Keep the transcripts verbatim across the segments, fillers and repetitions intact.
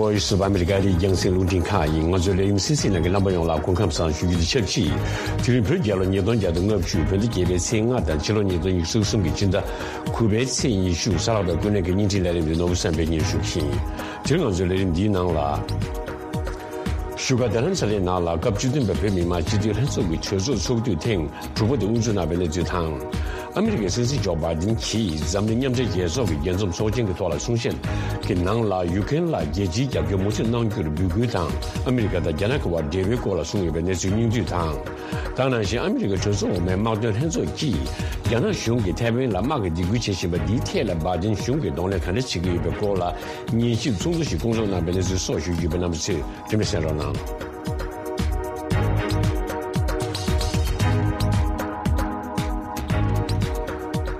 Voice of America ཡི་རྒྱང་སྲིང་རླུང་འཕྲིན་ཁང་ཡིན། ང་ཚོའི་ལས་རིམ་གསན་གཟིགས་གནང་མཁན་རྣམ་པ་ཡོངས་ལ་སྐུ་ཁམས་བཟང་ཞུ་རྒྱུ་དང་ཆབས་ཅིག་དེ་རིང་བོད་རྒྱལ་ལོ་ཉིས་སྟོང་བརྒྱ་དང་ལྔ་བཅུ། བོད་ཟླ་བརྒྱད་པའི་ཚེས་ལྔ་དང་ཕྱི་ལོ་ཉིས་སྟོང་ཉི་ཤུ་རྩ་གསུམ་གྱི་སྤྱི་ཟླ་དགུ་པའི་ཚེས་ཉི་ཤུ། གཟའ་ལྷག་པའི་སྐུ་ནས་ཀྱི་བརྙན་འཕྲིན་ལས་རིམ་འདི་ནོར་བུ་བསམ་འཕེལ་གཉིས་ཞུ་གི་ཡིན། དེ་རིང་ང་ཚོའི་ལས་རིམ་འདིའི་ནང་ལ། བཞུགས་སྒར་རྡ་རམ་ས་ལའི་ནང་ལ་སྐབས་བཅུ་བདུན་པའི་བོད་མི་མང་སྤྱི་འཐུས་ལྷན་ཚོགས་ཀྱི་གྲོས་ཚོགས་ཚོགས་དུས་ཐེངས་དྲུག་པ་དེ་དབུ་འཛུགས་གནང་བའི་གནས་ཚུལ་དང་། ཨ་མི་རི་ཀའི་སྲིད་འཛིན་ཇོ་བྷའི་ཌེན་གྱིས་འཛམ་གླིང་མཉམ་འབྲེལ་རྒྱལ་ཚོགས་ཀྱི་རྒྱས་འཛོམས་ཚོགས་ཆེན་གྱི་ཐོག་ལ་གསུང་བཤད་ཀྱི་ནང་ལ། ཡུ་ཀེ་རེན་ལ་རྒྱལ་སྤྱིའི་རྒྱབ་སྐྱོར་མུ་མཐུད་གནང་རྒྱུར་འབོད་སྐུལ་དང་། ཨ་མི་རི་ཀ་དང་རྒྱ་ནག་གི་བར་འབྲེལ་བའི་སྐོར་ལ་གསུངས་ཡོད་པའི་གནས་ཚུལ་སྙིང་བསྡུས་དང་། དེ་ནང་བཞིན་ཨ་མི་རི་ཀའི་གྲོས་ཚོགས་འོག་མའི་དམག་དོན་ལྷན་ཚོགས་ཀྱིས་རྒྱ་ནག་གཞུང་གིས་ཐའེ་ཝན་ལ་དམག་གི་སྡིགས་སྐུལ་བྱེད་བཞིན་པ་འདིའི་ཐད་ལ་བྷའི་ཌེན་གཞུང་གིས་གདོང་ལེན་ག་འདྲ་བྱེད་ཀྱི་ཡོད་པའི་སྐོར་ལ། ཉན་ཞིབ་ཚོགས་འདུ་ཞིག་བསྐོང་ཚོགས་གནང་བའི་གནས་ཚུལ་སོགས་ཞུ་རྒྱུ་ཡོད་པས། རྣམ་པ་ཚོས་རིན་མེད་གསན་རོགས་གནང་།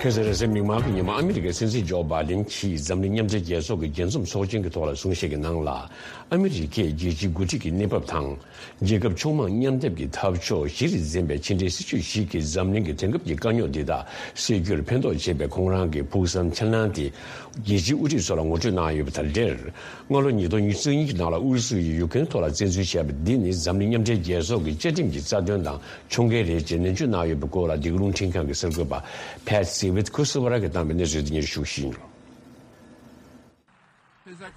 ཁ་སང་རེས་གཟའ་མིག་དམར་གྱི་ཉིན་མོ་ཨ་མི་རི་ཀའི་སྲིད་འཛིན་ཇོ་བྷའི་ཌེན་གྱིས་འཛམ་གླིང་མཉམ་འབྲེལ་རྒྱལ་ཚོགས་ཀྱི་རྒྱས་འཛོམས་ཚོགས་ཆེན་གྱི་ཐོག་ལ་གསུང་བཤད་ཀྱི་ནང་ལ། ཨ་མི་རི་ཀས་རྒྱལ་སྤྱིའི་འགོ་ཁྲིད་ཀྱི་གནས་བབ་དང་། རྒྱལ་ཁབ་ཕྱོགས་མང་མཉམ་སྡེབ་ཀྱི་འཐབ་ཕྱོགས་གཞི་རུ་འཛིན་པའི་ཕྱི་འབྲེལ་སྲིད་ཇུས་ཤིག་གིས་འཛམ་གླིང་གི་དེང་སྐབས་ཀྱི་དཀའ་རྙོག་འདི་དག་སེལ་རྒྱུར་ཕན་ཐོགས་བྱེད་པའི་ཁོང་རང་གི་ཕུགས་བསམ་ཁས་ལེན་དེ། རྒྱལ་སྤྱིའི་དབུ་ཁྲིད་ཚོ་ལ་ངོ་སྤྲོད་གནང་ཡོད་པ་དང་འབྲེལ། སྔ་ལོ་ཉིས་སྟོང་ཉི་ཤུ་རྩ་གཉིས་ཀྱི་ནང་ལ་ཨུ་རུ་སུ་ཡིས་ཡུ་ཀེ་རེན་ཐོག་ལ་བཙན་འཛུལ་བྱས་པ་འདི་ནི་འཛམ་གླིང་མཉམ་འབྲེལ་རྒྱལ་ཚོགས་ཀྱི་བཅའ་ཁྲིམས་ཀྱི་རྩ་དོན་དང་མཆོང་བརྒལ་རེད་ཅེས་ནན་བརྗོད་གནང་ཡོད་པའི་སྐོར་ལ། འདི་ག་རླུང་འཕྲིན་ཁང་གི་གསར་འགོད་པ་Patsy Widakuswara གིས་བཏང་བའི་གནས་ཚུལ་དེ་སྙན་ཞུ་ཞུ་གི་ཡིན།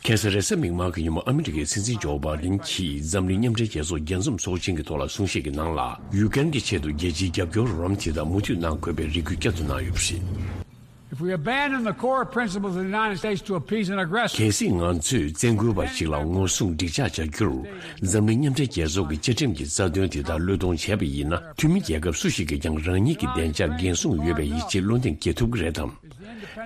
ཁ་སང་རེས་གཟའ་མིག་དམར་གྱི་ཉིན་མོ་ཨ་མི་རི་ཀའི་སྲིད་འཛིན་ཇོ་བྷའི་ཌེན་གྱིས་འཛམ་གླིང་མཉམ་འབྲེལ་རྒྱལ་ཚོགས་རྒྱས་འཛོམས་ཚོགས་ཆེན་གྱི་ཐོག་ལ་གསུང་བཤད་ཀྱི་ནང་ལ། ཡུ་ཀེ་རེན་གྱི་ཆེད་དུ་རྒྱལ་སྤྱིའི་རྒྱབ་སྐྱོར་རོགས་རམ་དེ་དག་མུ་མཐུད་གནང་དགོས་པའི་རེ་སྐུལ་བསྐྱར་དུ་གནང་ཡོད་པ་རེད། If we abandon the core principles of the United States to appease an aggressor, གལ་སྲིད་ང་ཚོས་བཙན་རྒོལ་བ་ཞིག་ལ་ངོ་སྲུང་འགྲིག་ཆགས་བྱ་རྒྱུར། འཛམ་གླིང་མཉམ་འབྲེལ་རྒྱལ་ཚོགས་ཀྱི་བཅའ་ཁྲིམས་ཀྱི་རྩ་དོན་དེ་དག་བློས་གཏོང་བྱས་པ་ཡིན་ན། འཐུས་མི་རྒྱལ་ཁབ་སུ་ཞིག་གིས་ཀྱང་རང་ཉིད་ཀྱི་བདེ་འཇགས་འགན་སྲུང་ཡོད་པའི་ཡིད་ཆེས་བློ་འདེངས་སྐྱེ་ཐུབ་ཀྱི་རེད་དམ།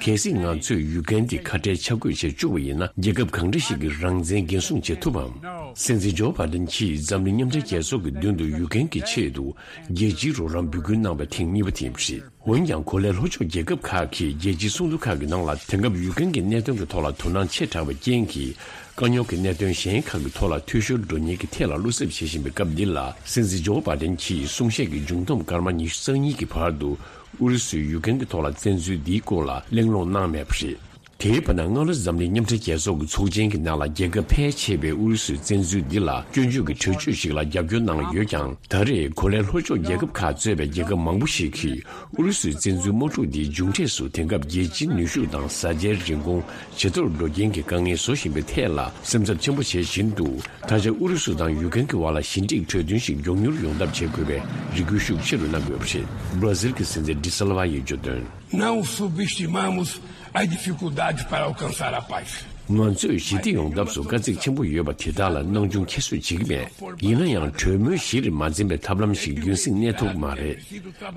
གལ་སྲིད་ང་ཚོས་ཡུ་ཀེ་རེན་འདི་ཁ་བྲལ་ཆ་བགོས་བྱེད་བཅུག་པ་ཡིན་ན། རྒྱལ་ཁབ་གང་འདྲ་ཞིག་གི་རང་བཙན་འགན་སྲུང་བྱེད་ཐུབ་བམ། སྲིད་འཛིན་ཇོ་བྷའི་ཌེན་གྱིས་འཛམ་གླིང་མཉམ་འབྲེལ་རྒྱལ་ཚོགས་ཀྱི་མདུན་དུ་ཡུ་ཀེ་རེན་གྱི་ཆེད་དུ་རྒྱལ་སྤྱིའི་རོགས་རམ་འབོད་སྐུལ་གནང་བ་ཐེངས་གཉིས་པ་དེ་ཡིན་པ་རེད། འོན་ཀྱང་། གོ་ལའི་ལྷོ་ཕྱོགས་རྒྱལ་ཁབ་ཁག་གིས་རྒྱལ་སྤྱིའི་ཚོགས་འདུ་ཁག་གི་ནང་ལ། དེང་སྐབས་ཡུ་ཀེ་རེན་གྱི་གནད་དོན་གྱི་ཐོག་ལ་དོ་སྣང་ཆེ་དྲགས་པའི་རྐྱེན་གྱིས། དཀའ་རྙོག་གི་གནད་དོན་གཞན་ཁག་གི་ཐོག་ལ་འཐུས་ཤོར་འགྲོ་ཉེན་གྱི་ཐད་ལ་བློ་འཚབ་བྱེད་བཞིན་པའི་སྐབས་འདི་ལ། སྲིད་འཛིན་ཇོ་བྷའི་ཌེན་གྱིས་གསུང་བཤད་ཀྱི་མཇུག་བསྡོམས་སྐར་མ་ཉི་ཤུ་རྩ་གཉིས་ཀྱི་བར་དུ། ཨུ་རུ་སུས་ཡུ་ཀེ་རེན་གྱི་ཐོག་ལ་བཙན་འཛུལ་འདིའི་སྐོར་ལ་གླེང་སློང་གནང་མེད་པ་རེད། དེའི་བར་ན། སྔ་ལོ་འཛམ་གླིང་མཉམ་འབྲེལ་རྒྱལ་ཚོགས་ཀྱི་ཚོགས་ཆེན་གྱི་ནང་ལ། རྒྱལ་ཁབ་ཕལ་ཆེ་བས་ཨུ་རུ་སུའི་བཙན་འཛུལ་འདི་ལ་སྐྱོན་བརྗོད་ཀྱི་གྲོས་ཆོད་ཞིག་ལ་རྒྱབ་སྐྱོར་གནང་ཡོད་ཀྱང་། ད་རེས་གོ་ལའི་ལྷོ་ཕྱོགས་རྒྱལ་ཁབ་ཁག་གཙོས་པའི་རྒྱལ་ཁབ་མང་པོ་ཞིག་གིས། ཨུ་རུ་སུའི་བཙན་འཛུལ་དམག་འཁྲུག་འདིའི་མཇུག་འབྲས་སུ། དེང་སྐབས་རྒྱལ་སྤྱིའི་ནུས་ཤུགས་དང་། བཟའ་བཅའི་རིན་གོང་ཇེ་མཐོར་འགྲོ་རྐྱེན་གྱི་དཀའ་ངལ་བཟོ་བཞིན་པའི་ཐད་ལ་སེམས་འཚབ་ཆེན་པོ་བྱེད་བཞིན་འདུག་ད་ཆ་ཨུ་རུ་སུ་དང་ཡུ་ཀེ་རེན་གྱི་བར་ལ་ཞི་འགྲིག་གྲོས་མཐུན་ཞིག་མགྱོགས་མྱུར་ཡོང་ཐབས་བྱེད་དགོས་པའི་རེ་སྐུལ་ཤུགས་ཆེ་རུ་གནང་དགོས་པ་རེད། བྷ་ར་ཟིལ་གྱི་སྲིད་འཛིན་ཌི་སིལ་ཝ་ཡིས་བརྗོད་དོན། Não subestimamos as dificuldades para alcançar a paz. ང་ཚོས་ཞི་བདེ་ཡོང་ཐབས་སུ་དཀའ་ཚེགས་ཆེན་པོ་ཡོད་པ་དེ་དག་ལ་སྣང་ཆུང་ཁྱད་གསོད་བྱེད་ཀྱི་མེད། ཡིན་ན་ཡང་། གྲོས་མོལ་གཞི་རུ་མ་འཛིན་པའི་ཐབས་ལམ་ཞིག་རྒྱུན་སྲིང་གནས་ཐུབ་ཀྱི་མ་རེད།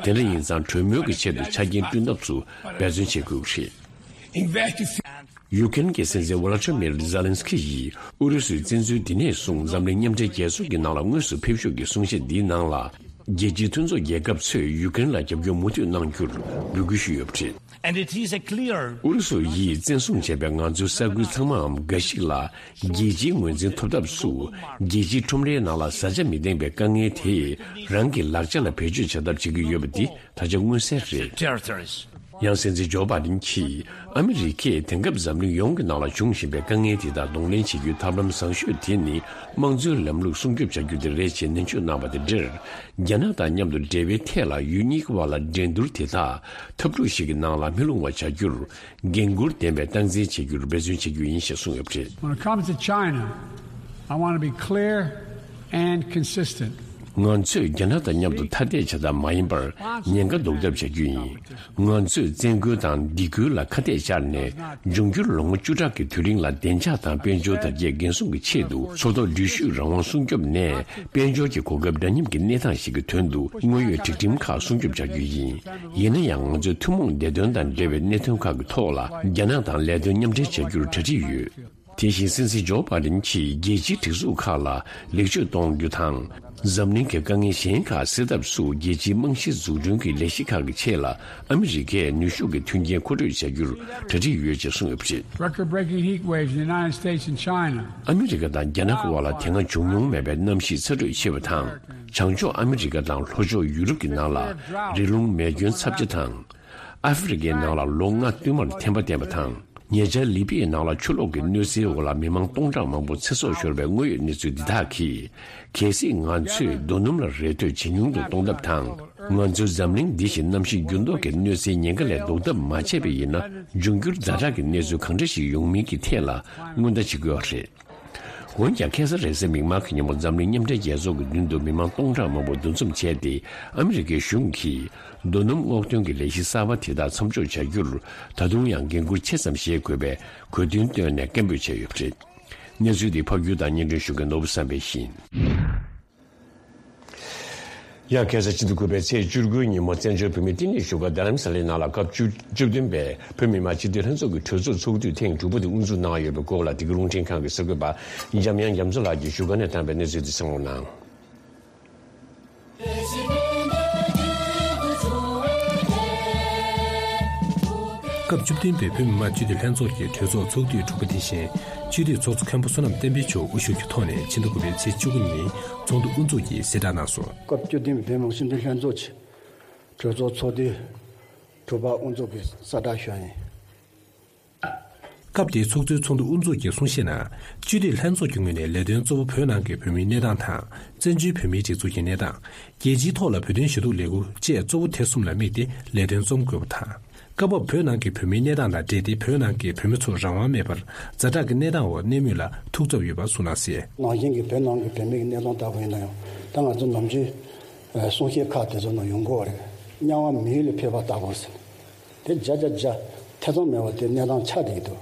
དེ་འདྲ་ཡིན་ཙང་། གྲོས་མོལ་གྱི་ཆེད་དུ་ཆ་རྐྱེན་བསྐྲུན་ཐབས་སུ་འབད་བརྩོན་བྱེད་དགོས་ཀྱི་རེད། Investe ཡུ་ཀེ་རེན་གྱི་སྲིད་འཛིན་ཝ་ལ་ཏྲི་མིར་ཛེ་ལན་སི་ཁི་ཡིས་ཨུ་རུ་སུའི་བཙན་འཛུལ་འདི་ནས་བཟུང་འཛམ་གླིང་མཉམ་འབྲེལ་རྒྱལ་ཚོགས་ཀྱི་ནང་ལ་དངོས་སུ་ཕེབས་ཞོར་གྱི་གསུང་བཤད་འདིའི་ནང་ལ། རྒྱལ་སྤྱིའི་མཐུན་ཚོགས་རྒྱལ་ཁབ་ཚོས་ཡུ་ཀེ་རེན་ལ་རྒྱབ་སྐྱོར་མུ་མཐུད་གནང་རྒྱུར་འབོད་སྐུལ་ཞུས་ཡོད་པ་རེད། And it is a clear ཨུ་རུ་སུ་ཡིས་བཙན་བཟུང་བྱས་པའི་ང་ཚོའི་ས་ཁུལ་ཚང་མའམ་འགའ་ཞིག་ལ་རྒྱལ་སྤྱིའི་ངོས་འཛིན་ཐོབ་ཐབས་སུ། རྒྱལ་སྤྱིའི་ཁྲོམ་རའི་ནང་ལ་བཟའ་བཅའ་མི་ལྡན་པའི་དཀའ་ངལ་དེས་རང་གི་ལག་ཆ་ལ་བེད་སྤྱོད་བྱ་ཐབས་བྱེད་ཀྱི་ཡོད་པ་འདི་ད་ཆ་མངོན་གསལ་རེད། Territories. ཡང་སྲིད་འཛིན་ཇོ་བྷ་ཌེན་གྱིས། ཨ་མི་རི་ཀས་དེང་སྐབས་འཛམ་གླིང་ཡོངས་ཀྱི་ནང་ལ་འབྱུང་བཞིན་པའི་དཀའ་ངལ་དེ་དག་གདོང་ལེན་བྱེད་རྒྱུའི་ཐབས་ལམ་བཟང་ཤོས་དེ་ནི། དམངས་གཙོའི་ལམ་ལུགས་སྲུང་སྐྱོབ་བྱ་རྒྱུ་དེ་རེད་ཅེས་ནན་བརྗོད་གནང་བ་དང་འབྲེལ། རྒྱ་ནག་དང་མཉམ་དུ་འབྲེལ་བའི་ཐད་ལ་ཡུལ་གཉིས་ཀྱི་བར་ལ་འགྲན་བསྡུར་དེ་དག་འཐབ་འཁྲུག་ཞིག་གི་ནང་ལ་མི་ལྷུང་བ་བྱ་རྒྱུར། འགན་འཁུར་ལྡན་པའི་སྟངས་འཛིན་བྱེད་རྒྱུར་འབད་བརྩོན་བྱེད་རྒྱུ་ཡིན་ཞེས་གསུངས་ཡོད་པ་རེད། When it comes to China, I want to be clear and consistent. ང་ཚོས་རྒྱ་ནག་དང་མཉམ་དུ་ཐ་དད་བྱ་ཐབས་མ་ཡིན་པར་ཉེན་ཁ་བཟློག་ཐབས་བྱ་རྒྱུ་ཡིན། ང་ཚོས་བཙན་རྒོལ་དང་སྡིགས་སྐུལ་ལ་ཁ་གཏད་བཅག་ནས། འབྱུང་འགྱུར་ལོ་ངོ་བཅུ་ཕྲག་གི་དུས་རིང་ལ་བདེ་འཇགས་དང་དཔལ་འབྱོར་དར་རྒྱས་འགན་སྲུང་གི་ཆེད་དུ་མཚོ་ཐོག་འགྲུལ་བཞུད་རང་དབང་སྲུང་སྐྱོབ་ནས་དཔལ་འབྱོར་གྱི་གོ་སྐབས་འདྲ་མཉམ་གྱི་གནས་སྟངས་ཤིག་གི་དོན་དུ་དངོས་ཡོད་སྒྲིག་ཁྲིམས་ཁག་སྲུང་སྐྱོབ་བྱ་རྒྱུ་ཡིན། ཡིན་ན་ཡང་། ང་ཚོས་ཐུན་མོང་བདེ་དོན་དང་འབྲེལ་བའི་གནད་དོན་ཁག་གི་ཐོག་ལ་རྒྱ་ནག་དང་ལས་དོན་མཉམ་འབྲེལ་བྱ་རྒྱུར་གྲ་སྒྲིག་ཡོད། དེ་བཞིན་སྲིད་འཛིན་ཇོ་བྷ་ཌེན་གྱིས་རྒྱལ་སྤྱིའི་སྒྲིག་འཛུགས་ཁག་ལ་ལེགས་བཅོས་གཏོང་རྒྱུ་དང་། འཛམ་གླིང་གི་དཀའ་ངལ་གཞན་ཁག་སེལ་ཐབས་སུ་རྒྱལ་སྤྱིའི་རྨང་གཞི་འཛུགས་སྐྲུན་གྱི་ལས་གཞི་ཁག་གི་ཆེད་ལ་ཨ་མི་རི་ཀས་ནུས་ཤུགས་ཀྱི་མཐུན་རྐྱེན་མཁོ་སྤྲོད་བྱ་རྒྱུར་གྲ་སྒྲིག་ཡོད་ཅེས་གསུངས་ཡོད་པ་རེད། Record-breaking heat waves in the United States and China. ཨ་མི་རི་ཀ་དང་རྒྱ་ནག་གི་དབར་ལ་དེ་སྔ་བྱུང་མྱོང་མེད་པའི་གནམ་གཤིས་ཚ་དྲོད་ཆེ་བ་དང་། བྱང་ཕྱོགས་ཨ་མི་རི་ཀ་དང་ལྷོ་ཕྱོགས་ཡུ་རོབ་ཀྱི་ནང་ལ་རི་ཀླུང་མེ་སྐྱོན་ཚབས་ཆེ་དང་། ཨ་ཧྥེ་རི་ཀའི་ནང་ལ་ལོ་ལྔ་བསྟུད་མར་ཐན་པ་བསྟན་པ་དང་། ཉེ་ཆར་ལི་པི་ཡའི་ནང་ལ་ཆུ་ལོག་གི་གནོད་འཚེའི་འོག་ལ་མི་མང་སྟོང་ཕྲག་མང་པོ་ཚེ་སྲོག་ཤོར་བའི་དངོས་ཡོད་གནས་ཚུལ་འདི་དག་གིས། གལ་སྲིད་ང་ཚོས་རྡོ་སྣུམ་ལ་རེ་ལྟོས་ཇེ་ཉུང་དུ་གཏོང་ཐབས་དང་། ང་ཚོའི་འཛམ་གླིང་འདི་བཞིན་གནམ་གཤིས་འགྱུར་ལྡོག་གི་གནོད་འཚེའི་ཉེན་ཁ་ལས་ལྡོག་ཐབས་མ་བྱས་པ་ཡིན་ན། འབྱུང་འགྱུར་ཛ་དྲག་གི་གནས་ཚུལ་གང་འདྲ་ཞིག་ཡོང་མིན་གྱི་ཐད་ལ་སྔོན་བརྡ་བྱེད་དགོས་པ་རེད། འོན་ཀྱང་། ཁ་སང་རེས་གཟའ་མིག་དམར་གྱི་ཉིན་མོ་འཛམ་གླིང་མཉམ་འབྲེལ་རྒྱལ་ཚོགས་ཀྱི་མདུན་དུ་མི་མང་སྟོང་ཕྲག་མང་པོ་འདུ་འཛོམས་བྱས་ཏེ། ཨ་མི་རི་ཀའི་གཞུང་གིས་རྡོ་སྣུམ་སྔོག་འདོན་གྱི་ལས་གཞི་གསར་པ་དེ་དག་མཚམས་འཇོག་བྱ་རྒྱུར། ད་དུང་ཡང་འགན་འཁུར་ཆེ་ཙམ་བཞེས་དགོས་པའི་གོ་དོན་བཏོན་ནས་སྐད་འབོད་བྱས་ཡོད་པ་རེད། གནས་ཚུལ་འདི་ཕབ་སྒྱུར་དང་སྙན་སྒྲོན་ཞུ་མཁན་ནོར་བུ་བསམ་འཕེལ་ཡིན། ཡང་ཁ་སང་ཕྱི་ཟླ་དགུ་པའི་ཚེས་བཅུ་དགུ་ཉིན་མོ་བཙན་བྱོལ་བོད་མིའི་བསྟི་གནས་བཞུགས་སྒར་རྡ་རམ་ས་ལའི་ནང་ལ་སྐབས་བཅུ་བཅུ་བདུན་པའི་བོད་མི་མང་སྤྱི་འཐུས་ལྷན་ཚོགས་ཀྱི་གྲོས་ཚོགས་ཚོགས་དུས་ཐེངས་དྲུག་པ་དེ་དབུ་འཛུགས་གནང་ཡོད་པའི་སྐོར་ལ། འདི་ག་རླུང་འཕྲིན་ཁང་གི་གསར་འགོད་པ་འཇམ་དབྱངས་རྒྱ་མཚོ་ལགས་ཀྱིས་བཞུགས་སྒར་ནས་བཏང་བའི་གནས་ཚུལ་དེ་གསན་རོགས་གནང་། སྐབས་བཅུ་བདུན་པའི་བོད་མི་མང་སྤྱི་འཐུས་ལྷན་ཚོགས་ཀྱི་གྲོས་ཚོགས་ཚོགས་དུས་དྲུག་པ་དེ་བཞིན། སྤྱི་འཐུས་ཚོགས་གཙོ་མཁན་པོ་བསོད་ནམས་བསྟན་འཕེལ་མཆོག་དབུ་བཞུགས་ཀྱི་ཐོག་ནས་ཕྱི་ཟླ་དགུ་པའི་ཚེས་བཅུ་དགུ་ཉིན་ཚོགས་འདུ་དབུ་འཛུགས་ཀྱིས་གཟེངས་བསྟོད་གནང་སོང་། སྐབས་བཅུ་བདུན་པའི་བོད་མི་མང་སྤྱི་འཐུས་ལྷན་ཚོགས་ཀྱི་གྲོས་ཚོགས་ཚོགས་དུས་དྲུག་པ་དབུ་འཛུགས་ཀྱི་གསལ་བསྒྲགས་ཞུ་ཡ་ཡིན། སྐབས་དེའི་ཚོགས་གཙོའི་ཚོགས་འདུ་དབུ་འཛུགས་ཀྱིས་གསུང་བཤད་ནང་། སྤྱི་འཐུས་ལྷན་ཚོགས་ཀྱི་ངོས་ནས་ལས་དོན་གཙོ་བོ་བོད་ནང་གི་བོད་མིའི་གནས་སྟངས་དང་། བཙན་བྱོལ་བོད་མིའི་སྒྲིག་འཛུགས་ཀྱི་གནས་སྟངས། རྒྱལ་སྤྱིའི་ཐོག་ལ་བོད་དོན་ཞུ་གཏུག་ལས་འགུལ་བཅས་གཙོ་བོ་དེ་གསུམ་ལ་དམིགས་ཏེ་ལས་དོན་རྩོམ་དགོས་པ་དང་། སྐབས་བབ་བོད་ནང་གི་བོད་མིའི་གནས་སྟངས་དང་འབྲེལ་ཏེ་བོད་ནང་གི་བོད་མི་ཚོ་རང་དབང་མེད་པར་ཛ་དྲག་གི་གནས་སྟངས་འོག་གནས་མུས་ལ་ཐུགས་འཚབ་ཡོད་པ་གསུངས་གནང་གསལ། ནང་བཞིན་གྱི་བོད་ནང་གི་བོད་མི་གི་གནས་སྟངས་ལྟ་བུ་ཡིན་ན་ཡང་། ད་ང་ཚོ་ནམ་རྒྱུན་གསུང་བཤད་ཁག་དེ་ཚོ་ནང་ཡོང་གི་ཡོད་རེད། དམྱལ་བ་མི་ཡུལ་ལས་འཕོས་པ་ལྟ་བུ་ཟེར། དེ་བརྒྱ་ཆ་བརྒྱ་ཐེ་ཚོམ་མེད་པར་དེ་གནས་སྟངས་ཆགས་བསྡད་ཀྱི་འདུག་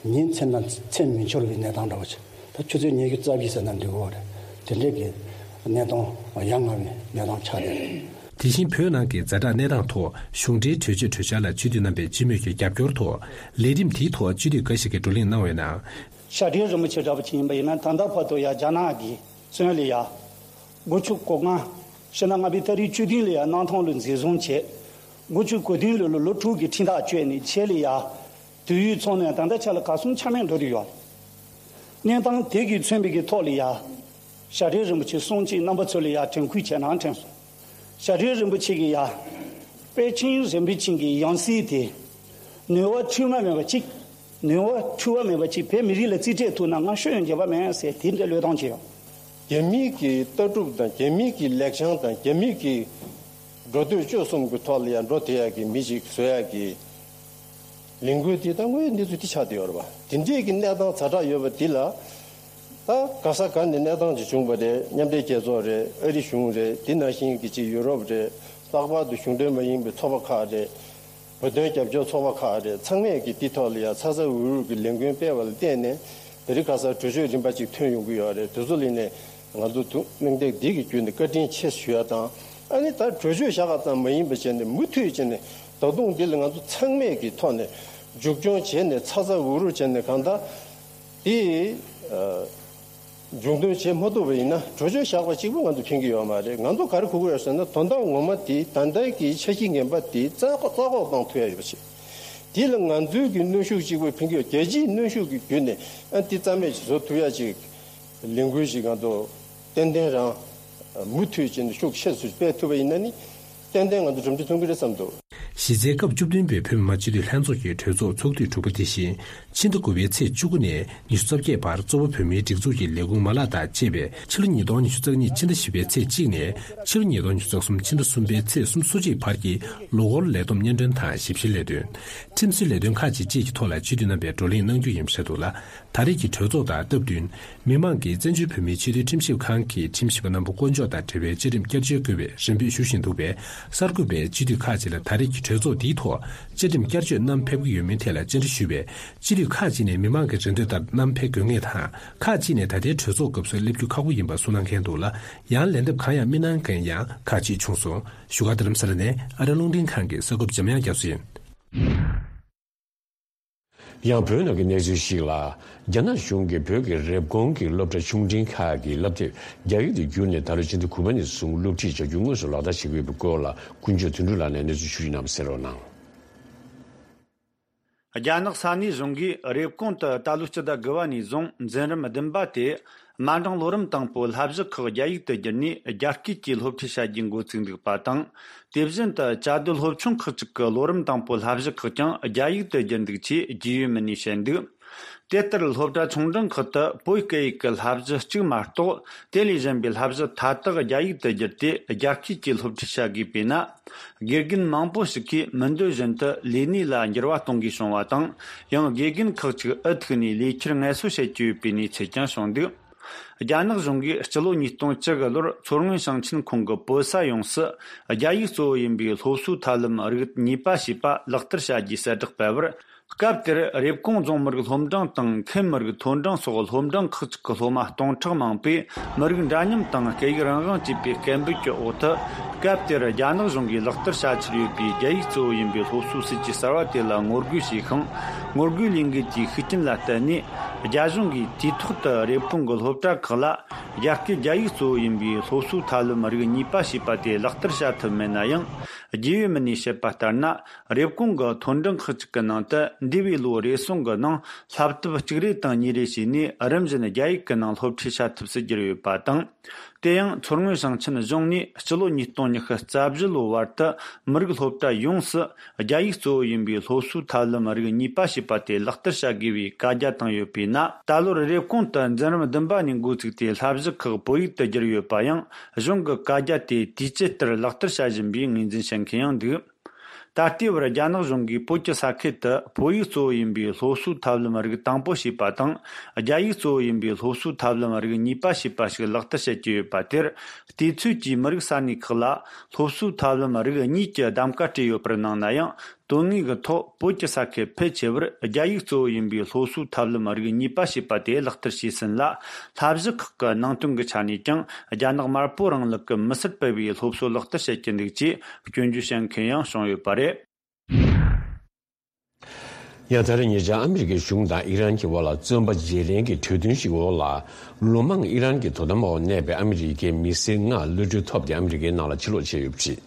ཉིན་མཚན་དང་མཚན་མི་འཆོར་བའི་གནས་སྟངས་འདྲ་བོ་ཅིག་ད་ཆུ་ཚོད་ཉི་ཤུ་རྩ་བཞི་ཟེར་ན་འགྲིག་གི་རེད། དེ་འདྲའི་གི་གནས་སྟངས་ཡ་ང་བའི་གནས་སྟངས་ཆགས་བསྡད་རེད། དེ་བཞིན་བོད་ནང་གི་ཛ་དྲག་གནས་སྟངས་ཐོག་གཞུང་འབྲེལ་གྲོས་ཆོད་གྲོས་འཆར་ལ་སྤྱི་འཐུས་རྣམ་པས་སྤྱི་མོས་ཀྱི་རྒྱབ་སྐྱོར་ཐོག་ལས་རིམ་དེའི་ཐོག་སྤྱི་འཐུས་འགའ་ཞིག་གིས་བགྲོ་གླེང་གནང་བའི་ནང་། ཞྭ་སྒྲེང་རིན་པོ་ཆེ་འདྲ་པོ་ཅིག་ཡིན་པ་ཡིན་ན། ད་ལྟ་བར་དུ་ཡ་རྒྱ་ནག་གི་བཙོན་ལ་ཡ། དགུ་བཅུ་གོ་ལྔ། ཕྱི་ཟླ་ལྔ་པའི་ཏ་རིག་བཅུ་བདུན་ལ་ཡ་གནམ་ཐང་ལ་འཛིན་བཟུང་བྱས། དགུ་བཅུ་གོ་བདུན་ལོ་ལ་ལོ་དྲུག་གི་ཁྲིམས་ཐག་གཅོད་ནས་ཆེད་ལ་ཡ། དུས་ཡུན་ཚང་ནས་ད་ལྟ་ཆ་ལ་ག་སོང་ཆ་མེད་འགྲོ་དུ་ཡོད། གནས་སྟངས་དེ་གིས་མཚོན་པའི་གི་ཐོག་ལ་ཡ། ཞྭ་སྒྲེང་རིན་པོ་ཆེ་གསུང་ཅིག་རྣམ་པ་ཚོ་ལ་ཡ་དྲན་སྐུལ་བྱས་ན་དྲན་སོང་། ཞྭ་སྒྲེང་རིན་པོ་ཆེ་གི་ཡ། དཔལ་ཆེན་རིན་པོ་ཆེ་གི་ཡང་སྲིད་དེ། ནུས་པ་འཁྲུལ་བ་མེད་པ་གཅིག་ནུས་པ་འཁྲུལ་བ་མེད་པ་གཅིག་བོད་མི་རིགས་ལ་རྩིས་སྤྲད་ཐུབ་ན་ང་ཤོད་ཡོང་འགྱོད་པ་མེད་ཟེར་དེ་འདྲའི་བློས་གཏོང་བྱས་ཡོད། རྒྱ་མི་གི་ལྟ་གྲུབ་དང་རྒྱ་མི་གི་ལེགས་བྱང་དང་རྒྱ་མི་གི་འགྲོ་སྟོད་སྤྱོད་གསུམ་གྱི་ཐོག་ལ་ཡང་འགྲོ་བསྡད་ཡག་གི་མི་ཞིག་བཟོ་ཡག་གི་ལས་འགུལ་དེ་ད་དངོས་ཡོད་གནས་ཚུལ་དེ་ཆགས་བསྡད་ཡོད་རེད་པ། དེ་འདྲས་ཀྱི་གནས་སྟངས་ཛ་དྲག་ཡོད་པ་འདི་ལ། ད་ག་ས་ག་ནས་གནས་སྟངས་ཅིག་བྱུང་བ་རེད། མཉམ་འབྲེལ་རྒྱལ་ཚོགས་རེད། ཨ་རི་གཞུང་རེད། དེ་ནང་བཞིན་གྱི་ཅིག་ཡུ་རོབ་རེད། ལྷག་པར་དུ་གཞུང་འབྲེལ་མ་ཡིན་པའི་ཚོགས་པ་ཁག་རེད། བོད་དོན་རྒྱབ་སྐྱོར་ཚོགས་པ་ཁག་རེད། ཚང་མས་ཀྱི་འདི་ཐོག་ལ་ཡང་ཚ་ཚ་འུར་འུར་གྱི་ལས་འགུལ་སྤེལ་བ་ལ་བརྟེན་ནས་དེ་རིང་ཁ་སང་གྲོས་ཆོད་རིམ་པ་ཅིག་ཐོན་ཡོང་གི་ཡོད་རེད། དེ་ཚོ་ལ་ནས་ང་ཚོ་ཐུགས་སྣང་དེ་འདི་གི་བརྒྱུད་ནས་བཀའ་དྲིན་ཆེ་ཞུ་ཡ་དང་། ཨ་ནི་ད་གྲོས་ཆོད་བཞག་པ་ཙམ་མ་ཡིན་པ་བྱས་ནས་མུ་མཐུད་བྱས་ནས་ད་དུང་འདི་ལ་ང་ཚོ་ཚང་མས་ཀྱི་ཐོག་ནས་མཇུག་སྐྱོང་བྱས་ནས་ཚ་ཚ་འུར་འུར་བྱས་ནས་གང་ལྟར་དེ། མཇུག་སྡོམ་བྱེད་མ་ཐུབ་པ་ཡིན་ན་གྲོས་ཆོད་བཞག་པ་གཅིག་པུ་ང་ཚོ་ཕན་གྱི་ཡོད་མ་རེད། ང་ཚོ་ག་རེ་དགོས་ཀྱི་ཡོད་ཟེར་ན་དོན་དག་ངོ་མ་དེ་ད་ལྟའི་གི་འཆར་གཞི་ངན་པ་དེ་རྩ་རྩ་འགོག་བཏང་ཐུབ་ཡ་ཡོད་པ་བྱེད། དེ་ལ་ང་ཚོའི་གི་གནོན་ཤུགས་གཅིག་པུ་ཕན་གྱི་ཡོད། རྒྱལ་སྤྱིའི་གནོན་ཤུགས་ཀྱི་བརྒྱུད་ནས་ཨ་འདི་རྩ་མེད་ཅིག་བཟོ་ཐུབ་ཡ་ཅིག་ལས་འགུལ་ཞིག་ང་ཚོ་ཏན་ཏན་རང་མུ་མཐུད་བྱས་ནས་ཤུགས་ཆེ་སུ་སྤེལ་ཐུབ་པ་ཡིན་ན་ནི། ཏན་ཏན་ང་ཚོ་གྲུབ་འབྲས་ཐོན་གྱི་རེད་བསམ་འདུག་གཞི་རྩའི་སྐབས་བཅུ་བདུན་པའི་བོད་མི་མང་སྤྱི་འཐུས་ལྷན་ཚོགས་ཀྱི་གྲོས་ཚོགས་ཚོགས་དུས་དྲུག་པ་དེ་བཞིན་ཕྱི་ཟླ་དགུ་པའི་ཚེས་བཅུ་དགུ་ནས་ཉི་ཤུ་རྩ་བརྒྱད་བར་གཙོ་བོ་བོད་མིའི་སྒྲིག་འཛུགས་ཀྱི་ལས་ཁུངས་མ་ལག་དང་བཅས་པའི་ཕྱི་ལོ་ཉིས་སྟོང་ཉི་ཤུ་རྩ་གཉིས་ཕྱི་ཟླ་བཞི་པའི་ཚེས་གཅིག་ནས་ཕྱི་ལོ་ཉིས་སྟོང་ཉི་ཤུ་རྩ་གསུམ་ཕྱི་ཟླ་གསུམ་པའི་ཚེས་སོ་གཅིག་བར་གྱི་ལོ་འཁོར་ལས་བསྡོམས་སྙན་སྒྲོན་དང་ཞིབ་བཤེར་ལས་དོན། ཁྲིམས་སྲོལ་ལས་དོན་ཁག་ཅིག་བཅས་ཀྱི་ཐོག་ལ་སྤྱི་འཐུས་རྣམ་པས་བགྲོ་གླེང་གནང་རྒྱུ་ཡིན་པ་རེད་འདུག་ལ། ད་རེས་ཀྱི་གྲོས་ཚོགས་དང་སྟབས་བསྟུན། མི་མང་གིས་བཙན་བྱོལ་བོད་མིའི་སྤྱི་འཐུས་ཁྲིམས་ཞིབ་ཁང་གི་ཁྲིམས་ཞིབ་པ་རྣམ་པ་བསྐོ་འཇོག་དང་འབྲེལ་བའི་བཅའ་ཁྲིམས་བསྐྱར་བཅོས་དགོས་པའི་རེ་འབོད་ཞུ་བཞིན་འདུག་པས། གསར་འགོད་པས་སྤྱི་འཐུས་ཁག་ཅིག་ལ་ད་རེས་ཀྱི་གྲོས་ཚོགས་འདིའི་ཐོག་བཅའ་ཁྲིམས་བསྐྱར་བཅོས་བསྣམས་ཕེབས་ཀྱི་ཡོད་མེད་ཐད་ལ་བཅར་འདྲི་ཞུས་པས། སྤྱི་འཐུས་ཁག་ཅིག་ནས་མི་མང་གི་རེ་འདོད་ལྟར་བསྣམས་ཕེབས་དགོས་ངེས་དང་། ཁག་ཅིག་ནས་ད་ལྟའི་གྲོས་ཚོགས་སྐབས་སུ་སླེབས་རྒྱུ་ཁག་པོ་ཡིན་པ་གསུངས་གནང་མཁན་འདུག་ལ། ཡང་ལན་འདེབས་གང་ཡང་མི་གནང་མཁན་ཡང་ཁག་ཅིག་བྱུང་སོང་། བཞུགས་སྒར་རྡ་རམ་ས་ལ་ནས་ཨ་རི་རླུང་འཕྲིན་ཁང་གི་གསར་འགོད་པ་འཇམ་དབྱངས་རྒྱ་མཚོ་ཡིན། ཡང་བོད་ནང་གི་གནས་ཚུལ་ཞིག་ལ། རྒྱ་ནག་གཞུང་གིས་བོད་ཀྱི་རེབ་གོང་གི་སློབ་གྲྭ་ཆུང་འབྲིང་ཁག་གི་བསླབ་དེབ་རྒྱ་ཡིག་ཏུ་བསྒྱུར་ནས་ད་ལོ་ཕྱི་ཟླ་དགུ་པ་ནས་བཟུང་སློབ་ཁྲིད་བྱ་རྒྱུ་དངོས་སུ་ལག་བསྟར་བྱེད་ཀྱི་ཡོད་པའི་སྐོར་ལ་ཀུན་སྤྱོད་དོན་གྲུབ་ལགས་ནས་གནས་ཚུལ་ཞུ་རྒྱུ་ཡིན་ནམ་གསན་རོགས་གནང་། རྒྱ་ནག་ས་གནས་གཞུང་གིས་རེབ་གོང་དུ་ད་ལོའི་སྤྱི་ཟླ་དགུ་པ་ནས་བཟུང་འཛིན་རིམ་བདུན་པ་དེ་ མ་འབྲིང་ལོ་རིམ་དང་པོའི་བསླབ་གཞི་ཁག་རྒྱ་ཡིག་ཏུ་བསྒྱུར་ནས་རྒྱ་སྐད་ཀྱིས་སློབ་ཁྲིད་བྱ་རྒྱུའི་འགོ་བཙུགས་འདུག་པ་དང་། དེ་བཞིན་དུ་བཅའ་སྡོད་སློབ་ཆུང་ཁག་ཅིག་གི་ལོ་རིམ་དང་པོའི་བསླབ་གཞི་ཁག་ཀྱང་རྒྱ་ཡིག་ཏུ་བསྒྱུར་འདུག་ཅེས་རྒྱུས་ཡོད་མི་སྣས་བཤད་འདུག་དེ་ལྟར་སློབ་གྲྭ་ཆུང་འབྲིང་ཁག་ཏུ་བོད་སྐད་ཡིག་གི་བསླབ་གཞི་གཅིག་མ་གཏོགས། དེ་ལས་གཞན་པའི་བསླབ་གཞི་མཐའ་དག་རྒྱ་ཡིག་ཏུ་བསྒྱུར་ཏེ་རྒྱ་སྐད་ཀྱིས་སློབ་ཁྲིད་བྱ་དགོས་པས་ན། དགེ་རྒན་མང་པོ་ཞིག་གིས་མི་འདོད་བཞིན་དུ་ལས་གནས་ལ་འགྱུར་བ་གཏོང་དགོས་བྱུང་བ་དང་། ཡང་དགེ་རྒན་ཁག་ཅིག་འུ་ཐུག་ནས་ལས་འཁྱུར་ངལ་གསོ་བྱེད་ཀྱི་ཡོད་པའི་གནས་ཚུལ་ཀྱང་བྱུང་འདུག་རྒྱ་ནག་གཞུང་གིས་སྤྱི་ལོ་ཉིས་སྟོང་བཅུ་དགུ་ལོར་མཚོ་སྔོན་ཞིང་ཆེན་ཁོངས་ཀྱི་བོད་ས་ཡོངས་སུ་རྒྱ་ཡིག་གཙོ་བོ་ཡིན་པའི་སློབ་གསོའི་ཐབས་ལམ་རིགས་གཉིས་པ་ཞེས་པ་ལག་བསྟར་བྱ་རྒྱུའི་གསལ་བསྒྲགས་སྤེལ་བར། སྐབས་དེར་རེབ་གོང་རྫོང་མི་རིགས་སློབ་འབྲིང་དང་ཁེམ་མི་རིགས་མཐོ་འབྲིང་སོགས་སློབ་འབྲིང་ཁག་ཅིག་གི་སློབ་མ་སྟོང་ཕྲག་མང་པོས་མི་རིགས་འདྲ་མཉམ་དང་སྐད་ཡིག་རང་དབང་ཅེས་པའི་སྐད་འབོད་ཀྱི་འོག་ཏུ། སྐབས་དེར་རྒྱ་ནག་གཞུང་གིས་ལག་བསྟར་བྱ་འཆར་ཡོད་པའི་རྒྱ་ཡིག་གཙོ་བོ་ཡིན་པའི་སློབ་གསོའི་སྲིད་ཇུས་གསར་བ་དེ་ལ་ངོ་རྒོལ་བྱས་ཤིང་། ངོ་རྒོལ་ལས་འགུལ་དེའི་ཤུགས་རྐྱེན་ལ་བརྟེན་ནས། རྒྱ་གཞུང་གིས་དུས་ཐོག་ཏུ་རེབ་གོང་གི་སློབ་གྲྭ་ཁག་ལ་རྒྱ་སྐད་རྒྱ་ཡིག་གཙོ་བོ་ཡིན་པའི་སློབ་གསོའི་ཐབས་ལམ་རིགས་གཉིས་པ་ཞེས་པ་དེ་ལག་བསྟར་བྱ་ཐུབ་མེད་ན་ཡང་། རྒྱུས་ཡོད་མི་སྣས་བཤད་པ་ལྟར་ན། རེབ་གོང་གི་མཐོ་འབྲིང་ཁག་ཅིག་གི་ནང་དུ་འདས་པའི་ལོ་རེ་ཟུང་གི་ནང་བསླབ་དེབ་གཅིག་རེ་དང་གཉིས་རེ་བྱས་ནས་རིམ་བཞིན་རྒྱ་ཡིག་གི་ནང་སློབ་ཁྲིད་བྱ་ཐུབ་སུ་གྱུར་ཡོད་པ་དང་། དེ་ཡང་མཚོ་སྔོན་ཞིང་ཆེན་གཞུང་ནས་སྤྱི་ལོ་ཉིས་སྟོང་ཉི་ཤུ་རྩ་བཞི་ལོའི་བར་དུ་མི་རིགས་སློབ་གྲྭ་ཡོངས་སུ་རྒྱ་ཡིག་གཙོ་བོ་ཡིན་པའི་སློབ་གསོའི་ཐབས་ལམ་རིགས་གཉིས་པ་ཞེས་པ་དེ་ལག་བསྟར་བྱ་དགོས་པའི་བཀའ་རྒྱ་བཏང་ཡོད་པས་ན། ད་ལོར་རེབ་གོང་དུ་འཛིན་རིམ་བདུན་པ་ནས་འགོ་བཙུགས་ཏེ་བསླབ་གཞི་ཁག་བོད་ཡིག་ཏུ་བསྒྱུར་ཡོད་པ་ཡང་གཞུང་གི་བཀའ་རྒྱ་དེ་དུས་བཅད་ལྟར་ལག་བསྟར་བྱ་བཞིན་པའི་ངོས་འཛིན་བྱེད་མཁན་ཡང་འདུག་ད་ལྟའི་བར་རྒྱ་ནག་གཞུང་གིས་བོད་ཀྱི་ས་ཁུལ་དུ་བོད་ཡིག་གཙོ་བོ་ཡིན་པའི་སློབ་གསོའི་ཐབས་ལམ་རིགས་དང་པོ་ཞེས་པ་དང་། རྒྱ་ཡིག་གཙོ་བོ་ཡིན་པའི་སློབ་གསོའི་ཐབས་ལམ་རིགས་གཉིས་པ་ཞེས་པ་ཞིག་ལག་བསྟར་བྱེད་ཀྱི་ཡོད་པ་དེར། དུས་ཚོད་ཀྱིས་མི་རིགས་ས་གནས་ཁག་ལ་སློབ་གསོའི་ཐབས་ལམ་རིགས་གཉིས་ཀྱི་གདམ་ག་སྤྲད་ཡོད་པར་སྣང་ན་ཡང་། དོན་དངོས་ཀྱི་ཐོག་བོད་ཀྱི་ས་ཁུལ་ཕལ་ཆེ་བར་རྒྱ་ཡིག་གཙོ་བོ་ཡིན་པའི་སློབ་གསོའི་ཐབས་ལམ་རིགས་གཉིས་པ་ཞེས་པ་དེ་ལག་བསྟར་བྱས་ཟིན་ལ། བསླབ་གཞི་ཁག་གི་ནང་དོན་གྱི་ཆ་ནས་ཀྱང་རྒྱ་ནག་དམར་པོའི་རིང་ལུགས་ཀྱི་མི་སེར་སྤེལ་བའི་སློབ་གསོ་ལག་བསྟར་བྱེད་ཀྱི་འདུག་ཅེས་སྐྱོན་བརྗོད་བྱེད་མཁན་ཡང་བྱུང་ཡོད་པ་རེད། ཡང་ད་རེས་ཉེ་ཆར་ཨ་མི་རི་ཀའི་གཞུང་དང་ཨི་རན་གྱི་དབར་ལ་བཙོན་པ་བརྗེ་ལེན་གྱི་གྲོས་མཐུན་ཞིག་འོག་ལ། ལོ་མང་ཨི་རན་གྱི་དོ་དམ་འོག་གནས་པའི་ཨ་མི་རི་ཀའི་མི་སེར་ལྔ་གློད་གྲོལ་ཐོབ་སྟེ་ཨ་མི་རི་ཀའི་ནང་ལ་ཕྱིར་ལོག་བྱས་ཡོད་པ་རེད།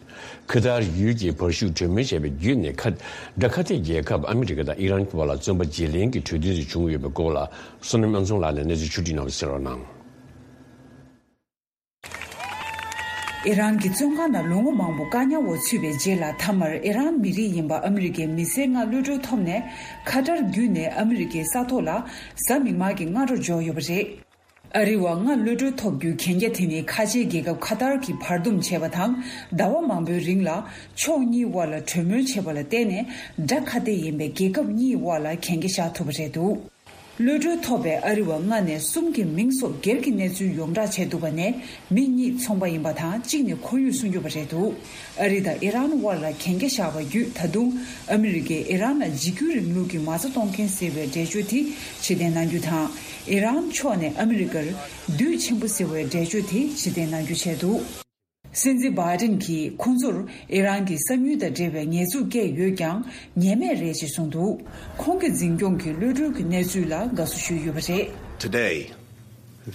ཁ་ཐར་ཡུལ་གྱི་བར་ཤུགས་གྲོས་མོལ་བྱས་པའི་བརྒྱུད་ནས་ཁ། དགྲ་ཁ་གཏད་རྒྱལ་ཁབ་ཨ་མི་རི་ཀ་དང་ཨི་རན་གྱི་བར་ལ་བཙོན་པ་བརྗེ་ལེན་གྱི་གྲོས་མཐུན་ཞིག་བྱུང་ཡོད་པའི་སྐོར་ལ། བསོད་ནམས་དབྱངས་འཛོམས་ལགས་ནས་གནས་ཚུལ་ཕྱོགས་བསྒྲིགས་གནང་བ་གསན་རོགས་གནང་། ཨི་རན་གྱི་བཙོན་ཁང་ནང་ལོ་ངོ་མང་པོ་བཀག་ཉར་འོག་ཚུད་པའི་རྗེས་ལ། མཐའ་མར་ཨི་རན་མི་རིགས་ཡིན་པ་ཨ་མི་རི་ཀའི་མི་སེར་ལྔ་གློད་གྲོལ་ཐོབ་ནས། ཁ་ཏར་བརྒྱུད་ནས་ཨ་མི་རི་ཀའི་ས་ཐོག་ལ་གཟའ་མིག་དམར་གྱི་སྔ་དྲོ་འབྱོར་ཡོད་པ་རེད། ཨ་རི་བ་ལྔ་གློད་གྲོལ་ཐོབ་རྒྱུའི་གན་རྒྱ་དེ་ནི་ཁ་ཆེའི་རྒྱལ་ཁབ་ཁ་ཏར་གྱིས་བར་འདུམ་བྱས་པ་དང་། ཟླ་བ་མང་པོའི་རིང་ལ་ཕྱོགས་གཉིས་དབར་ལ་གྲོས་མོལ་བྱས་པ་ལ་བརྟེན་ནས། དགྲ་ཁ་གཏད་ཡིན་པའི་རྒྱལ་ཁབ་གཉིས་དབར་ལ་གན་རྒྱ་བཞག་ཐུབ་པ་རེད་འདུག་གློད་གྲོལ་ཐོབ་པའི་ཨ་རི་བ་ལྔ་ནས་གསུམ་གྱི་མིང་སོགས་སྒེར་གྱི་གནས་ཚུལ་ཡོངས་བསྒྲགས་བྱས་འདུག་པ་ནས། མི་གཉིས་ཚོང་པ་ཡིན་པ་དང་། གཅིག་ནི་ཁོར་ཡུག་སྲུང་སྐྱོབ་པ་རེད་འདུག་ཨ་རི་དང་ཨི་རན་དབར་ལ་གན་རྒྱ་བཞག་པ་བརྒྱུད། ད་དུང་ཨ་མི་རི་ཀས་ཨི་རན་ལ་འཇིགས་སྐུལ་རིང་ལུགས་ཀྱི་མ་རྩ་གཏོང་མཁན་ཟེར་བའི་འགྲེལ་བརྗོད་དེ་ཕྱིར་འཐེན་གནང་རྒྱུ་དང་། ཨི་རན་ཕྱོགས་ནས་ཨ་མི་རི་ཀར་བདུད་ཆེན་པོ་ཟེར་བའི་འགྲེལ་བརྗོད་དེ་ཕྱིར་འཐེན་གནང་རྒྱུ་བྱས་འདུག་སྲིད་འཛིན་བྷའི་ཌེན་གྱིས་ཁོང་ཚོར་ཨི་རན་གྱི་གསང་ཉུལ་དང་འབྲེལ་བའི་ཉེས་འཛུགས་བཀལ་ཡོད་ཀྱང་། ཉེས་མེད་རེད་ཅེས་གསུངས་འདུག་ཁོང་གི་འཛིན་སྐྱོང་གི་གློད་གྲོལ་གྱི་གནས་ཚུལ་ལ་དགའ་བསུ་ཞུས་ཡོད་པ་རེད། Today,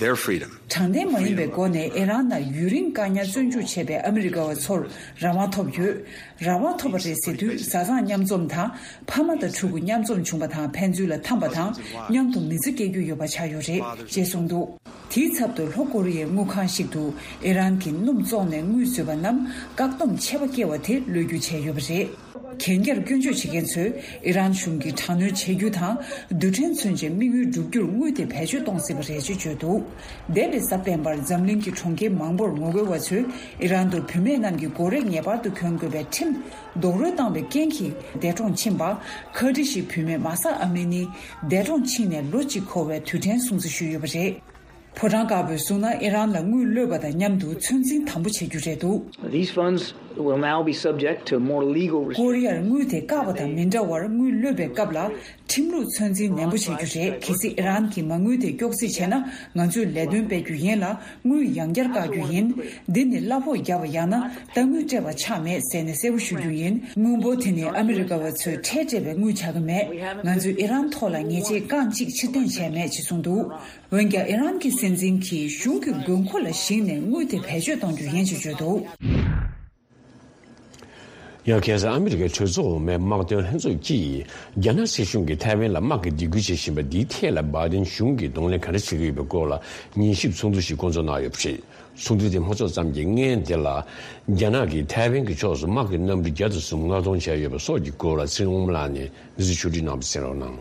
their freedom. དྲང་བདེན་མ་ཡིན་པའི་སྒོ་ནས་ཨི་རན་ནང་ཡུན་རིང་བཀག་ཉར་བཙོན་འཇུག་བྱས་པའི་ཨ་མི་རི་ཀ་བ་ཚོར་རང་དབང་ཐོབ་ཡོད། རང་དབང་ཐོབ་པ་རེད་ཟེར་དུས། བཟའ་ཚང་མཉམ་འཛོམས་དང་། ཕ་མ་དང་ཕྲུ་གུ་མཉམ་འཛོམས་བྱུང་པ་དང་། ཕན་ཚུན་ལ་འཐམས་པ་དང་། མཉམ་དུ་མི་ཚེ་སྐྱེལ་རྒྱུ་ཡོད་པ་ཆགས་ཡོད་རེད་ཅེས་གསུངས་འདུག་དེའི་ཚབ་ཏུ། ལྷོ་ཀོ་རི་ཡའི་དངུལ་ཁང་ཞིག་ཏུ་ཨི་རན་གྱིས་སྣུམ་བཙོངས་ནས་དངུལ་བཟོས་པ་རྣམས་བཀག་སྡོམ་ཆད་པ་བཀལ་བ་དེ་གློད་རྒྱུ་བྱས་ཡོད་པ་རེད། གན་རྒྱར་སྐྱོན་བརྗོད་བྱེད་མཁན་ཚོས་ཨི་རན་གཞུང་གིས་དྲག་གནོན་བྱེད་རྒྱུ་དང་། རྡུལ་ཕྲན་མཚོན་ཆའི་དམིགས་ཡུལ་བསྒྲུབ་རྒྱུར་དངུལ་དེ་བེད་སྤྱོད་གཏོང་སྲིད་པ་རེད་ཅེས་བརྗོད་འདུག་འདས་པའི་གཟའ་སྤེན་པར་འཛམ་གླིང་གི་གྲོང་ཁྱེར་མང་པོར་ངོ་རྒོལ་བ་ཚོས་ཨི་རན་དུ་བུད་མེད་རྣམས་ཀྱི་སྒོ་རས་ངེས་པར་དུ་གྱོན་དགོས་པའི་ཁྲིམས་རྡོག་རོལ་བཏང་བའི་རྐྱེན་གྱིས་འདས་གྲོངས་ཕྱིན་པ། ཁ་ཏྲི་ཞིག་བུད་མེད་མ་ས་ཨ་མི་ནི་འདས་གྲོངས་ཕྱིན་ནས་ལོ་གཅིག་འཁོར་བའི་དུས་དྲན་སྲུང་བརྩི་ཞུས་ཡོད་པ་རེད། ཕོ་བྲང་དཀར་པོས་གསུངས་ན། ཨི་རན་ལ་དངུལ་གློད་པ་དང་མཉམ་དུ་ཚོད་འཛིན་དམ་པོ་བྱེད་རྒྱུ་རེད་འདུག These funds will now be subject to more legal restrictions. ཀོ་རི་ཡར་དངུལ་དེ་བཀག་པ་དང་མི་འདྲ་བར། དངུལ་གློད་པའི་སྐབས་ལ་ཁྲིམས་ལུགས་ཚོད་འཛིན་ནན་པོ་བྱེད་རྒྱུ་རེད། གལ་སྲིད་ཨི་རན་གྱིས་མ་དངུལ་དེ་སྐྱོག་རྩིས་བྱས་ན། ང་ཚོས་ལས་དོན་སྤེལ་རྒྱུ་ཡིན་ལ། དངུལ་ཡང་བསྐྱར་བཀག་རྒྱུ་ཡིན། འདི་ནི་གླ་ཕོགས་བརྒྱབ་པ་ཡང་ན་རྟ་དངུལ་སྤྲད་པ་ཆགས་མེད་ཟེར་ནས་གསལ་པོ་ཞུ་རྒྱུ་ཡིན། དངུལ་འབོར་དེ་ནི་ཨ་མི་རི་ཀ་བ་ཚོས་ཁྲལ་སྤྲད་པའི་དངུལ་ཆགས་ཀྱི་མེད། ང་ཚོས་ཨི་རན་ཐོག་ལ་ཉེས་ཆད་རྐང་གཅིག་ཕྱིར་འཐེན་བྱས་མེད་ཅེས་གསུངས་འདུག་འོན་ཀྱང་ཨི་རན་གྱི་སྲིད་འཛིན་གྱིས་གཞུང་གི་དགོས་མཁོ་ལ་གཞིགས་ནས་དངུལ་དེ་བེད་སྤྱོད་གཏོང་རྒྱུ་ཡིན་ཞེས་བརྗོད་འདུག་ཡང་ཁ་སང་ཨ་མི་རི་ཀའི་གྲོས་ཚོགས་འོག་མའི་དམག་དོན་ལྷན་ཚོགས་ཀྱིས་རྒྱ་ནག་སྲིད་གཞུང་གིས་ཐའེ་ཝན་ལ་དམག་གི་སྡིགས་སྐུལ་བྱེད་བཞིན་པ་འདིའི་ཐད་ལ་བྷའི་ཌེན་གཞུང་གིས་གདོང་ལེན་ག་འདྲ་བྱེད་ཀྱི་ཡོད་པའི་སྐོར་ལ་ཉན་ཞིབ་ཚོགས་འདུ་ཞིག་བསྐོང་ཚོགས་གནང་ཡོད་པ་རེད། ཚོགས་འདུ་དེ་མ་ཚོགས་ཙམ་གྱི་སྔོན་དེ་ལ། རྒྱ་ནག་གིས་ཐའེ་ཝན་གྱི་ཕྱོགས་སུ་དམག་གི་གནམ་གྲུ་བརྒྱ་དང་གསུམ་མངགས་གཏོང་བྱས་ཡོད་པ་སོགས་ཀྱི་སྐོར་ལ་ཚེ་རིང་དབང་མོ་ལགས་ནས་གནས་ཚུལ་ཕྱོགས་བསྒྲིགས་གནང་བ་གསན་རོགས་གནང་།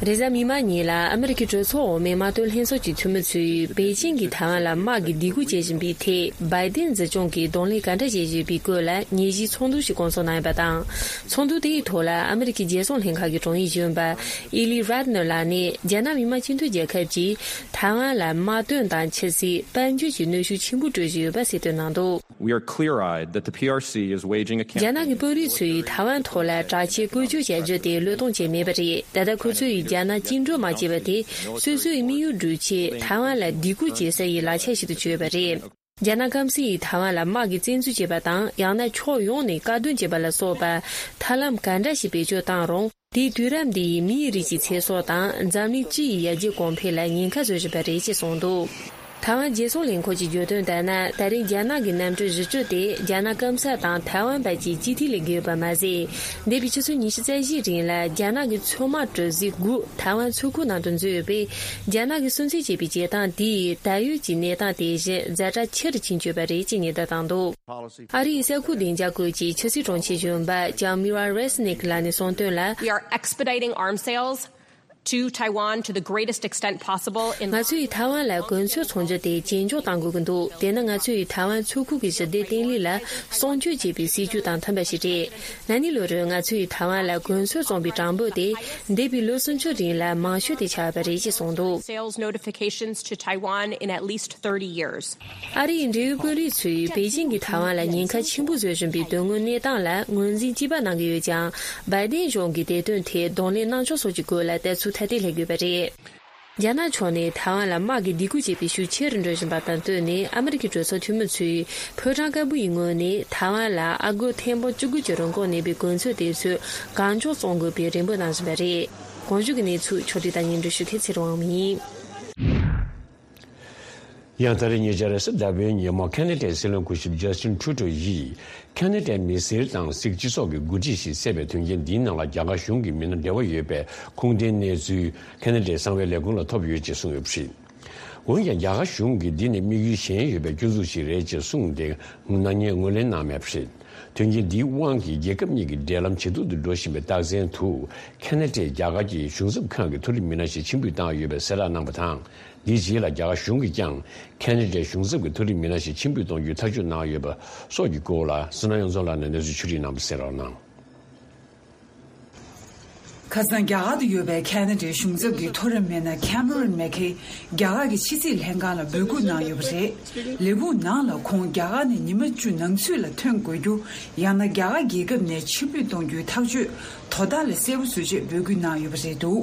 རེས་གཟའ་མིག་དམར་ཉིན་ལ་ཨ་མི་རི་ཀའི་གྲོས་ཚོགས་འོག་མའི་དམག་དོན་ལྷན་ཚོགས་ཀྱི་འཐུས་མི་ཚོས་པེ་ཅིང་གིས་ཐའེ་ཝན་ལ་དམག་གི་སྡིགས་སྐུལ་བྱེད་བཞིན་པའི་ཐད་བྷའི་ཏིན་འཛིན་སྐྱོང་གིས་གདོང་ལེན་ག་འདྲ་བྱེད་བཞིན་པའི་སྐོར་ལ་ཉན་ཞིབ་ཚོགས་འདུ་ཞིག་བསྐོང་ཚོགས་གནང་ཡོད་པ་དང་། ཚོགས་འདུ་དེའི་ཐོག་ལ་ཨ་མི་རི་ཀའི་རྒྱལ་སྲུང་ལྷན་ཁང་གི་དྲུང་ཡིག་གཞོན་པ་ཨི་ལི་རད་ནར་ལགས་ནས་རྒྱ་ནག་མི་དམངས་སྤྱི་མཐུན་རྒྱལ་ཁབ་ཀྱིས་ཐའེ་ཝན་ལ་དམག་དོན་དང་ཕྱི་སྲིད་དཔལ་འབྱོར་གྱི་གནོན་ཤུགས་ཆེན་པོ་སྤྲོད་བཞིན་ཡོད་པ་གསལ་སྟོན་གནང་འདུག། We are clear-eyed that the P R C is waging a རྒྱ་ནག་གི་དཔོན་རིགས་ཚོས་ཐའེ་ཝན་ཐོག་ལ་དྲག་ཆས་བཀོལ་སྤྱོད་བྱ་རྒྱུ་དེ་བློས་གཏོང་བྱས་མེད་པ་རེད། ད་ལྟ་ཁོ་ཚོས་རྒྱ་ནག་བཅིངས་འགྲོལ་མ་བྱས་པ་དེ་སོ་སོའི་དམིགས་ཡུལ་བསྒྲུབ་ཆེད་ཐའེ་ཝན་ལ་སྡིགས་སྐུལ་བྱེད་ས་ཡི་ལག་ཆ་ཞིག་ཏུ་གྱུར་ཡོད་པ་རེད། རྒྱ་ནག་སྐམ་སའི་ཐའེ་ཝན་ལ་དམག་གི་བཙན་འཛུལ་བྱས་པ་དང་ཡང་ན་ཕྱོགས་ཡོངས་ནས་བཀག་སྡོམ་བྱས་པ་ལ་སོགས་པ་ཐབས་ལམ་ག་འདྲ་ཞིག་བེད་སྤྱོད་བཏང་རུང་། དེས་དུས་རབས་འདི་ཡི་མིའི་རིགས་ཀྱི་ཚེ་སྲོག་དང་འཛམ་གླིང་སྤྱི་ཡི་ཡར་རྒྱས་གོང་འཕེལ་ལ་ཉེན་ཁ་བཟོ་བཞིན་པ་རེད་ཅེས་གསུངས་འདུག། ཐའེ་ཝན་རྒྱལ་སྲུང་ལས་ཁུངས་ཀྱིས་བརྗོད་དོན་ལྟར་ན། ད་རེས་རྒྱ་ནག་གི་གནམ་གྲུ་བཞི་བཅུ་དེ་རྒྱ་ནག་སྐམ་ས་དང་ཐའེ་ཝན་བར་གྱི་སྤྱི་འཐུས་ལས་འགུལ་བ་མ་ཟད། འདས་པའི་ཆུ་ཚོད་ཉི་ཤུ་རྩ་བཞིའི་རིང་ལ་རྒྱ་ནག་གི་མཚོ་དམག་གྲུ་གཟིངས་དགུ་ཐའེ་ཝན་མཚོ་ཁུག་ནང་དུ་འཛུལ་ཡོད་པས། རྒྱ་ནག་གིས་སུན་གཙེར་བྱས་པའི་བྱེད་སྟངས་དེ་ཡིས་ད་ཡོད་ཀྱི་གནས་སྟངས་དེ་བཞིན་ཛ་དྲག་ཆེ་རུ་ཕྱིན་ཡོད་པ་རེད་ཅེས་ཉེན་བརྡ་བཏང་འདུག། ཨ་རིའི་གསར་འགོད་བདེ་འཇགས་ཁུལ་གྱི་ཕྱི་སྲིད་དྲུང་ཆེ་གཞོན་པ་ལྕམ་མི་ར་རེ་སི་ནིག་ལགས་ནས་གསུངས་དོན་ལ། We are expediting arms sales to Taiwan to the greatest extent possible in ང་ཚོས་ཐའེ་ཝན་ལ་གོ་མཚོན་ཚོང་རྒྱུ་དེ་ཇེ་མགྱོགས་གཏང་དགོས་ཀྱི་འདུག། དེ་ནི་ང་ཚོས་ཐའེ་ཝན་མཚོ་ཁུག་གི་ཞི་བདེ་བརྟན་ལྷིང་ལ་སྲུང་སྐྱོབ་བྱེད་པའི་སྲིད་ཇུས་དང་མཐུན་པ་ཞིག་རེད། ན་ནིང་ལོ་རེར་ང་ཚོས་ཐའེ་ཝན་ལ་གོ་མཚོན་བཙོང་པའི་གྲངས་འབོར་དེ་འདས་པའི་ལོ་སུམ་ཅུ་རིང་ལ་མང་ཤོས་དེ་ཆགས་པ་རེད་ཅེས་གསུངས་འདུག། Sales notifications to Taiwan in at least thirty years. ཨ་རིའི་འབྲེལ་ཡོད་དཔོན་རིགས་ཚོས་པེ་ཅིང་གིས་ཐའེ་ཝན་ལ་ཉེན་ཁ་ཆེན་པོ་བཟོ་བཞིན་པའི་དོན་དངོས་གནས་སྟངས་ལ་ངོས་འཛིན་གཅིག་པ་གནང་གི་ཡོད་ཀྱང་། བྷའི་ཏིན་གཞུང་གིས་དེ་དོན་ཐད་གདོང་ལེན་གནང་ཕྱོགས་སོགས་ཀྱི་སྐོར་ལ་ལྟ་ཚུལ་ཐ་དད་སླེབས་ཡོད་པ་རེད། རྒྱ་ནག་ཕྱོགས་ནས་ཐའེ་ཝན་ལ་དམག་གི་སྡིགས་སྐུལ་བྱེད་པའི་ཤུགས་ཆེ་རུ་འགྲོ་བཞིན་པ་དང་བསྟུན་ནས། ཨ་མི་རི་ཀའི་གྲོས་ཚོགས་འཐུས་མི་ཚོས་ཕོ་བྲང་དཀར་པོ་ཡི་ངོས་ནས་ཐའེ་ཝན་ལ་ཨ་སྒོར་ཐེར་འབུམ་བཅུ་དགུ་གྱི་རིན་གོང་གནས་པའི་གོ་མཚོན་དེ་ཚོ་གང་མགྱོགས་བཙོང་དགོས་པའི་རེ་འབོད་གནང་བཞིན་པ་རེད། གོང་ཞུས་ཀྱི་གནས་ཚུལ་ཕྱོགས་སྒྲིག་དང་སྙན་སྒྲོན་ཞུ་མཁན་ཚེ་རིང་དབང་མོ་ཡིན། ཡང་ད་རེས་ཉེ་ཆར་རེས་གཟའ་ཟླ་བའི་ཉིན་མོ་ཁ་ན་ཌའི་སྲིད་བློན་སྐུ་ཞབས་ཇ་སི་ཊིན་ཁྲུ་ཏོ་ཡིས་ཁ་ན་ཌའི་མི་སེར་དང་སིག་སྤྱི་ཚོགས་ཀྱི་འགོ་ཁྲིད་ཞིག་བསད་པའི་དོན་རྐྱེན་འདིའི་ནང་ལ་རྒྱ་གར་གཞུང་གི་མི་སྣ་འབྲེལ་བ་ཡོད་པའི་ཁུངས་ལྡན་གནས་ཚུལ་ཁ་ན་ཌའི་གསང་བའི་ལས་ཁུངས་ལ་ཐོབ་ཡོད་ཅེས་གསུངས་ཡོད་པ་རེད། འོན་ཀྱང་རྒྱ་གར་གཞུང་གིས་འདི་ནི་དམིགས་ཡུལ་གཞན་ཡོད་པའི་སྐྱོན་འཛུགས་ཤིག་རེད་ཅེས་གསུངས་ཏེ། ནག་ཉེས་ངོས་ལེན་གནང་མེད་པ་རེད། དོན་རྐྱེན་འདིའི་དབང་གིས་རྒྱལ་ཁབ་གཉིས་ཀྱི་འབྲེལ་ལམ་ཇེ་སྡུག་ཏུ་འགྲོ་བཞིན་པའི་རྟགས་མཚན་དུ། ཁ་ན་ཌས་རྒྱ་གར་གྱི་གཞུང་ཚབ་ཁང་གི་མཐོ་རིམ་མི་སྣ་ཞིག་ཕྱིར་འབུད་བཏང་ཡོད་པའི་གསལ་བསྒྲགས་གནང་བ་དང་། འདིའི་རྗེས་ལ་རྒྱ་གར་གཞུང་གིས་ཀྱང་ཁ་ན་ཌའི་གཞུང་ཚབ་ཀྱི་མཐོ་རིམ་མི་སྣ་ཞིག་ཕྱིར་འབུད་གཏོང་རྒྱུའི་ཐག་གཅོད་གནང་ཡོད་པ་སོགས་ཀྱི་སྐོར་ལ་བསོད་ནམས་དབྱངས་འཛོམས་ལགས་ནས་གནས་ཚུལ་ཕྱོགས་སྒྲིག་གནང་བ་གསན་རོགས་གནང་། ཁ་སང་རྒྱ་གར་དུ་ཡོད་པའི་ཁ་ན་ཌའི་གཞུང་ཚབ་ཀྱི་མཐོ་རིམ་མི་སྣ་ཁེ་མ་རོན་མེ་ཁེ་རྒྱ་གར་གྱི་ཕྱི་སྲིད་ལྷན་ཁང་ལ་འབོད་སྐུལ་གནང་ཡོད་པ་རེད། ལས་ཁུངས་ནང་ལ་ཁོང་རྒྱ་གར་ནས་ཉི་མ་བཅུ་ནང་ཚུད་ལ་ཐོན་དགོས་རྒྱུ། ཡང་ན་རྒྱ་གར་རྒྱལ་ཁབ་ནས་ཕྱིར་འབུད་གཏོང་རྒྱུའི་ཐག་གཅོད་དོ་བདག་ལ་གསལ་པོ་བཟོ་ཆེད་འབོད་སྐུལ་གནང་ཡོད་པ་རེད་འདུག།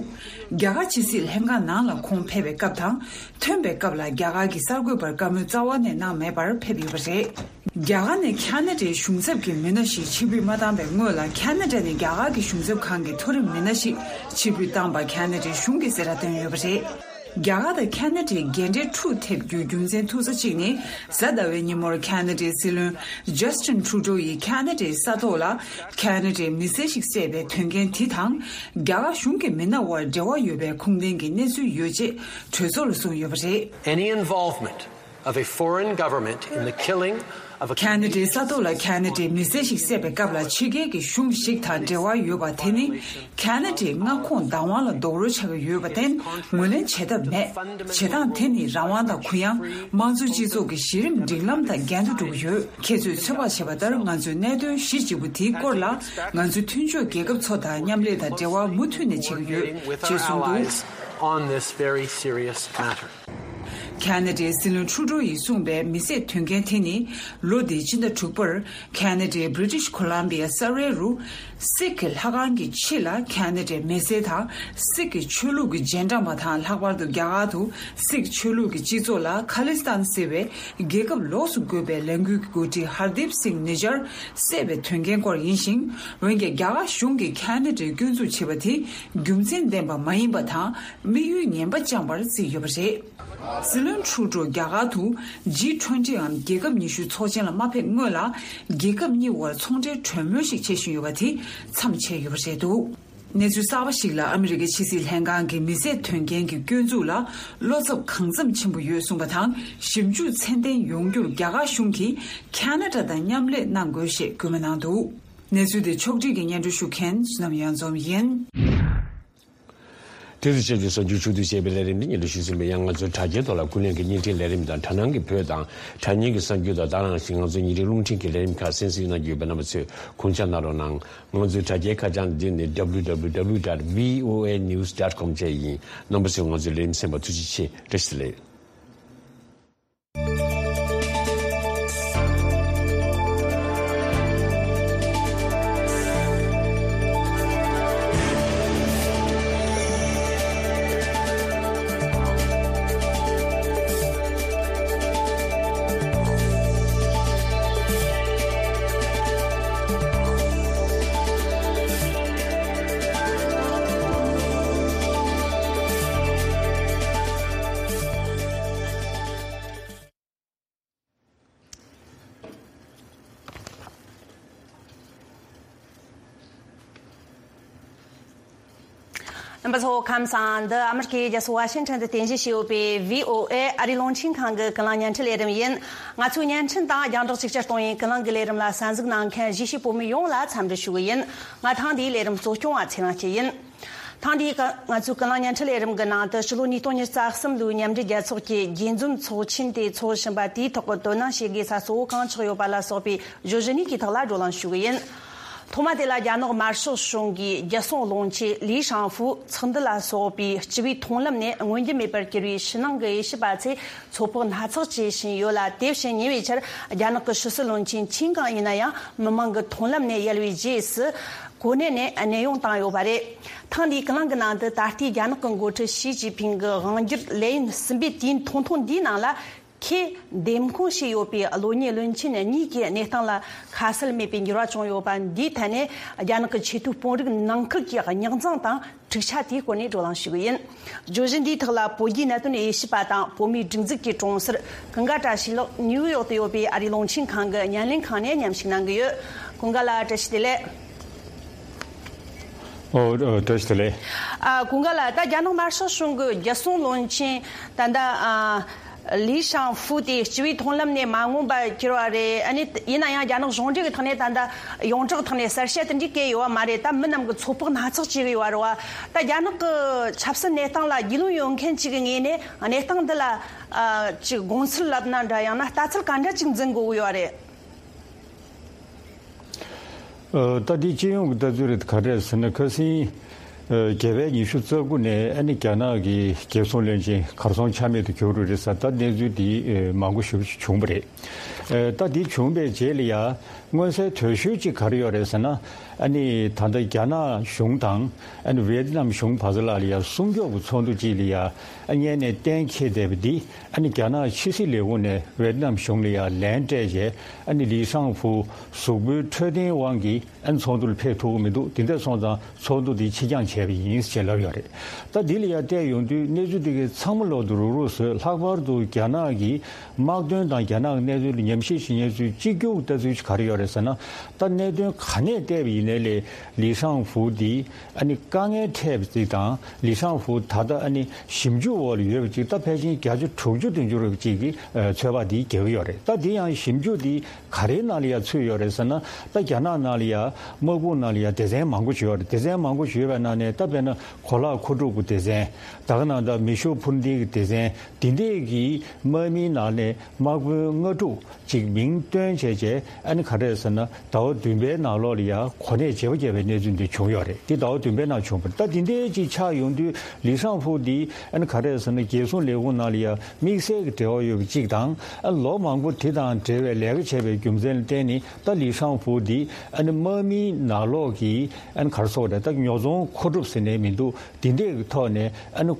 རྒྱ་གར་ཕྱི་སྲིད་ལྷན་ཁང་ནང་ལ་ཁོང་ཕེབས་པའི་སྐབས་དང་། ཐོན་པའི་སྐབས་ལ་རྒྱ་གར་གྱི་གསར་འགོད་པར་བཀའ་མོལ་རྩ་བ་ནས་གནང་མེད་པར་ཕེབས་ཡོད་པ་རེད། རྒྱ་གར་ནས་ཁ་ན་ཌའི་གཞུང་ཚབ་ཀྱི་མི་སྣ་ཞིག་ཕྱིར་འབུད་མ་བཏང་བའི་སྔོན་ལ། ཁ་ན་ཌ་ནས་རྒྱ་གར་གྱི་གཞུང་ཚབ་ཁང་གི་མཐོ་རིམ་མི་སྣ་ཞིག་ཕྱིར་འབུད་བཏང་པ་ཁ་ན་ཌའི་གཞུང་གིས་གསལ་བསྒྲགས་བཏོན་ཡོད་པ་རེད། རྒྱ་གར་དང་ཁ་ན་ཌའི་འགལ་འབྲེལ་འཁྲུག་ཐེབས་རྒྱུའི་རྒྱུ་མཚན་མཐུག་ས་གཅིག་ནི། གཟའ་ཟླ་བའི་ཉིན་མོར་ཁ་ན་ཌའི་སྲིད་བློན་ཇ་སི་ཊིན་ཁྲུ་ཏོ་ཡིས་ཁ་ན་ཌའི་ས་ཐོག་ལ་ཁ་ན་ཌའི་མི་སེར་ཞིག་བསད་པའི་དོན་རྐྱེན་དེ་དང་། རྒྱ་གར་གཞུང་གི་མི་སྣ་དབར་འབྲེལ་བ་ཡོད་པའི་ཁུངས་ལྡན་གྱི་གནས་ཚུལ་ཡོད་ཅེས་གྲོས་ཚོགས་ལ་གསུངས་ཡོད་པ་རེད། Any involvement of a foreign government in the killing of a ཁ་ན་ཌའི་ས་ཐོག་ལ་ཁ་ན་ཌའི་མི་སེར་ཞིག་བསད་པའི་སྐབས་ལ་ཕྱི་རྒྱལ་གྱི་གཞུང་ཞིག་དང་འབྲེལ་བ་ཡོད་པ་དེ་ནི། ཁ་ན་ཌའི་མངའ་ཁོངས་བདག་དབང་ལ་རྡོག་རོལ་ཆགས་ཀྱི་ཡོད་པར་བརྟེན་ངོས་ལེན་བྱེད་ཐབས་མེད། བྱེད་སྟངས་དེ་ནི་རང་དབང་དང་གུ་ཡངས། དམངས་གཙོའི་སྤྱི་ཚོགས་ཀྱི་གཞི་རིམ་སྒྲིག་ལམ་དང་འགལ་འདུ་འགྲོ་གི་ཡོད། ཁྱེད་ཚོས་ཚོད་དཔག་བྱས་པ་ལྟར། ང་ཚོས་གནད་དོན་གཞི་གཅིག་པུ་དེའི་སྐོར་ལ། ང་ཚོའི་མཐུན་ཕྱོགས་རྒྱལ་ཁབ་ཚོ་དང་མཉམ་ལས་དང་འབྲེལ་བ་མུ་མཐུད་ནས་བྱེད་ཀྱི་ཡོད་ཅེས་གསུངས་འདུག། On this very serious matter. ཁ་ན་ཌའི་སྲིད་བློན་ཁྲུ་ཏོ་ཡིས་གསུངས་པའི་མི་བསད་དོན་རྐྱེན་དེ་ནི། ལོ་འདིའི་སྤྱི་ཟླ་དྲུག་པར་ཁ་ན་ཌའི་བྷི་རི་ཊིཤ་ཁོ་ལམ་བི་ཡ་ས་རལ་རུ། སིག་གི་ལྷ་ཁང་གི་ཕྱི་ལ་ཁ་ན་ཌའི་མི་སེར་དང་སིག་གི་ཆོས་ལུགས་ཀྱི་རྗེས་འབྲང་པ་དང་། ལྷག་པར་དུ་རྒྱ་གར་དུ་སིག་ཆོས་ལུགས་ཀྱི་སྤྱི་ཚོགས་ལ་ཁ་ལི་སི་ཐན་ཟེར་བའི་རྒྱལ་ཁབ་ལོགས་སུ་བགོས་པའི་ལས་འགུལ་གྱི་འགོ་ཁྲིད་ཧར་དིབ་སིང་ནི་ཇར་བསད་པའི་དོན་རྐྱེན་སྐོར་ཡིན་ཞིང་། འོན་ཀྱང་རྒྱ་གར་གཞུང་གིས་ཁ་ན་ཌའི་སྐྱོན་འཛུགས་བྱས་པ་དེ་རྒྱུ་མཚན་ལྡན་པ་མ་ཡིན་པ་དང་། དམིགས་ཡུལ་ངན་པ་བཅངས་པར་བརྩིས་ཡོད་པ་རེད། སྲིད་བློན་ ཊུ་རུ་ཌོ་རྒྱ་གར་དུ་ཇི་ཊུ་ཝེན་ཊི་འམ་རྒྱལ་ཁབ་ཉི་ཤུའི་ཚོགས་ཆེན་ལ་མ་ཕེབས་སྔོན་ལ། རྒྱལ་ཁབ་གཉིས་དབར་ཚོང་འབྲེལ་གྲོས་མོལ་ཞིག་བྱེད་བཞིན་ཡོད་པ་དེ་མཚམས་ཆད་ཡོད་པ་རེད་འདུག་གནས་ཚུལ་གསར་པ་ཞིག་ལ། ཨ་མི་རི་ཀའི་ཕྱི་སྲིད་ལྷན་ཁང་གིས་མི་བཟད་དོན་རྐྱེན་གྱི་སྐྱོན་འཛུགས་ལ་བློ་འཚབ་གང་འཚམ་ཆེན་པོ་ཡོད་གསུངས་པ་དང་། ཞིབ་འཇུག་ཚད་ལྡན་ཡོང་རྒྱུར་རྒྱ་གར་གཞུང་གིས་ཁ་ན་ཌ་དང་མཉམ་ལས་གནང་དགོས་ཞེས་སྐུལ་མ་གནང་འདུག་གནས་ཚུལ་དེ་ཕྱོགས་སྒྲིག་གིས་སྙན་སྒྲོན་ཞུ་མཁན་བསོད་ནམས་གཡང་འཛོམས་ཡིན། དེ་ཚོ་བཅས་ཀྱི་གསར་འགྱུར་ཕྱོགས་བསྡུས་བྱས་པའི་ལས་རིམ་འདི་སྙན་སྒྲོན་ཞུས་ཟིན་པའི་ཡང་། ང་ཚོའི་དྲ་རྒྱའི་ཐོག་ལ་ཀུན་གླེང་གི་བརྙན་འཕྲིན་ལས་རིམ་དང་། དྲ་སྣང་གི་བོད་དང་དྲ་བརྙན་གྱི་གསར་འགྱུར་དང་། ད་རང་བཞིན་ང་ཚོའི་ཉིན་རེའི་རླུང་འཕྲིན་གྱི་ལས་རིམ་ཁག་གསན་གཟིགས་གནང་རྒྱུ་ཡོད་པ། རྣམ་པ་ཚོས་དགོངས་འཇགས་གནང་རོགས་གནང་། ང་ཚོའི་དྲ་རྒྱའི་ཁ་བྱང་འདི་ནི་www dot voanews dot com བཅས་ཡིན། རྣམ་པ་ཚོས་ང་ཚོའི་ལས་རིམ་གསན་པར་ཐུགས་རྗེ་ཆེ། བཀྲ་ཤིས་བདེ་ལེགས། རྣམ་པ་ཚོ་ཁམས་བཟང་། འདི་ཨ་མི་རི་ཀའི་རྒྱལ་ས་ཝ་ཤིང་ཊོན་དུ་རྟེན་གཞི་བྱས་ཡོད་པའི་བྷི་ཨོ་ཨེ་ཨ་རིའི་རླུང་འཕྲིན་ཁང་གི་ཀུན་གླེང་བརྙན་འཕྲིན་ལས་རིམ་ཡིན། ང་ཚོའི་བརྙན་འཕྲིན་དང་རྒྱང་བསྒྲགས་གཅིག་གྱུར་གཏོང་བའི་ཀུན་གླེང་གི་ལས་རིམ་ལ་གསན་གཟིགས་གནང་མཁན་གཞིས་བྱེས་བོད་མི་ཡོངས་ལ་འཚམས་འདྲི་ཞུ་གི་ཡིན། ང་ཐེངས་འདིའི་ལས་རིམ་གཙོ་སྐྱོང་བ་ཚེ་རིང་སྐྱིད་ཡིན། ཐེངས་འདིའི་ཀ- ང་ཚོའི་ཀུན་གླེང་བརྙན་འཕྲིན་ལས་རིམ་གྱི་ནང་དུ། ཕྱི་ལོ་ཉིས་སྟོང་ཉི་ཤུ་རྩ་གསུམ་ལོའི་མཉམ་འབྲེལ་རྒྱལ་ཚོགས་ཀྱི་རྒྱས་འཛོམས་ཚོགས་ཆེན་དེ་འཚོགས་བཞིན་པ་དེའི་ཐོག་གི་དོ་སྣང་བྱེད་དགོས་ས་གཙོ་བོ་གང་ཆགས་ཡོད་པ་ལ་སོགས་པའི་བརྗོད་གཞི་གཉིས་ཀྱི་ཐོག་ལ་བགྲོ་གླེང་ཞུ་གི་ཡིན། ཐོག་མ་དེ་ལ། རྒྱ་ནག་དམར་ཤོག་གཞུང་གིས་རྒྱལ་སྲུང་བློན་ཆེན་ལི་ཤང་ཧྥུ་ཚོགས་འདུ་ལ་སོགས་པའི་སྤྱི་པའི་མཐོང་ལམ་ནས་མངོན་རྒྱུ་མེད་པར་གྱུར་བའི་ཕྱི་ནང་གི་དབྱེ་ཞིབ་པ་ཚོས་ཚོད་དཔག་སྣ་ཚོགས་བྱེད་བཞིན་ཡོད་ལ། དེ་བཞིན་ཉེ་བའི་ཆར་རྒྱ་ནག་གི་ཕྱི་སྲིད་བློན་ཆེན་ཆིན་ཀང་ཡིན་ན་ཡང་མི་མང་གི་མཐོང་ལམ་ནས་ཡལ་བའི་རྗེས་སུ། གོ་གནས་ནས་གནས་དབྱུང་བཏང་ཡོད་པ་རེད། ཐེངས་འདིའི་ཀུན་གླེང་གི་ནང་དུ། ད་ལྟའི་རྒྱ་ནག་གི་འགོ་ཁྲིད་ཞི་ཅིན་ཕིང་གི་དབང་སྒྱུར་ལས་ཡུན་གསུམ་པའི་དུས་ཡུན་ཐུང་ཐུང་འདིའི་ནང་ལ། ཁོས་འདེམས་བསྐོ་བྱས་ཡོད་པའི་བློན་ངན་བློན་ཆེན་གཉིས་ཀྱི་གནས་སྟངས་ལ་ཁ་གསལ་མེད་པའི་འགྱུར་བ་བྱུང་ཡོད་པ་འདིའི་ཐད་ནས། རྒྱ་ནག་གི་ཆེས་མཐོའི་དཔོན་རིགས་ནང་ཁུལ་གྱི་རྙོག་འཛིང་དང་། འཁྲུག་ཆ་དེའི་སྐོར་ནས་བགྲོ་གླེང་ཞུ་གི་ཡིན། བརྗོད་གཞི་འདིའི་ཐོག་ལ་བོད་བརྒྱུད་གནད་དོན་དབྱེ་ཞིབ་པ་དང་། བོད་མིའི་སྒྲིག་འཛུགས་ཀྱི་གྲོང་གསར་ཀུན་དགའ་བཀྲ་ཤིས་ལགས་ནིའུ་ཡོག་ཏུ་ཡོད་པའི་ཨ་རིའི་རླུང་འཕྲིན་ཁང་གི་བརྙན་ལེན་ཁང་ནས་མཉམ་ཞུགས་གནང་གི་ཡོད། ཀུན་དགའ་ལགས། བཀྲ་ཤིས་བདེ་ལེགས། ཨོ། ཨོ། བཀྲ་ཤིས་བདེ་ལེགས། ཨ། ཀུན་དགའ་ལགས། ད་རྒྱ་ནག་དམར་ཤོག་གཞུང་གི་རྒྱལ་སྲུང་བློན་ཆེན་ད་ལྟ། ཨ། ལི་ཤང་ཧྥུ་དེ་སྤྱི་པའི་མཐོང་ལམ་ནས་མ་མངོན་པར་གྱུར་བ་རེད། ཨ་ནི་ཡིན་ན་ཡང་རྒྱ་ནག་གཞུང་འབྲེལ་གྱི་ཐོག་ནས་ད་ལྟ་ཡོངས་གྲགས་ཐོག་ནས་གསལ་བཤད་དེ་འདྲ་བཀོད་ཡོད་པ་མ་རེད། ད་མི་རྣམས་ཀྱིས་ཚོད་དཔག་སྣ་ཚོགས་བྱེད་ཀྱི་ཡོད་པ་རེད་བ། ད་རྒྱ་ནག་གི་ཆབ་སྲིད་གནས་སྟངས་ལ་རྒྱུས་ལོན་ཡོད་མཁན་ཅིག་གི་ངོས་ནས་གནས་སྟངས་འདི་ལ། ཨ། ཅིག་དགོངས་ཚུལ་ལབ་ན་འདྲ། ཡང་ན་ལྟ་ཚུལ་ག་འདྲ་ཅིག་འཛིན་དགོས་ཀྱི་ཡོད་རེད། ཨ། ད་འདི་སྤྱི་ཡོངས་ཀྱི་ལྟ་ཚུལ་རེད། ག་རེ་རེད་ཟེར་ན། ཁ་སང་། ཨ། རྒྱལ་བའི་ཉི་ཤུ་རྩ་དགུ་ནས། ཨ་ནི་རྒྱ་ནག་གི་རྒྱལ་སྲུང་བློན་ཆེན་གར་སོང་ཆ་མེད་དུ་གྱུར་རེད་ཟེར། ད་གནས་ཚུལ་འདི། ཨ། མང་པོ་ཞེ་པོ་ཅིག་བྱུང་བ་རེད། ཨ། ད་འདི་བྱུང་བའི་རྗེས་ལ་ཡ། མངོན་གསལ་དོད་ཤོས་ཅིག་ག་རེ་ཡོད་རེད་ཟེར་ན། ཨ་ནི་ད་ལྟ་རྒྱ་ནག་གཞུང་དང་། ཨ་ནི་ཝེ་ཏི་ནམ་གཞུང་བར་ལ་ལ་ཡ་སྲུང་སྐྱོབ་ཀྱི་ཚོགས་འདུ་ཅིག་ལ་ཡ། ཨ། སྔོན་ནས་གཏན་འཁེལ་བསྡད་པ་འདི། ཨ་ནི་རྒྱ་ནག་ཕྱི་སྲིད་ལས་ཁུངས་ནས་ཝེ་ཏི་ནམ་གཞུང་ལ་ཡ་ལན་སྤྲད་བྱས། ཨ་ནི་ལི་ཤང་ཧྥུ་གཟུགས་པོའི་འཕྲོད་བསྟེན་དབང་གིས། ཨ་ནི་ཚོགས་འདུར་ཕེབས་ཐུབ་ཀྱི་མི་འདུག་དེ་འདྲ་སོང་ཙང་ཚོགས་འདུ་འདི་ཕྱིར་འགྱངས་བྱས་པ་ཡིན་ཞེས་ལབ་ཡོད་རེད། ད་འདི་ལ་ཡ་བལྟས་ཡོང་དུས། གནས་ཚུལ་འདི་གའི་ཚང་མ་ལོག་ཏུ་རུག་རུག་བཟོས། ལྷག་པར་དུ་རྒྱ་ནག་གི་དམག་དོན་དང་རྒྱ་ནག་གི་གནས་ཚུལ་ལ་ཉམས་ཞིབ་བྱེད་མཁན་ཚོས་གཅིག་གྱུར་ལྟ་ཚུལ་ཞིག་ག་རེ་ཡོད་རེད་ཟེར་ན། ད་གནད་དོན་ག་ནས་བལྟས་པ་ཡིན་ནའི་ལས། ལི་ཤང་ཧྥུ་འདི་ཨ་ནི་དཀའ་ངལ་འཕྲད་པ་ཅིག་དང་། ལི་ཤང་ཧྥུ་ད་ལྟ་ཨ་ནི་ཞིབ་འཇུག་འོག་ལ་ཡོད་པ་ཅིག་ད་ཕལ་ཆེར་བརྒྱ་ཆ་དྲུག་ཅུ་བདུན་ཅུ་རེ་ཅིག་གི། ཨ། ཚོད་དཔག་འདི་རྒྱག་གི་ཡོད་རེད། ད་འདི་ཡང་ཞིབ་འཇུག་འདི་ག་རེའི་ནང་ལ་ཡ་ཚུད་ཡོད་རེད་ཟེར་ན། ད་རྒྱ་ནག་ནང་ལ་ཡ་དམག་དཔུང་ནང་ལ་ཡ་སྡེ་ཚན་མང་པོ་ཅིག་ཡོད་རེད། སྡེ་ཚན་མང་པོ་ཅིག་ཡོད་པའི་ནང་ནས། ད་དཔེར་ན་གོ་ལག་མཁོ་སྒྲུབ་ཀྱི་སྡེ་ཚན། ད་ག་ནང་ད་མེ་ཤུགས་འཕུར་མདེལ་གྱི་སྡེ་ཚན། འདི་འདྲས་ཀྱི་དམག་མིའི་ནང་ནས་དམག་དཔོན་ལྔ་དྲུག་ཅིག་མིང་བཏོན་བྱས་བྱས། ཨ་ནི་ག་རེ་ཟེར་ན། ཟླ་བ་བདུན་པའི་ནང་ལོགས་ལ་ཡ་གོ་གནས་བརྗེ་པོ་བརྒྱབ་པའི་གནས་ཚུལ་འདི་བྱུང་ཡོད་རེད། འདི་ཟླ་བ་བདུན་པའི་ནང་བྱུང་བ་རེད། ད་འདི་འདྲའི་ཅིག་ཆགས་ཡོང་དུས། ལི་ཤང་ཧྥུ་འདི་ཨ་ནི་ག་རེ་ཟེར་ན། རྒྱལ་སྲུང་ལས་ཁུངས་ནང་ལ་ཡ་དམིགས་བསལ་གྱི་འབྲེལ་བ་ཡོད་པ་ཅིག་དང་། ཨ། ལོ་མང་པོ་དེ་དང་འབྲེལ་བའི་ལས་ཀ་བྱས་པའི་རྒྱུ་མཚན་ལ་བརྟེན་ནས། ད་ལི་ཤང་ཧྥུ་འདི་ཨ་ནི་དམག་མིའི་ནང་ལོགས་ཀྱི། ཨ་ནི་ག་རེ་ཟེར་དགོས་རེད། ད་ཉོ་ཚོང་མཁོ་སྒྲུབ་ཟེར་ནའི་མི་འདུག་འདི་འདྲས་ཀྱི་ཐོག་ནས། ཨ་ནི་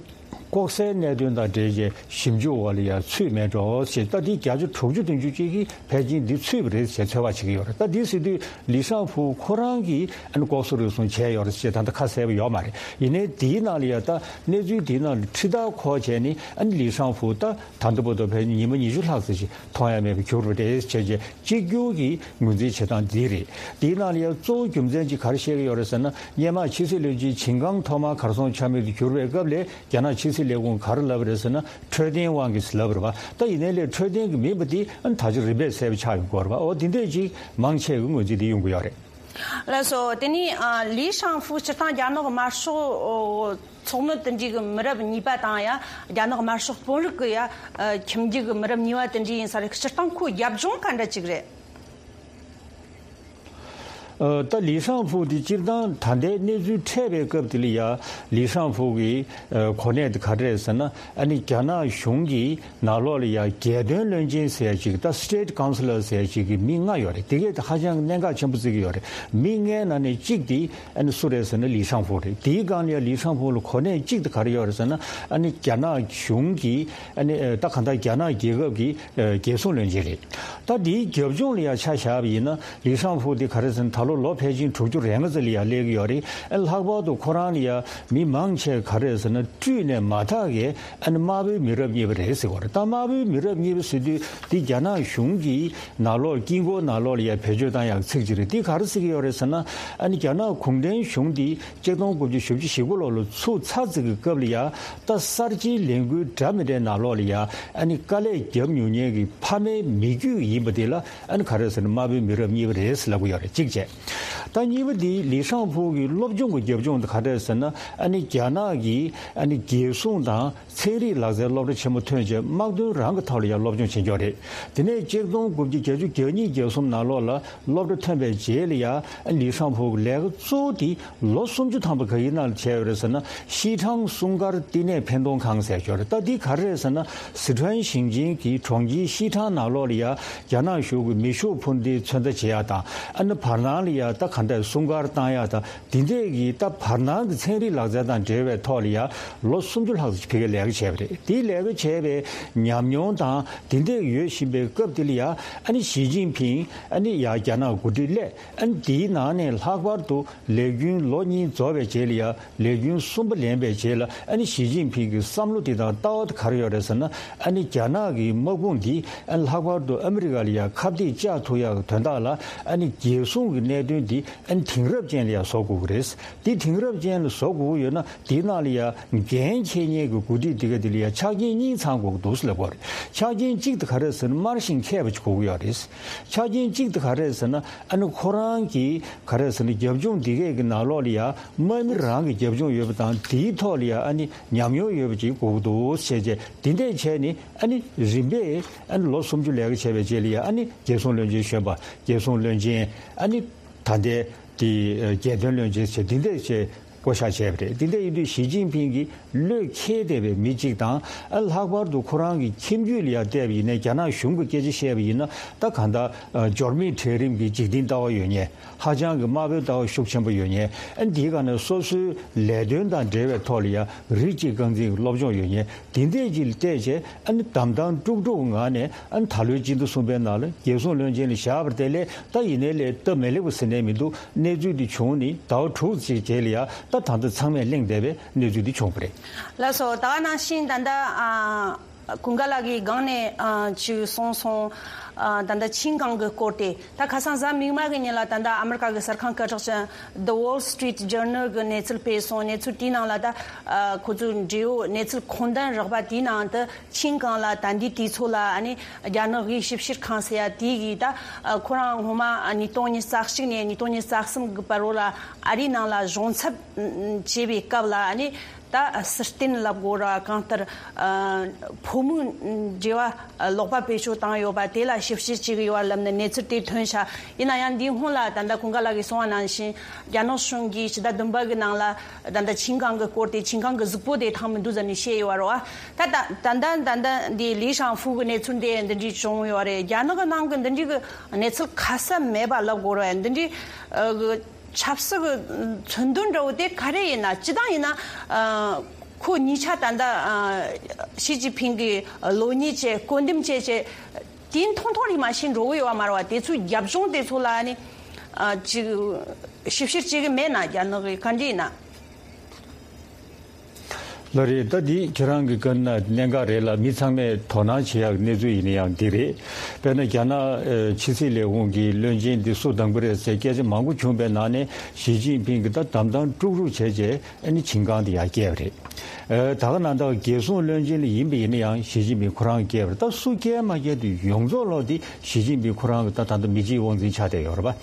ལྐོག་ཟའི་གནད་དོན་དང་འབྲེལ་བའི་ཞིབ་འཇུག་འོག་ལ་ཡང་ཚུད་མེད་འགྲོ་ཞེས། ད་འདི་བརྒྱ་ཆ་དྲུག་ཅུ་བདུན་ཅུ་ཅིག་གིས་ཕལ་ཆེར་འདི་ཚུད་པ་རེད་ཅེས་ཚོད་དཔག་བྱེད་ཀྱི་ཡོད་རེད། ད་འདི་ཟེར་དུས་ལི་ཤང་ཧྥུ་ཁོ་རང་གིས་ཨ་ནི་ལྐོག་ཟ་རུལ་སུངས་བྱས་ཡོད་རེད་ཅེས་ད་ལྟ་ཁ་གསལ་པོ་ཡོད་མ་རེད། ཡིན་ནའི་འདིའི་ནང་ལ་ཡང་ད་གནས་ཚུལ་འདིའི་ནང་ལ་ཁྲི་ཐག་ཁོ་བྱས་ནས་ཨ་ནི་ལི་ཤང་ཧྥུ་ད་ད་ལྟ་བར་དུ་ཕལ་ཆེར་ཉི་མ་ཉི་ཤུ་ལྷག་ཙམ་ཞིག་མཐོང་ཡ་མེད་པར་གྱུར་པ་རེད་ཅེས་བྱས། གཅིག་གྱུར་གྱི་ངོས་འཛིན་བྱེད་སྟངས་འདི་རེད། དེའི་ནང་ལ་ཡང་གཙོ་བོ་རྒྱུ་མཚན་གཅིག་ག་རེ་བཤད་ཀྱི་ཡོད་རེད་ཟེར་ན། སྔོན་མ་ཕྱི་སྲིད་བློན་ཆེན་ཆིན་ཀང་ཐོག་མར་གར་སོང་ཆ་མེད་དུ་གྱུར་བའི་སྐབས་ལ་རྒྱ་ནག་ཕྱི་སྲིད་ལས་ཁུངས་ག་རེ་ལབ་པ་རེད་ཟེར་ན། འཕྲོད་བསྟེན་དབང་གིས་ལབ་པ་རེད་པ། ད་ཡིན་ནའི་ལས་འཕྲོད་བསྟེན་གྱི་མིན་པ་དེ་ཨ་ནི་ད་ཆ་རིམ་པས་གསལ་པོ་ཆགས་ཡོང་གི་ཡོད་རེད་པ། འོ་དེ་འདྲས་ཅིག་མང་ཆེ་གི་ངོས་འཛིན་དེ་ཡོང་གི་ཡོད་རེད། ལགས་སོ། དེ་ནས་ཨ་ལི་ཤང་ཧྥུ་སྤྱིར་བཏང་རྒྱ་ནག་དམར་ཤོག་ཚོགས་མི་དེ་འདྲའི་གི་མི་རབས་གཉིས་པ་དང་ཡང་རྒྱ་ནག་དམར་ཤོག་དཔོན་རིགས་ཀྱི་ཡང་ཨ་ཁྱིམ་རྒྱུད་ཀྱི་མི་རབས་གཉིས་པ་དེ་འདྲ་ཡིན་ས་རེད། སྤྱིར་བཏང་ཁོའི་རྒྱབ་ལྗོངས་ག་འདྲ་ཅིག་རེད། ཨ་ད་ལི་ཤང་ཧྥུ་དེ་སྤྱིར་བཏང་ད་ལྟའི་གནས་ཚུལ་འཕྲད་པའི་སྐབས་དེ་ལ་ཡང་ལི་ཤང་ཧྥུ་གི་ཨ་གོ་གནས་དེ་ག་རེ་རེད་ཟེར་ན། ཨ་ནི་རྒྱ་ནག་གཞུང་གི་ནང་ལོགས་ལ་ཡང་རྒྱལ་དོན་བློན་ཆེན་ཟེར་ཡ་ཅིག་ད་State Councillor ཟེར་ཡ་ཅིག་གི་མི་ལྔ་ཡོད་རེད། དེ་གས་ད་ཧ་ཅང་གནད་འགག་ཆེན་པོ་བརྩི་གི་ཡོད་རེད། མི་ལྔའི་ནང་ནས་གཅིག་དེ་ཨ་ནི་སུ་རེད་ཟེར་ན་ལི་ཤང་ཧྥུ་རེད། དེའི་སྒང་ལ་ཡང་ལི་ཤང་ཧྥུ་ལ་གོ་གནས་གཅིག་དེ་ག་རེ་ཡོད་རེད་ཟེར་ན། ཨ་ནི་རྒྱ་ནག་གཞུང་གི་ཨ་ནི་ད་གང་ལྟར་རྒྱ་ནག་རྒྱལ་ཁབ་ཀྱི་རྒྱལ་སྲུང་བློན་ཆེན་རེད། ད་དེའི་རྒྱབ་ལྗོངས་ལ་ཡང་ཆ་བཞག་པ་ཡིན་ན། ལི་ཤང་ཧྥུ་དེ་ག་རེ་ཟེར་ན་ད་ལོ་ལོ་ཕལ་ཆེར་དྲུག་ཅུ་རེ་ལྔ་ཙམ་ལ་ཡང་སླེབས་ཀྱི་ཡོད་རེད། ཨ་ལྷག་པར་དུ་ཁོ་རང་ལ་ཡང་མི་མང་ཆེ་ག་རེ་ཟེར་ན་སྤྲུལ་ནས་མ་ཐག་གི་ཨ་ནི་དམར་པོའི་མི་རབས་གཉིས་པ་རེད་ཟེར་གྱི་ཡོད་རེད། ད་དམར་པོའི་མི་རབས་གཉིས་པ་ཟེར་དུས་དེ་རྒྱ་ནག་གཞུང་གི་ནང་ལོགས་དཀྱིལ་འཁོར་ནང་ལོགས་ལ་ཡང་བེད་སྤྱོད་བཏང་ཡག་ཚིག་ཅིག་རེད། དེ་ག་རེ་ཟེར་གྱི་ཡོད་རེད་ཟེར་ན། ཨ་ནི་རྒྱ་ནག་གུང་ཁྲན་གཞུང་འདི་ཆིག་སྟོང་དགུ་བརྒྱ་བཞི་བཅུ་ཞེ་དགུ་ལོ་ལ་ཚུགས་ཚར་ཙམ་གྱི་སྐབས་ལ་ཡང་ད་གསར་བརྗེའི་ལས་འགུལ་འདྲ་མི་འདྲའི་ནང་ལོགས་ལ་ཡང་ཨ་ནི་དཀའ་ལས་བརྒྱབ་མྱོང་མཁན་གྱི་ཕ་མའི་མི་རྒྱུད་ཡིན་པ་དེ་ལ་ཨ་ནི་ག་རེ་ཟེར་ན་དམར་པོའི་མི་རབས་གཉིས་པ་རེད་ཟེར་ལབ་ཀྱི་ཡོད་རེད། གཅིག་བྱས། ད་གཉིས་པ་དེ་ལི་ཤང་ཧྥུ་གི་སློབ་སྦྱོང་གི་རྒྱབ་ལྗོངས་དེ་ག་རེ་ཟེར་ན། ཨ་ནི་རྒྱ་ནག་གི་ཨ་ནི་རྒྱལ་སྲུང་དང་ཚན་རིག་ལག་རྩལ་སློབ་གྲྭ་ཆེན་མོ་ཐོན་རྗེས་དམག་དོན་རང་གི་ཐོག་ལ་ཡང་སློབ་སྦྱོང་བྱེད་མཁན་རེད། དེ་ནས་ཆིག་སྟོང་དགུ་བརྒྱ་བརྒྱད་ཅུ་གྱ་གཉིས་གྱ་གསུམ་ནང་ལོགས་ལ་སློབ་གྲྭ་ཐོན་པའི་རྗེས་ལ་ཡང་ལི་ཤང་ཧྥུ་གི་ལས་ཀ་གཙོ་བོ་དེ་ལོ་སུམ་ཅུ་ཐམ་པ་ག་གི་ནང་ལ་བྱས་ཡོད་རེད་ཟེར་ན། ཤིས་ཁྲང་སྲུང་སྐར་བསྟི་གནས་འཕེན་གཏོང་ཁང་ཟེར་ཡོད་རེད། ད་འདི་ག་རེ་རེད་ཟེར་ན། སི་ཁྲོན་ཞིང་ཆེན་གྱི་གྲོང་ཁྱེར་ཤིས་ཁྲང་ནང་ལོགས་ལ་ཡང་རྒྱ་ནག་གཞུང་གི་མེ་ཤུགས་འཕུར་མདེལ་ཚོད་ལྟ་བྱེད་ཡག་དང་། ཨ་ནི་བར་སྣང་ལ་ཡང་ད་ག་འདྲ་སྲུང་སྐར་བཏང་ཡག་དང་། དེ་འདྲས་ཀྱི་ད་བར་སྣང་གི་ཚན་རིག་ལག་རྩལ་དང་འབྲེལ་བའི་ཐོག་ལ་ཡང་ལོ་སུམ་ཅུ་ལྷག་ཙམ་ཕ་གིར་ལས་ཀ་བྱས་པ་རེད། དེའི་ལས་ཀ་བྱས་པའི་ཉམས་མྱོང་དང་དེ་འདྲས་ཡོད་བཞིན་པའི་སྐབས་དེ་ལ་ཡང་ཨ་ནི་ཞི་ཅིན་ཕིང་ཨ་ནི་ཡང་རྒྱ་ནག་འགོ་ཁྲིད་སླེབས། ཨ་ནི་དེའི་ནང་ནས་ལྷག་པར་དུ་ལས་རྒྱུན་ལོ་གཉིས་རྫོགས་པའི་རྗེས་ལ་ཡང་ལས་རྒྱུན་གསུམ་པ་ལེན་པའི་རྗེས་ལ། ཨ་ནི་ཞི་ཅིན་ཕིང་གི་བསམ་བློ་དེ་དང་ལྟ་བ་དེ་ག་རེ་ཡོད་རེད་ཟེར་ན། ཨ་ནི་རྒྱ་ནག་གི་དམག་དཔུང་འདི་ཨ་ནི་ལྷག་པར་དུ་ཨ་མི་རི་ཀ་ལ་ཡང་ཁ་གཏད་བཅག་ཐུབ་ཡག་གི་དོན་དག་ལ། ཨ་ནི་རྒྱལ་སྲུང་གི་གནད་དོན་འདི་ཨ་ནི་དེང་རབས་ཅན་ལ་ཡང་བཟོ་དགོས་ཀྱི་རེད། དེ་དེང་རབས་ཅན་ལ་བཟོ་དགོས་ཀྱི་ཡོད་ན། དེའི་ནང་ལ་ཡང་འགན་འཁྱེར་མཁན་གྱི་འགོ་ཁྲིད་དེ་ག་དེ་ལ་ཡང་ཆ་རྐྱེན་གཉིས་ཚང་དགོས་ཀྱི་འདུག་ཟེར་ལབ་པ་རེད། ཆ་རྐྱེན་གཅིག་དེ་ག་རེ་ཟེར་ན་དམར་ཞིང་མཁས་པ་ཅིག་དགོས་ཀྱི་ཡོད་རེད། ཆ་རྐྱེན་གཅིག་དེ་ག་རེ་ཟེར་ན། ཨ་ནི་ཁོ་རང་གི་ག་རེ་ཟེར་ན་རྒྱབ་ལྗོངས་འདི་གས་ཀྱི་ནང་ལོགས་ལ་ཡང་དམག་མི་རང་གི་རྒྱབ་ལྗོངས་ཡོད་པ་དང་། དེའི་ཐོག་ལ་ཡང་ཨ་ནི་ཉམས་མྱོང་ཡོད་པ་ཅིག་དགོས་ཀྱི་འདུག་ཟེར་བྱས། དེ་འདྲས་བྱས་ནས་ཨ་ནི་རིམ་པས་ཨ་ནི་ལོ་སུམ་ཅུ་ལས་ཀ་བྱས་པའི་རྗེས་ལ་ཡང་ཨ་ནི་རྒྱལ་སྲུང་བློན་ཆེན་གཞོན་པ། རྒྱལ་སྲུང་བློན་ཆེན། ཨ་ནི་ད་ལྟའི་དེ་རྒྱལ་དོན་བློན་ཆེན་བྱས། དེ་འདྲས་བྱས། བསྐོ་བཞག་བྱས་པ་རེད། དེ་འདྲ་ཡིན་དུས་ཞི་ཅིན་ཕིང་གིས་བློས་འཁེལ་བསྡད་པའི་མི་གཅིག་དང་། ཨ་ལྷག་པར་དུ་ཁོ་རང་གི་ཁྱིམ་རྒྱུད་ལ་ཡང་བལྟས་པ་ཡིན་ན། རྒྱ་ནག་གཞུང་གི་སྐད་ཆ་བཤད་པ་ཡིན་ན། ད་གང་ལྟར་ཨ་འབྱོར་མེད་གྲལ་རིམ་གྱི་འཇིག་རྟེན་ལྟ་བ་ཡོད་མཁན། ཧ་ཅང་གི་དམར་པོའི་ལྟ་བ་ཤུགས་ཆེན་པོ་ཡོད་མཁན། ཨ་འདིའི་སྒང་ནས་སོ་སོའི་ལས་དོན་དང་འབྲེལ་བའི་ཐོག་ལ་ཡང་རིགས་གཅིག་རྐང་འཛིན་གྱི་སློབ་སྦྱོང་ཡོད་མཁན། དེ་འདྲས་ཀྱི་བལྟས་བྱས། ཨ་ནི་དམ་དམ་དཀྲུག་དཀྲུག་ངང་ནས། ཨ་ནི་ད་ལོའི་སྤྱི་ཟླ་གསུམ་པའི་ནང་ལ་རྒྱལ་སྲུང་བློན་ཆེན་ལ་བཞག་པ་དེ་ལས་ད་ཡིན་ནའི་ལས་སྟབས་མི་ལེགས་པ་ཟེར་ནའི་མི་འདུག་གནས་ཚུལ་འདི་བྱུང་ནས་ཟླ་བ་དྲུག་ཅིག་རྗེས་ལ་ཡང་ད་ད་ལྟ་ཚང་མས་གླེང་བསྡད་པའི་གནས་ཚུལ་འདི་བྱུང་བ་རེད། ལགས་སོ། ད་ག་ནང་བཞིན་ད་ལྟ་ཨ་ཀུན་དགའ་ལགས་ཀྱིས་སྒང་ནས་ཨ་ཅིག་གསུངས་སོང་། ཨ་ད་ལྟ་ཆིན་ཀང་གི་སྐོར་དེ། ད་ཁ་སང་གཟའ་མིག་དམར་གྱི་ཉིན་ལ་ད་ལྟ་ཨ་མི་རི་ཀ་གི་གསར་ཁང་སྐད་གྲགས་ཅན་The Wall Street Journal གི་གནས་ཚུལ་སྤེལ་སོང་། གནས་ཚུལ་དེའི་ནང་ལ་ད་ཨ་ཁོ་ཚོའི་འབྲེལ་ཡོད་གནས་ཚུལ་མཁོ་འདོན་རག་པ་དེའི་ནང་དུ། ཆིན་ཀང་ལ་ད་ལྟའི་དུས་ཚོད་ལ་ཨ་ནི་རྒྱ་ནག་གི་ཞིབ་བཤེར་ཁང་ཟེར་ཡ་དེ་གིས་ད་ཁོ་རང་སྔོན་མ་ཉིས་སྟོང་ཉི་ཤུ་རྩ་གཅིག་ནས་ཉིས་སྟོང་ཉི་ཤུ་རྩ་གསུམ་གི་བར་རོ་ལ་ཨ་རིའི་ནང་ལ་གཞུང་ཚབ་བྱེད་པའི་སྐབས་ལ། ཨ་ནི་ད་སྲིད་བསྟེན་ལབ་དགོས་ར། གང་ལྟར་ཕོ་མོའི་འབྲེལ་བ་ལོག་པ་བེད་སྤྱོད་བཏང་ཡོད་པ་དེ་ལ་ཞིབ་བཤེར་བྱེད་ཀྱི་ཡོད་པ་ལབ་ནས་གནས་ཚུལ་དེ་ཐོན་ཤག་ཡིན་ན་ཡང་འདིའི་སྔོན་ལ་ད་ལྟ་ཀུན་དགའ་ལགས་ཀྱིས་གསུངས་པ་ནང་བཞིན། རྒྱ་ནག་གཞུང་གིས་ཕྱི་ཟླ་བདུན་པ་གི་ནང་ལ་ད་ལྟ་ཆིན་ཀང་གི་སྐོར་དེ། ཆིན་ཀང་གི་གཟུགས་པོ་དེ་ཐང་མི་འདུག་ཟེར་ནས་བཤད་ཡོད་རེད་བ། ད་ད་ད་ད་ད་ད་འདི་ལི་ཤང་ཧྥུ་གི་གནས་ཚུལ་འདི་འདི་འདྲའི་བྱུང་ཡོད་རེད། རྒྱ་ནག་གི་ནང་གི་འདི་འདྲའི་གི་གནས་ཚུལ་ཁ་གསལ་མེད་པ་ལབ་དགོས་རེད། འདི་འདྲའི་ཨ་གི་ཆབ་སྲིད་གི་མཚོན་དོན་འདྲ་བོ་དེ་ག་རེ་ཡིན་ན། སྤྱི་བཏང་ཡིན་ན་ཨ། ཁོ་གཉིས་ཆ་ད་ལྟ་ཨ་ཞི་ཅིན་ཕིང་གི་བློ་ཉེས་བྱས་སྐུར་འདེབས་བྱས་བྱས་དེ་མཐོང་མཐོང་རིག་མ་ཤེས་འགྲོ་གི་ཡོད་པ་མ་རེད་བ། དེ་ཚོའི་རྒྱབ་ལྗོངས་དེ་ཚོ་ལ་ནི་ཨ་ཅིག་ཞིབ་བཤེར་བྱེད་གི་མེད་ན་རྒྱ་ནག་གི་ག་འདྲ་ཡིན་ན། ལགས་རེད། ད་འདི་ཁྱེད་རང་གི་བཀའ་ན་གནད་འགག་རེད་ལ། མི་ཚང་མས་དོ་སྣང་བྱེད་ཡག་གནས་ཚུལ་ཡིན་ན་ཡང་འདི་རེད། དཔེར་ན་རྒྱ་ནག་ཕྱི་སྲིད་ལས་ཁུངས་ཀྱི་བློན་ཆེན་འདི་སུ་དང་པོ་རེད་ཟེར་སྐད་ཆ་མང་པོ་བྱུང་བའི་ནང་ནས་ཞི་ཅིན་ཕིང་གིས་ད་གདམ་གཏམ་དཀྲུག་དཀྲུག་བྱས་རྗེས་ཨ་ནི་ཆིན་ཀང་དེ་ཡར་བསྐྱལ་བ་རེད། ད་ག་ནང་ད་རྒྱལ་སྲུང་བློན་ཆེན་ལ་ཡིན་པ་ཡིན་ན་ཡང་ཞི་ཅིན་ཕིང་ཁོ་རང་གིས་བསྐྱལ་བ་རེད། ད་སུ་བསྐྱལ་མ་བསྐྱལ་དེ་ཡོངས་རྫོགས་ལོག་དེ་ཞི་ཅིན་ཕིང་ཁོ་རང་གི་ད་ད་ལྟ་མི་གཅིག་དབང་འཛིན་ཆགས་བསྡད་ཡོད་རེད་པ།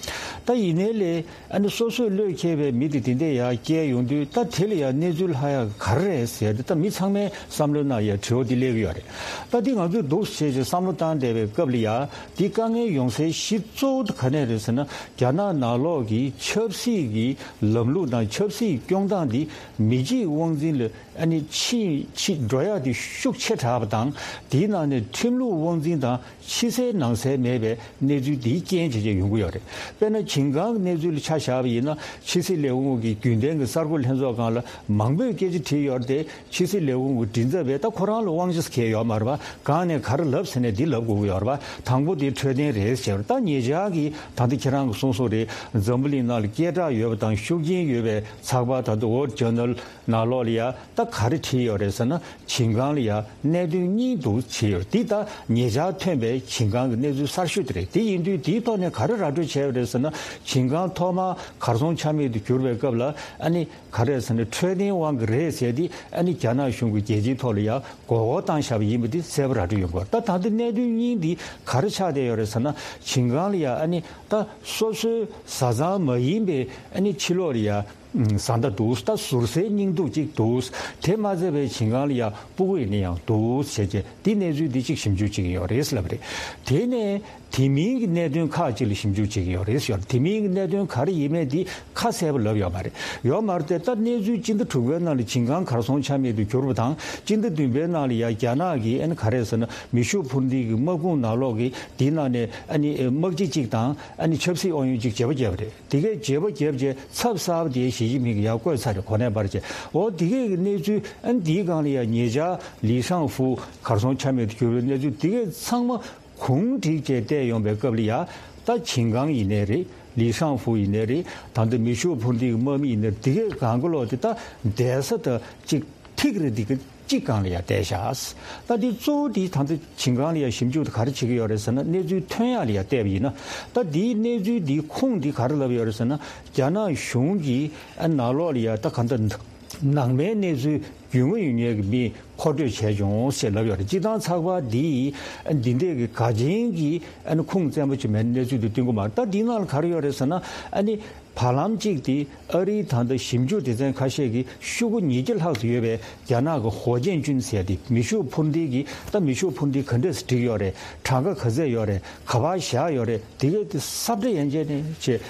ད་ཡིན་ནའི་ལས། ཨ་ནི་སོ་སོས་བློས་འཁེལ་བའི་མི་དེ་དེ་འདྲས་ཡར་བསྐྱལ་ཡོང་དུས་ད་དེ་ལ་ཡང་གནས་ཚུལ་ལྷག་ཡག་ག་རེ་རེད་ཟེར་ཏེ་ད་མི་ཚང་མའི་བསམ་བློའི་ནང་ཡང་དྲི་བ་འདི་སླེབས་ཀྱི་ཡོད་རེད། ད་འདི་ང་ཚོས་འདུག་སེ་བྱས་བྱས་བསམ་བློ་བཏང་བསྡད་པའི་སྐབས་ལ་ཡང་འདི་དཀའ་ངལ་ཡོང་སའི་གཞི་གཙོ་བོ་དེ་ག་ནས་རེད་ཟེར་ན། རྒྱ་ནག་ནང་ལོགས་ཀྱི་ཆབ་སྲིད་ཀྱི་ལམ་ལུགས་དང་ཆབ་སྲིད་སྐྱོང་སྟངས་འདི་མི་གཅིག་དབང་འཛིན་ལ་ཨ་ནི་ཕྱིན་ཕྱིན་འགྲོ་ཡག་དེ་ཤུགས་ཆེ་དྲགས་པ་དང་། དེའི་ནང་ནས་ཁྲིམས་ལུགས་དབང་འཛིན་དང་། ཕྱི་གསལ་ནང་གསལ་མེད་པའི་གནས་ཚུལ་འདིའི་རྐྱེན་བྱས་བྱས་ཡོང་གི་ཡོད་རེད། དཔེར་ན་ཆིན་ཀང་གི་གནས་ཚུལ་ལ་ཆ་བཞག་པ་ཡིན་ན། ཕྱི་སྲིད་ལས་ཁུངས་ཀྱི་རྒྱུན་ལྡན་གྱི་གསར་འགོད་ལྷན་ཚོགས་སྒང་ལ་མང་པོས་སྐད་ཆ་དྲིས་ཡོད་རེད་དེ། ཕྱི་སྲིད་ལས་ཁུངས་ཀྱི་མགྲིན་ཚབ་པས་ད་ཁོ་རང་ལ་དབང་ཆ་གང་ཡང་ཡོད་མ་རེད་པ། གང་ནས་ག་རེ་ལབ་ཟེར་ནས་འདི་ལབ་དགོས་ཀྱི་ཡོད་རེད་པ། དང་པོ་དེ་འཕྲོད་བསྟེན་རེད་ཟེར། ད་ཉེ་ཆར་གྱི་ད་ལྟ་ཁྱེད་རང་གིས་གསུངས་སོང་རེད། འཛམ་བུ་གླིང་ནང་ལ་སྐད་གྲགས་ཡོད་པ་དང་ཤུགས་རྐྱེན་ཡོད་པའི་ཚགས་པར་ད་ལྟ་Wall Journal་ནང་ལོགས་ལ་ཡ་ད་ག་རེ་བྲིས་ཡོད་རེད་ཟེར་ན། ཆིན་ཀང་ལ་ཡ་གནད་དོན་གཉིས་འདུག་བྲིས་ཡོད། འདི་ད་ཉེ་ཆར་ཐོན་པའི་ཆིན་ཀང་གི་གནས་ཚུལ་གསར་ཤོས་དེ་རེད། དེ་ཡིན་དུས་དེའི་ཐོག་ནས་ག་རེ་ར་སྤྲོད་བྱས་ཡོད་རེད་ཟེར་ན། ཆིན་ཀང་ཐོག་མར་གར་སོང་ཆ་མེད་དུ་གྱུར་བའི་སྐབས་ལ་ཨ་ནི་ག་རེ་ཟེར་ན། འཕྲོད་བསྟེན་དབང་གིས་རེད་ཟེར་ཏེ་ཨ་ནི་རྒྱ་ནག་གཞུང་གིས་རྒྱལ་སྤྱིའི་ཐོག་ལ་ཡ་མགོ་སྐོར་བཏང་བཞག་པ་ཡིན་པ་འདི་གསལ་པོ་ར་སྤྲོད་ཡོང་གི་ཡོད་རེད། ད་ད་ལྟ་གནད་དོན་གཉིས་འདི་ག་རེ་ཆགས་བསྡད་ཡོད་རེད་ཟེར་ན། ཆིན་ཀང་ལ་ཡ་ཨ་ནི་ད་སོ་སོའི་བཟའ་ཚང་མ་ཡིན་པའི་ཨ་ནི་ཕྱི་ལོགས་ལ་ཡ། བཟའ་ཟླ་འདུག་ད་ཟུར་ཟའི་སྙིང་སྡུག་ཅིག་འདུག་དེ་མ་ཚད་པའི་ཆིན་ཀང་ལ་ཡ་སྤུ་གུ་ཡིན་ན་ཡང་འདུག་བྱས་རྗེས་འདི་གནས་ཚུལ་འདི་གཅིག་ཞིབ་འཇུག་བྱེད་ཀྱི་ཡོད་རེད་ལབ་རེད། དེ་ནས་དེ་མིན་གྱི་གནད་དོན་ཁག་ཅིག་ལ་ཞིབ་འཇུག་བྱེད་ཀྱི་ཡོད་རེད་ཟེར། དེ་མིན་གྱི་གནད་དོན་ག་རེ་ཡིན་མིན་འདི་ཁ་གསལ་པོ་ལབ་ཡོད་མ་རེད། ཡོད་མ་རེད་དེ། ད་གནས་ཚུལ་སྤྱི་ཟླ་དྲུག་པའི་ནང་ལ་ཆིན་ཀང་གར་སོང་ཆ་མེད་དུ་གྱུར་བ་དང་། སྤྱི་ཟླ་བདུན་པའི་ནང་ལ་ཡ་རྒྱ་ནག་གིས་ཨ་ནི་ག་རེ་ཟེར་ན། མེ་ཤུགས་འཕུར་མདེལ་གྱི་དམག་དཔུང་ནང་ལོགས་ཀྱི་དེའི་ནང་ནས་ཨ་ནི་དམག་སྤྱི་གཅིག་དང་ཨ་ནི་ཆབ་སྲིད་དབང་ཡོད་གཅིག་བརྗེ་པོ་བརྒྱབ་པ་རེད། དེ་གས་བརྗེ་པོ་བརྒྱབ་རྗེས་ཚབ་གསར་པ་དེ་ཞི་ཅིན་ཕིང་གིས་ཡར་བཀོད་ཚར་རེད། གོ་གནས་པར་བྱས། འོ་དེ་གས་ཀྱི་གནས་ཚུལ་ཨ་ནི་འདིའི་སྒང་ལ་ཡ་ཉེ་ཆར་ལི་ཧྲང་ཧྥུ་གར་སོང་ཆ་མེད་དུ་གྱུར་བའི་གནས་ཚུལ་དེ་གས་ཚང་མ་གུང་བསྒྲིགས་བྱས་བལྟས་ཡོང་པའི་སྐབས་ལ་ཡ། ད་ཆིན་ཀང་ཡིན་ནའི་རེད། ལི་ཧྲང་ཧྥུ་ཡིན་ནའི་རེད། ད་ལྟ་མེ་ཤུགས་འཕུར་མདེལ་གྱི་དམག་མི་ཡིན་ནའི་རེད། དེ་གས་གང་ག་ལོག་དེ་ད་བསྡད་ས་ད་གཅིག་ཐིག་རེ་འདི་ག་གཅིག་སྒང་ལ་ཡ་བསྡད་ཤག་ད་འདི་གཙོ་བོ་འདི་ད་ལྟ་ཆིན་ཀང་ལ་ཡ་ཞིབ་འཇུག་དེ་ག་རེ་བྱེད་ཀྱི་ཡོད་རེད་ཟེར་ན། གནས་ཚུལ་ཐོན་ཡག་ལ་ཡ་བལྟས་པ་ཡིན་ན། ད་འདིའི་གནས་ཚུལ་འདིའི་ཁུངས་འདི་ག་རེ་ལབ་ཡོད་རེད་ཟེར་ན། རྒྱ་ནག་གཞུང་གིས་ཨ་ནང་ལོགས་ལ་ཡ་ད་ག་འདྲ་ནང་མའི་གནས་ཚུལ་རྒྱུས་མངའ་ཡོད་མཁན་གྱི་མི་མཁོ་སྤྲོད་བྱས་བྱུང་ཞེས་ལབ་ཡོད་རེད། སྤྱིར་བཏང་ཚགས་པར་འདིས་ཨ་འདི་འདྲས་ཀྱི་ག་ཅན་གྱི་ཨ་ནི་ཁུངས་བཙན་པོ་ཅིག་མེད་ན་གནས་ཚུལ་འདི་སྟོན་གྱི་མ་རེད། ད་འདིའི་ནང་ལ་ག་རེ་ཡོད་རེད་ཟེར་ན། ཨ་ནི། བར་ལམ་གཅིག་དེ་ཨ་རིའི་ད་ལྟ་ཞིབ་འཇུག་སྡེ་ཚན་ཁ་ཤས་ཀྱིས་ཤོག་གུ་ཉིས་བརྒྱ་ལྷག་ཙམ་ཡོད་པའི་རྒྱ་ནག་གི་ཧོ་ཅན་ཅུན་ཟེར་ཡ་དེ། མེ་ཤུགས་འཕུར་མདེལ་གྱི་ད་མེ་ཤུགས་འཕུར་མདེལ་ག་འདྲས་སེ་བསྒྲིགས་ཡོད་རེད། གྲངས་ཀ་ག་ཚད་ཡོད་རེད། ག་པར་བཞག་ཡོད་རེད། དེ་གའི་དེ་ས་བཀྲ་ཡན་ཆད་ནས་བྱས།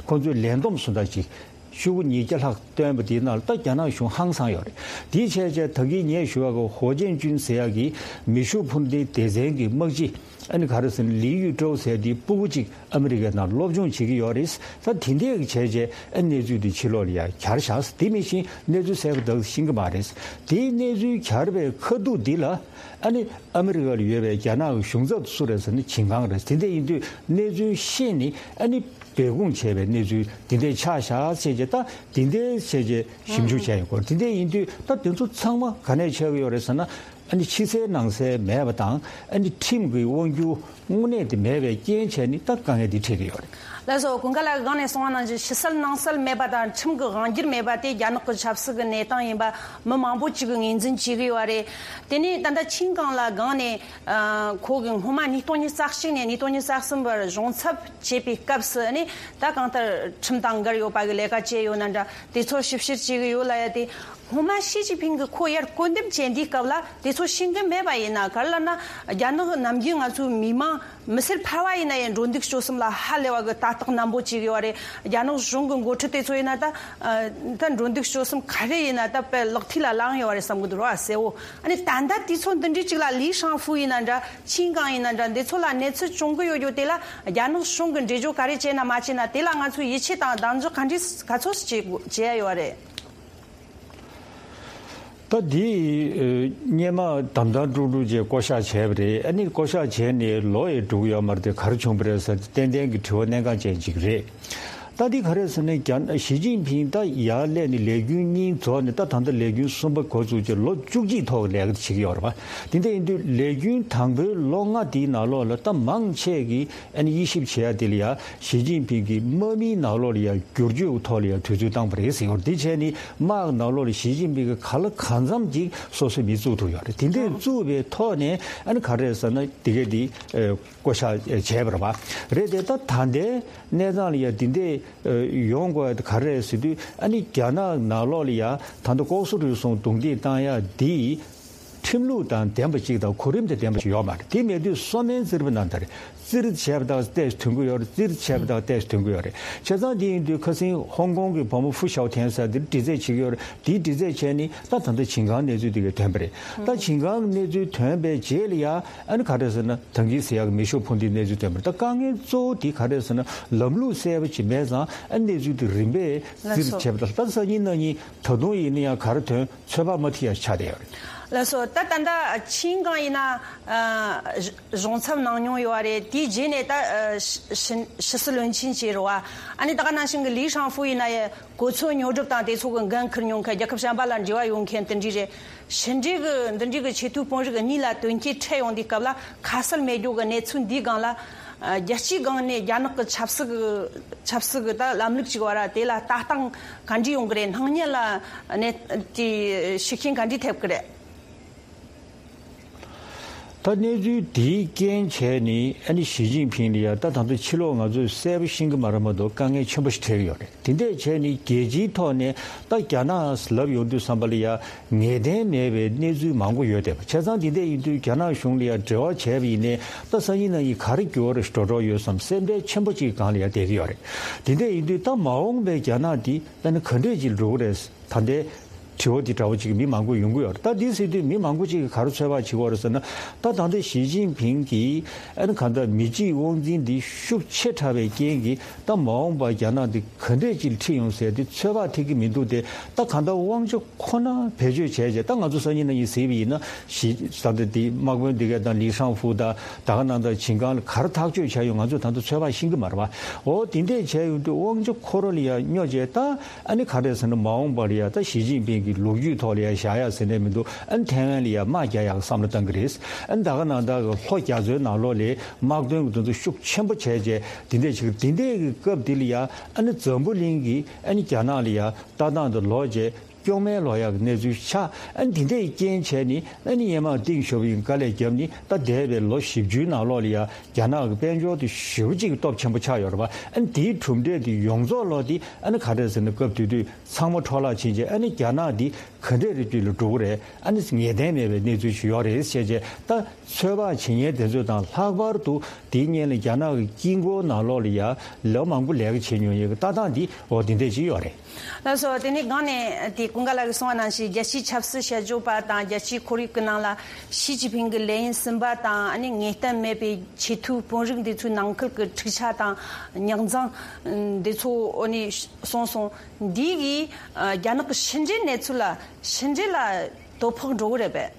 ཁོང་ཚོས་ལས་བསྡོམས་སུ་འདྲ་ཅིག་ཤོག་གུ་ཉིས་བརྒྱ་ལྷག་བཏོན་པ་དེའི་ནང་ལ་ད་རྒྱ་ནག་གཞུང་ཧང་སངས་ཡོད་རེད། དེའི་བྱས་བྱས་ད་གིན་ངས་ཞུ་བ་གི་ཧོ་ཅན་ཅུན་ཟེར་ཡ་གི་མེ་ཤུགས་འཕུར་མདེལ་སྡེ་ཚན་གྱི་དམག་སྤྱི། ཨ་ནི་ག་རེ་ཟེར་ན། ལི་ཡུས་ཀྲོའུ་ཟེར་དེའི་སྤུ་གུ་གཅིག་ཨ་མི་རི་ཀའི་ནང་སློབ་སྦྱོང་བྱེད་ཀྱི་ཡོད་རེད། ད་དེ་འདྲས་ཀྱི་བྱས་རྗེས་ཨ་གནས་ཚུལ་འདི་ཕྱི་ལོགས་ལ་ཡ་གྱར་བཞག་དེ་མིན་ཕྱིན་གནས་ཚུལ་གསལ་པོ་དག་ཤེས་ཀྱི་མ་རེད། དེའི་གནས་ཚུལ་གྱར་བའི་ཁ་ཐུག་འདི་ལ་ཨ་ནི་ཨ་མི་རི་ཀ་ལ་ཡོད་པའི་རྒྱ་ནག་གི་གཞུང་ཚབ་སུ་རེད་ཟེར་ན་ཆིན་ཀང་རེད། དེ་འདྲས་ཡིན་དུས་གནས་ཚུལ་ཤེས་ནས་ཨ་ནི་སྦས་སྐུང་བྱས་པའི་གནས་ཚུལ་དེ་འདྲས་ཆགས་བཞག་བྱས་རྗེས། ད་དེ་འདྲས་བྱས་རྗེས་ཞིབ་འཇུག་བྱས་ཡོད་སྐོར། དེ་འདྲས་ཡིན་དུས་ད་དེ་ཚོ་ཚང་མ་ག་ནས་ཆགས་ཀྱི་ཡོད་རེད་ཟེར་ན། ཨ་ནི་ཕྱི་གསལ་ནང་གསལ་མེད་པ་དང་། ཨ་ནི་ཁྲིམས་ཀྱི་དབང་སྒྱུར་དངོས་གནས་དེ་མེད་པའི་རྐྱེན་བྱས་ནས་ད་དཀའ་ངལ་འདི་འཕྲད་ཀྱི་ཡོད་རེད། ལགས་སོ། ཀུན་དགའ་ལགས་ཀྱིས་སྒང་ནས་གསུངས་པ་ནང་བཞིན་ཕྱི་གསལ་ནང་གསལ་མེད་པ་དང་ཁྲིམས་ཀྱི་དབང་སྒྱུར་མེད་པ་དེ་རྒྱ་ནག་གི་ཆབ་སྲིད་ཀྱི་གནས་སྟངས་ཡིན་པ་མི་མང་པོ་ཅིག་གིས་ངོས་འཛིན་བྱེད་ཀྱི་ཡོད་རེད། དེ་ནས་ད་ལྟ་ཆིན་ཀང་ལགས་སྒང་ནས་ཨ་ཁོ་གིས་སྔོན་མ་ཉིས་སྟོང་ཉི་ཤུ་རྩ་གཅིག་ནས་ཉིས་སྟོང་ཉི་ཤུ་རྩ་གསུམ་བར་གཞུང་ཚབ་བྱེད་པའི་སྐབས་སུ་ནས་ད་གང་ལྟར་ཁྲིམས་དང་འགལ་ཡོད་པ་གི་ལས་ཀ་བྱས་ཡོད་ན་འདྲ། དེ་ཚོ་ཞིབ་བཤེར་བྱེད་ཀྱི་ཡོད་ལབ་ཡ་དེ། སྔོན་མ་ཞི་ཅིན་ཕིང་གིས་ཁོ་ཡར་སྐུར་འདེབས་བྱས་འདིའི་སྐབས་ལ་དེ་ཚོ་ཤེས་ཀྱི་མེད་པ་ཡིན་ན། ག་རེ་ལབ་ན་རྒྱ་ནག་ནམ་རྒྱུན་ང་ཚོའི་མི་མང་མི་སེར་ཕལ་བ་ཡིན་ན་ཡང་འགྲོ་འདུག་སྤྱོད་གསུམ་ལ་ཧ་ལས་པ་གི་ལྟ་རྟོག་ནན་པོ་བྱེད་ཀྱི་ཡོད་རེད། རྒྱ་ནག་གཞུང་གི་འགོ་ཁྲིད་དེ་ཚོ་ཡིན་ན་ད་ད་འགྲོ་འདུག་སྤྱོད་གསུམ་ག་རེ་ཡིན་ན་ད་དཔེ་ལག་མཐིལ་ལ་ལངས་ཡོད་རེད་བསམ་གི་འདུག་ར་གསལ་བོ། ཨ་ནི་ད་ལྟ་དུས་ཚོད་འདི་འདྲའི་གཅིག་ལ་ལི་ཧྲང་ཧྥུ་ཡིན་ན་འདྲ། ཆིན་ཀང་ཡིན་ན་འདྲ། འདི་ཚོ་ལ་གནས་ཚུལ་བྱུང་གི་ཡོད་རྒྱུ་དེ་ལ་རྒྱ་ནག་གཞུང་གིས་འགྲེལ་བརྗོད་ག་རེ་བྱས་ན་མ་བྱས་ན་དེ་ལ་ང་ཚོས་ཡིད་ཆེས་དང་གདེང་འཇོག་ག་འདྲས་ག་ཚོད་བྱེད་དགོས་བྱེད་ཡ་ཡོད་རེད། ད་འདི་ཨ་སྔོན་མ་དམ་དམ་དཀྲུག་དཀྲུག་བྱས་བསྐོ་བཞག་བྱས་པ་རེད། ཨ་ནི་བསྐོ་བཞག་བྱས་ནས་ལོ་ཡང་འགྲོ་གི་ཡོད་མ་རེད་དེ། ག་རེ་བྱུང་བ་རེད་ཟེར་ཏན་ཏན་གྱི་དྲི་བ་གནད་འགག་ཅན་ཅིག་རེད། ད་འདི་ག་རེ་ཟེར་ན། རྒྱ་ཞི་ཅིན་ཕིང་ད་ཡར་སླེབས་ནས་ལས་རྒྱུན་གཉིས་རྫོགས་ནས། ད་ད་ལྟ་ལས་རྒྱུན་གསུམ་པ་འགོ་བཙུགས་བྱས་ལོ་བཅུ་གཅིག་ཐོག་ལས་ཀ་བྱེད་ཀྱི་ཡོད་རེད་པ། དེ་འདྲ་ཡིན་དུས་ལས་རྒྱུན་དང་པོའི་ལོ་ལྔ་དེའི་ནང་ལོགས་ལ་ད་མང་ཆེ་གིས་ཨ་ནི་དབྱེ་ཞིབ་བྱེད་ཡ་དེ་ལ་ཡ་ཞི་ཅིན་ཕིང་གིས་དམག་མིའི་ནང་ལོགས་ལ་ཡ་བསྒྱུར་བཅོས་ཀྱི་ཐོག་ལ་ཡ་དུས་ཚོད་བཏང་བ་རེད་ཟེར་ཡོད་རེད། དེ་བྱས་ནས་དམག་ནང་ལོགས་ལ་ཞི་ཅིན་ཕིང་གིས་ག་ལ་གང་འཚམ་ཅིག་སོ་སོའི་མི་བཙུགས་ཐུབ་ཡོད་རེད། དེ་འདྲས་བཙུགས་པའི་ཐོག་ནས་ཨ་ནི་ག་རེ་ཟེར་ན། དེ་གས་དེ་ཨ་བསྐོ་བཞག་བྱས་པ་རེད་པ། རེད་དེ་ད་ད་ལྟའི་གནས་སྟངས་ལ་ཡ་དེ་འདྲས་ཨ་ཡོང་དགོས་ཡ་དེ་ག་རེ་རེད་ཟེར་དུས། ཨ་ནི་རྒྱ་ནག་ནང་ལོགས་ལ་ཡ་ད་ལྟ་ལྐོག་ཟ་རུལ་སུངས་རྡུང་རྡེག་བཏང་ཡ་འདི་ཁྲིམས་ལུགས་དང་ལྡན་པ་ཅིག་དང་གོ་རིམ་དང་ལྡན་པ་ཅིག་ཡོད་མ་རེད། དེ་མེད་དུས་གསོ་སྨན་བཙིར་བ་ནང་ལྟར་བཙིར་བྱས་པ་དང་ཏོག་ཙམ་ཐོན་གྱི་ཡོད་རེད། བཙིར་བྱས་པ་དང་ཏོག་ཙམ་ཐོན་གྱི་ཡོད་རེད། བྱས་ཙང་དེ་ཡིན་དུས་ཁ་སང་ཧོང་ཀོང་གི་བུ་མོ་ཧྥུ་ཞའོ་ཐན་ཟེར་དེ་འདྲ་འདྲི་རྩད་བྱེད་ཀྱི་ཡོད་རེད། དེའི་འདྲི་རྩད་བྱས་ནས་ད་ད་ལྟ་ཞིང་ཁའི་གནས་ཚུལ་དེ་གས་ཐོན་པ་རེད། ད་ཞིང་ཁའི་གནས་ཚུལ་ཐོན་པའི་རྗེས་ལ་ཡ་ཨ་ནི་ག་རེ་ཟེར་ན། ད་གིན་ཟེར་ཡག་གི་མེ་ཤུགས་འཕུར་མདེལ་གནས་ཚུལ་ཐོན་པ་རེད། ད་དཀའ་ངལ་གཙོ་བོ་དེ་ག་རེ་ཟེར་ན། ལམ་ལུགས་གསལ་པོ་ཅིག་མེད་ཙང་ཨ་ནི་གནས་ཚུལ་དེ་རིམ་པས་ལགས་སོ། བཙིར་བྱས་པ་དང་། ད་སང་ཉིན་གནངས་ཉིན་ད་དུང་ཡིན་ན་ཡང་ག་རེ་ཐོན་ཚོད་དཔག་མ་ཐིག་ཡ་ཆགས་བསྡད་ཡོད་རེད། ལགས་སོ། ད་ད་ལྟ་ཆིང་ཀང་ཡིན་ན་ཨ་གཞུང་ཚབ་གནང་མྱོང་ཡོད་རེད། དེའི་རྗེས་ནས་ད་ཨ་ཕྱི་ཕྱི་སྲིད་བློན་ཆེན་བྱས་རེད་པ། ཨ་ནི་ད་ག་ནང་བཞིན་གྱི་ལི་ཧྲང་ཧྥུ་ཡིན་ན་ཡང་གོ་མཚོན་ཉོ་སྒྲུབ་དང་དེ་ཚོ་གི་འགན་འཁུར་མྱོང་མཁན། རྒྱལ་ཁབ་གཞན་པ་ལ་འབྲེལ་བ་ཡོད་མཁན་དེ་འདྲ་རེད། ཕྱི་འབྲེལ་གྱི་འདི་འདྲའི་གི་ཆེས་མཐོའི་དཔོན་རིགས་གཉིས་ལ་དོན་རྐྱེན་འཕྲད་ཡོང་དུས་སྐབས་ལ་ཁ་གསལ་མེད་རྒྱུ་གི་གནས་ཚུལ་འདིའི་སྒང་ལ། ཨ་རྒྱལ་སྤྱིའི་སྒང་ནས་རྒྱ་ནག་གི་ཆབ་སྲིད་ཀྱི་ཆབ་སྲིད་ཀྱི་ད་ལམ་ལུགས་ཅིག་བར་དེ་ལ་ལྟ་སྟངས་ག་འདྲ་ཡོང་གི་རེད། སྣང་བརྙན་ལ་ནས་དེ་ཤུགས་རྐྱེན་ག་འདྲ་ཐེབས་ཀྱི་རེད། ད་གནས་ཚུལ་དེའི་རྐྱེན་བྱས་ནས་ཨ་ནི་ཞི་ཅིན་ཕིང་ལ་ཡ་ད་ད་ལྟ་ཕྱི་ལོགས་ང་ཚོས་གསལ་པོ་ཤེས་ཀྱི་མ་རེད་མ་གཏོགས་དཀའ་ངལ་ཆེན་པོ་ཞིག་འཕྲད་ཀྱི་ཡོད་རེད། དེ་འདྲས་བྱས་ནས་རྒྱལ་སྤྱིའི་ཐོག་ནས་ད་རྒྱ་ནག་ལབ་ཡོང་དུས་ཙམ་པ་ལ་ཡ་ངེས་གཏན་མེད་པའི་གནས་ཚུལ་མང་པོ་ཡོད་བསྡད་པ། བྱས་ཙང་དེ་འདྲས་ཡིན་དུས་རྒྱ་ནག་གཞུང་ལ་ཡ་འབྲེལ་བ་བྱས་པ་ཡིན་ནའི་ད་སང་ཉིན་གནངས་ཉིན་ག་རེ་འགྱུར་བ་རེ་འགྲོ་འགྲོ་ཡོད་བསམ་སེམས་ཁྲལ་ཆེན་པོ་ཅིག་སྒང་ལ་ཡ་བསྡད་ཀྱི་ཡོད་རེད། དེ་འདྲས་ཡིན་དུས་ད་མ་འོངས་པའི་རྒྱ་ནག་འདི་ད་ནི་ག་འདྲས་ཅིག་འགྲོ་གི་རེད། ད་ལྟའི་དྲི་བ་འདི་འདྲ་བོ་ཅིག་མི་མང་པོ་ཡོང་གི་ཡོད་རེད། ད་འདི་ཟེར་དུས་མི་མང་པོ་ཅིག་གིས་ག་རེ་ཚོད་དཔག་བྱེད་ཀྱི་ཡོད་རེད་ཟེར་ན། ད་ད་ལྟ་ཞི་ཅིན་ཕིང་གིས་ཨ་ནི་གང་ལྟར་མི་གཅིག་དབང་འཛིན་འདི་ཤུགས་ཆེ་དྲགས་པའི་རྐྱེན་གྱིས་ད་མ་འོངས་པར་རྒྱ་ནག་འདི་ག་འདྲས་ཅིག་ཁྲིད་ཡོང་ཟེར་དེ་ཚོད་དཔག་ཐེབས་ཀྱི་མི་འདུག་སྟེ། ད་གང་ལྟར་དབང་ཆ་ཁོ་ན་བེད་སྤྱོད་བྱས་རྗེས། ད་ང་ཚོ་སང་ཉིན་གནངས་ཉིན་གཟིགས་པ་ཡིན་ན་ཞི་ད་ལྟ་འདི་དམག་དཔོན་འདི་གས་དང་ལི་ཧྲང་ཧྥུ་དང་ད་ག་ནང་ལྟར་ཞིང་ཁའི་ལ་ག་རེ་ཐག་གཅོད་བྱས་ཡོང་ང་ཚོས་ད་ལྟ་ཚོད་དཔག་ཤེས་ཀྱི་མ་རེད་པ། འོ་དེ་འདྲས་བྱས་ཡོང་དུས་དབང་ཆ་ཁོ་རང་ལ་ཡ་སྙོག་བྱས། ད་ཨ་ནི་ག་རེ་ཟེར་ན། མ་འོངས་པར་ཡ་ད་ཞི་ཅིན་ཕིང་གི་ལོ་རྒྱུས་ཐོག་ལ་ཡ་བཞག་ཡག་ཟེར་ནས་མི་འདུག་ཨ་ནི་ཐའེ་ཝན་ལ་ཡ་དམག་རྒྱག་ཡག་བསམ་བློ་བཏང་གི་རེད། ཨ་ནི་ད་ག་ནང་ལྟར་གྱི་ལྷོ་རྒྱ་མཚོའི་ནང་ལོགས་ལ་དམག་དོན་གྱི་དོན་དུ་ཤུགས་ཆེན་པོ་བྱས་བྱས་དེ་འདྲས་བྱེད་ཀྱི། དེ་འདྲས་ཀྱི་སྐབས་དེ་ལ་ཡ་ཨ་ནི་འཛམ་བུ་གླིང་གིས་ཨ་ནི་རྒྱ་ནག་ལ་ཡ་ལྟ་སྟངས་དེ་ལོག་བྱས། སྐྱོན་མེད་ལོག་ཡག་གི་གནས་ཚུལ་ཆགས། ཨ་ནི་དེ་འདྲས་རྐྱེན་བྱས་ནས་ཨ་ནི་སྔོན་མ་ཏིང་ཞོ་ཕིང་དཀའ་ལས་བརྒྱབ་ནས། ད་འདས་པའི་ལོ་བཞི་བཅུའི་ནང་ལོགས་ལ་ཡ་རྒྱ་ནག་གི་དཔལ་འབྱོར་དེ་ཞེ་པོ་ཅིག་གི་སྟོབས་ཆེན་པོ་ཆགས་ཡོད་རེད་པ། ཨ་ནི་དེའི་གྲུབ་འབྲས་དེ་ཡོངས་རྫོགས་ལོག་དེ་ཨ་ནི་ག་རེ་ཟེར་ན། སྐབས་དེ་དུས་ཚང་མ་འཕྲོ་བརླག་ཕྱིན་རྗེས་ཨ་ནི་རྒྱ་ནག་འདི་ག་འདྲས་རེ་བཅུད་ལ་འགྲོ་གི་རེད། ཨ་ནི་ངེས་གཏན་མེད་པའི་གནས་ཚུལ་ཞིག་ཡོད་རེད་ཟེར་བྱས། ད་ཚོད་དཔག་བྱེད་མཁན་དེ་ཚོ་དང་ལྷག་པར་དུ་དེའི་སྔོན་ལ་རྒྱ་ནག་གི་དཀྱིལ་འཁོར་ནང་ལོགས་ལ་ཡ་ལོ་མང་པོ་ལས་ཀ་བྱེད་མྱོང་ཡོད་གི་ལྟ་སྟངས་འདི་འོ་དེ་འདྲས་ཅིག་ཡོད་རེད། ལགས་སོ། དེ་ནས་སྒང་ནས་དེ་ཀུན་དགའ་ལགས་ཀྱིས་གསུངས་པ་ནང་བཞིན་རྒྱལ་སྤྱིའི་ཆབ་སྲིད་དཔྱད་བརྗོད་པ་དང་རྒྱལ་སྤྱིའི་ཁོར་ཡུག་གི་ནང་ལ་ཞི་ཅིན་ཕིང་གི་ལས་ཡུན་གསུམ་པ་དང་། ཨ་ནི་ངེས་གཏན་མེད་པའི་ཆེས་མཐོའི་དཔོན་རིགས་འདི་ཚོའི་ནང་ཁུལ་གྱི་འཁྲུག་ཆ་དང་རྙོག་འཛིང་འདི་ཚོ་ཨ་ནི་གསུངས་སོང་། འདི་གིས་ཨ་རྒྱ་ནག་གི་ཕྱི་འབྲེལ་གནས་ཚུལ་ལ་ཕྱི་འབྲེལ་ལ་དོ་ཕོག་འགྲོ་གི་རེད་པས།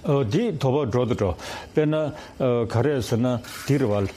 ཨོ་དེ་དོ་ཕོག་འགྲོ་དང་འགྲོ། དཔེར་ན་ཨ་ག་རེ་ཟེར་ན་དེ་རེད་པ།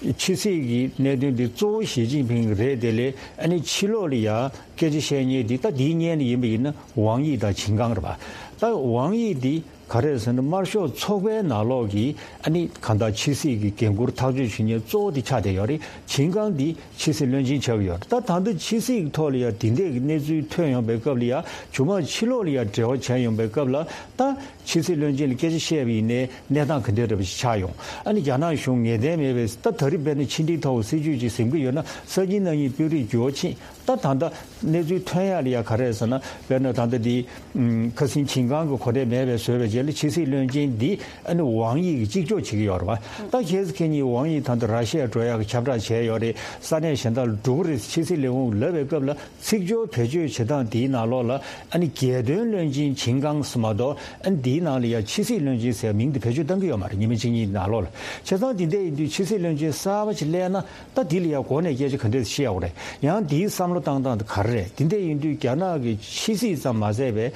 ཨ་ཕྱི་སྲིད་ཀྱི་གནད་དོན་འདི་གཙོ་བོ་ཞི་ཅིན་ཕིང་རེད། དེ་ལས་ཨ་ནི་ཕྱི་ལོགས་ལ་ཡ་སྐད་ཆ་བཤད་མཁན་འདི་ད་འདིའི་སྔོན་ལ་ཡིན་པ་ཡིན་ན་ཝང་དབྱི་དང་ཆིང་ཀང་རེད་པ། ད་ཝང་དབྱི་འདི་ག་རེ་ཟེར་ན་དམར་ཤོག་ཚོགས་པའི་ནང་ལོགས་ཀྱི་ཨ་ནི་གང་ལྟར་ཕྱི་སྲིད་ཀྱི་འགན་འཁུར་ཐག་གཅོད་བྱེད་མཁན་གཙོ་བོ་དེ་ཆགས་བསྡད་ཡོད་རེད། ཆིང་ཀང་འདི་ཕྱི་སྲིད་བློན་ཆེན་ཆགས་ཀྱི་ཡོད་རེད། ད་ད་ལྟ་ཕྱི་སྲིད་ཀྱི་ཐོག་ལ་ཡ་དེ་འདྲས་ཀྱི་གནས་ཚུལ་ཐོན་ཡོང་པའི་སྐབས་ལ་ཡ་མཇུག་མ་ཕྱི་ལོགས་ལ་ཡ་འབྲེལ་བ་བྱས་ཡོང་པའི་སྐབས་ལ་ད་ཕྱི་སྲིད་བློན་ཆེན་ལ་སྐད་ཆ་བཤད་པ་ཡིན་ནའི་གནས་སྟངས་ག་འདྲས་རེད་པ་ཞིག་ཆགས་ཡོང་། ཨ་ནི་རྒྱ་ནག་གཞུང་ངེས་གཏན་མེད་པའི་ད་ད་རེས་དཔེར་ན་ཕྱི་འབྲེལ་ཐོག་སྲིད་ཇུས་ཅིག་འཛིན་གྱི་ཡོད་ན་སང་ཉིན་གནངས་ཉིན་དཔོན་རིགས་འགྱུར་བ་ཕྱིན། ད་ད་ལྟ་གནས་ཚུལ་ཐོན་ཡག་ལ་ཡ་ག་རེ་ཟེར་ན། དཔེར་ན་ད་ལྟ་འདི་ཨམ་ཁ་སང་ཆིང་ཀང་གི་གོ་གནས་མེད་པའི་བཟོས་པའི་རྗེས། ཕྱི་སྲིད་བློན་ཆེན་འདི་ཨ་ནི་ཝང་ཡི་གི་གཅིག་ལྕོགས་བྱེད་ཀྱི་ཡོད་རེད་བ། ད་ཁྱེད་ཁྱེད་གཉིས་ཝང་ཡི་ད་ལྟ་ར་ཤི་ཡ་འགྲོ་ཡག་གི་ཁྱབ་བསྒྲགས་བྱས་ཡོད་རེད། ས་གནས་གཞན་དག་ལ་འགྲོ་གི་རེད། ཕྱི་སྲིད་ལས་ཁུངས་ལབ་པའི་སྐབས་ལ་ཚིག་སྦྱོར་བེད་སྤྱོད་བྱེད་སྟངས་འདིའི་ནང་ལོགས་ལ་ཨ་ནི་རྒྱལ་དོན་བློན་ཆེན་ཆིན་ཀང་ཟེར་མ་གཏོགས་ཨ་ནི་འདིའི་ནང་ལ་ཡ་ཕྱི་སྲིད་བློན་ཆེན་ཟེར་མིང་འདི་བེད་སྤྱོད་གཏང་གི་ཡོད་མ་རེད། ཉི་མ་གཅིག་གཉིས་ནང་ལོགས་ལ། བྱས་ཙང་འདི་འདྲ་ཡིན་དུས་ཕྱི་སྲིད་བློན་ཆེན་གསར་པ་ཅིག་སླེབས་ན་ད་འདི་ལ་ཡ་འགོ་ནས་སྐད་ཆ་ག་འདྲས་བཤད་ཡོད་རེད། ཡང་འདིའི་བསམ་བློ་བཏང་སྟངས་དེ་ག་རེ་རེད། འདི་འདྲ་ཡིན་དུས་རྒྱ་ནག་གི་ཕྱི་སྲིད་ཙམ་མ་ཟད་པའི་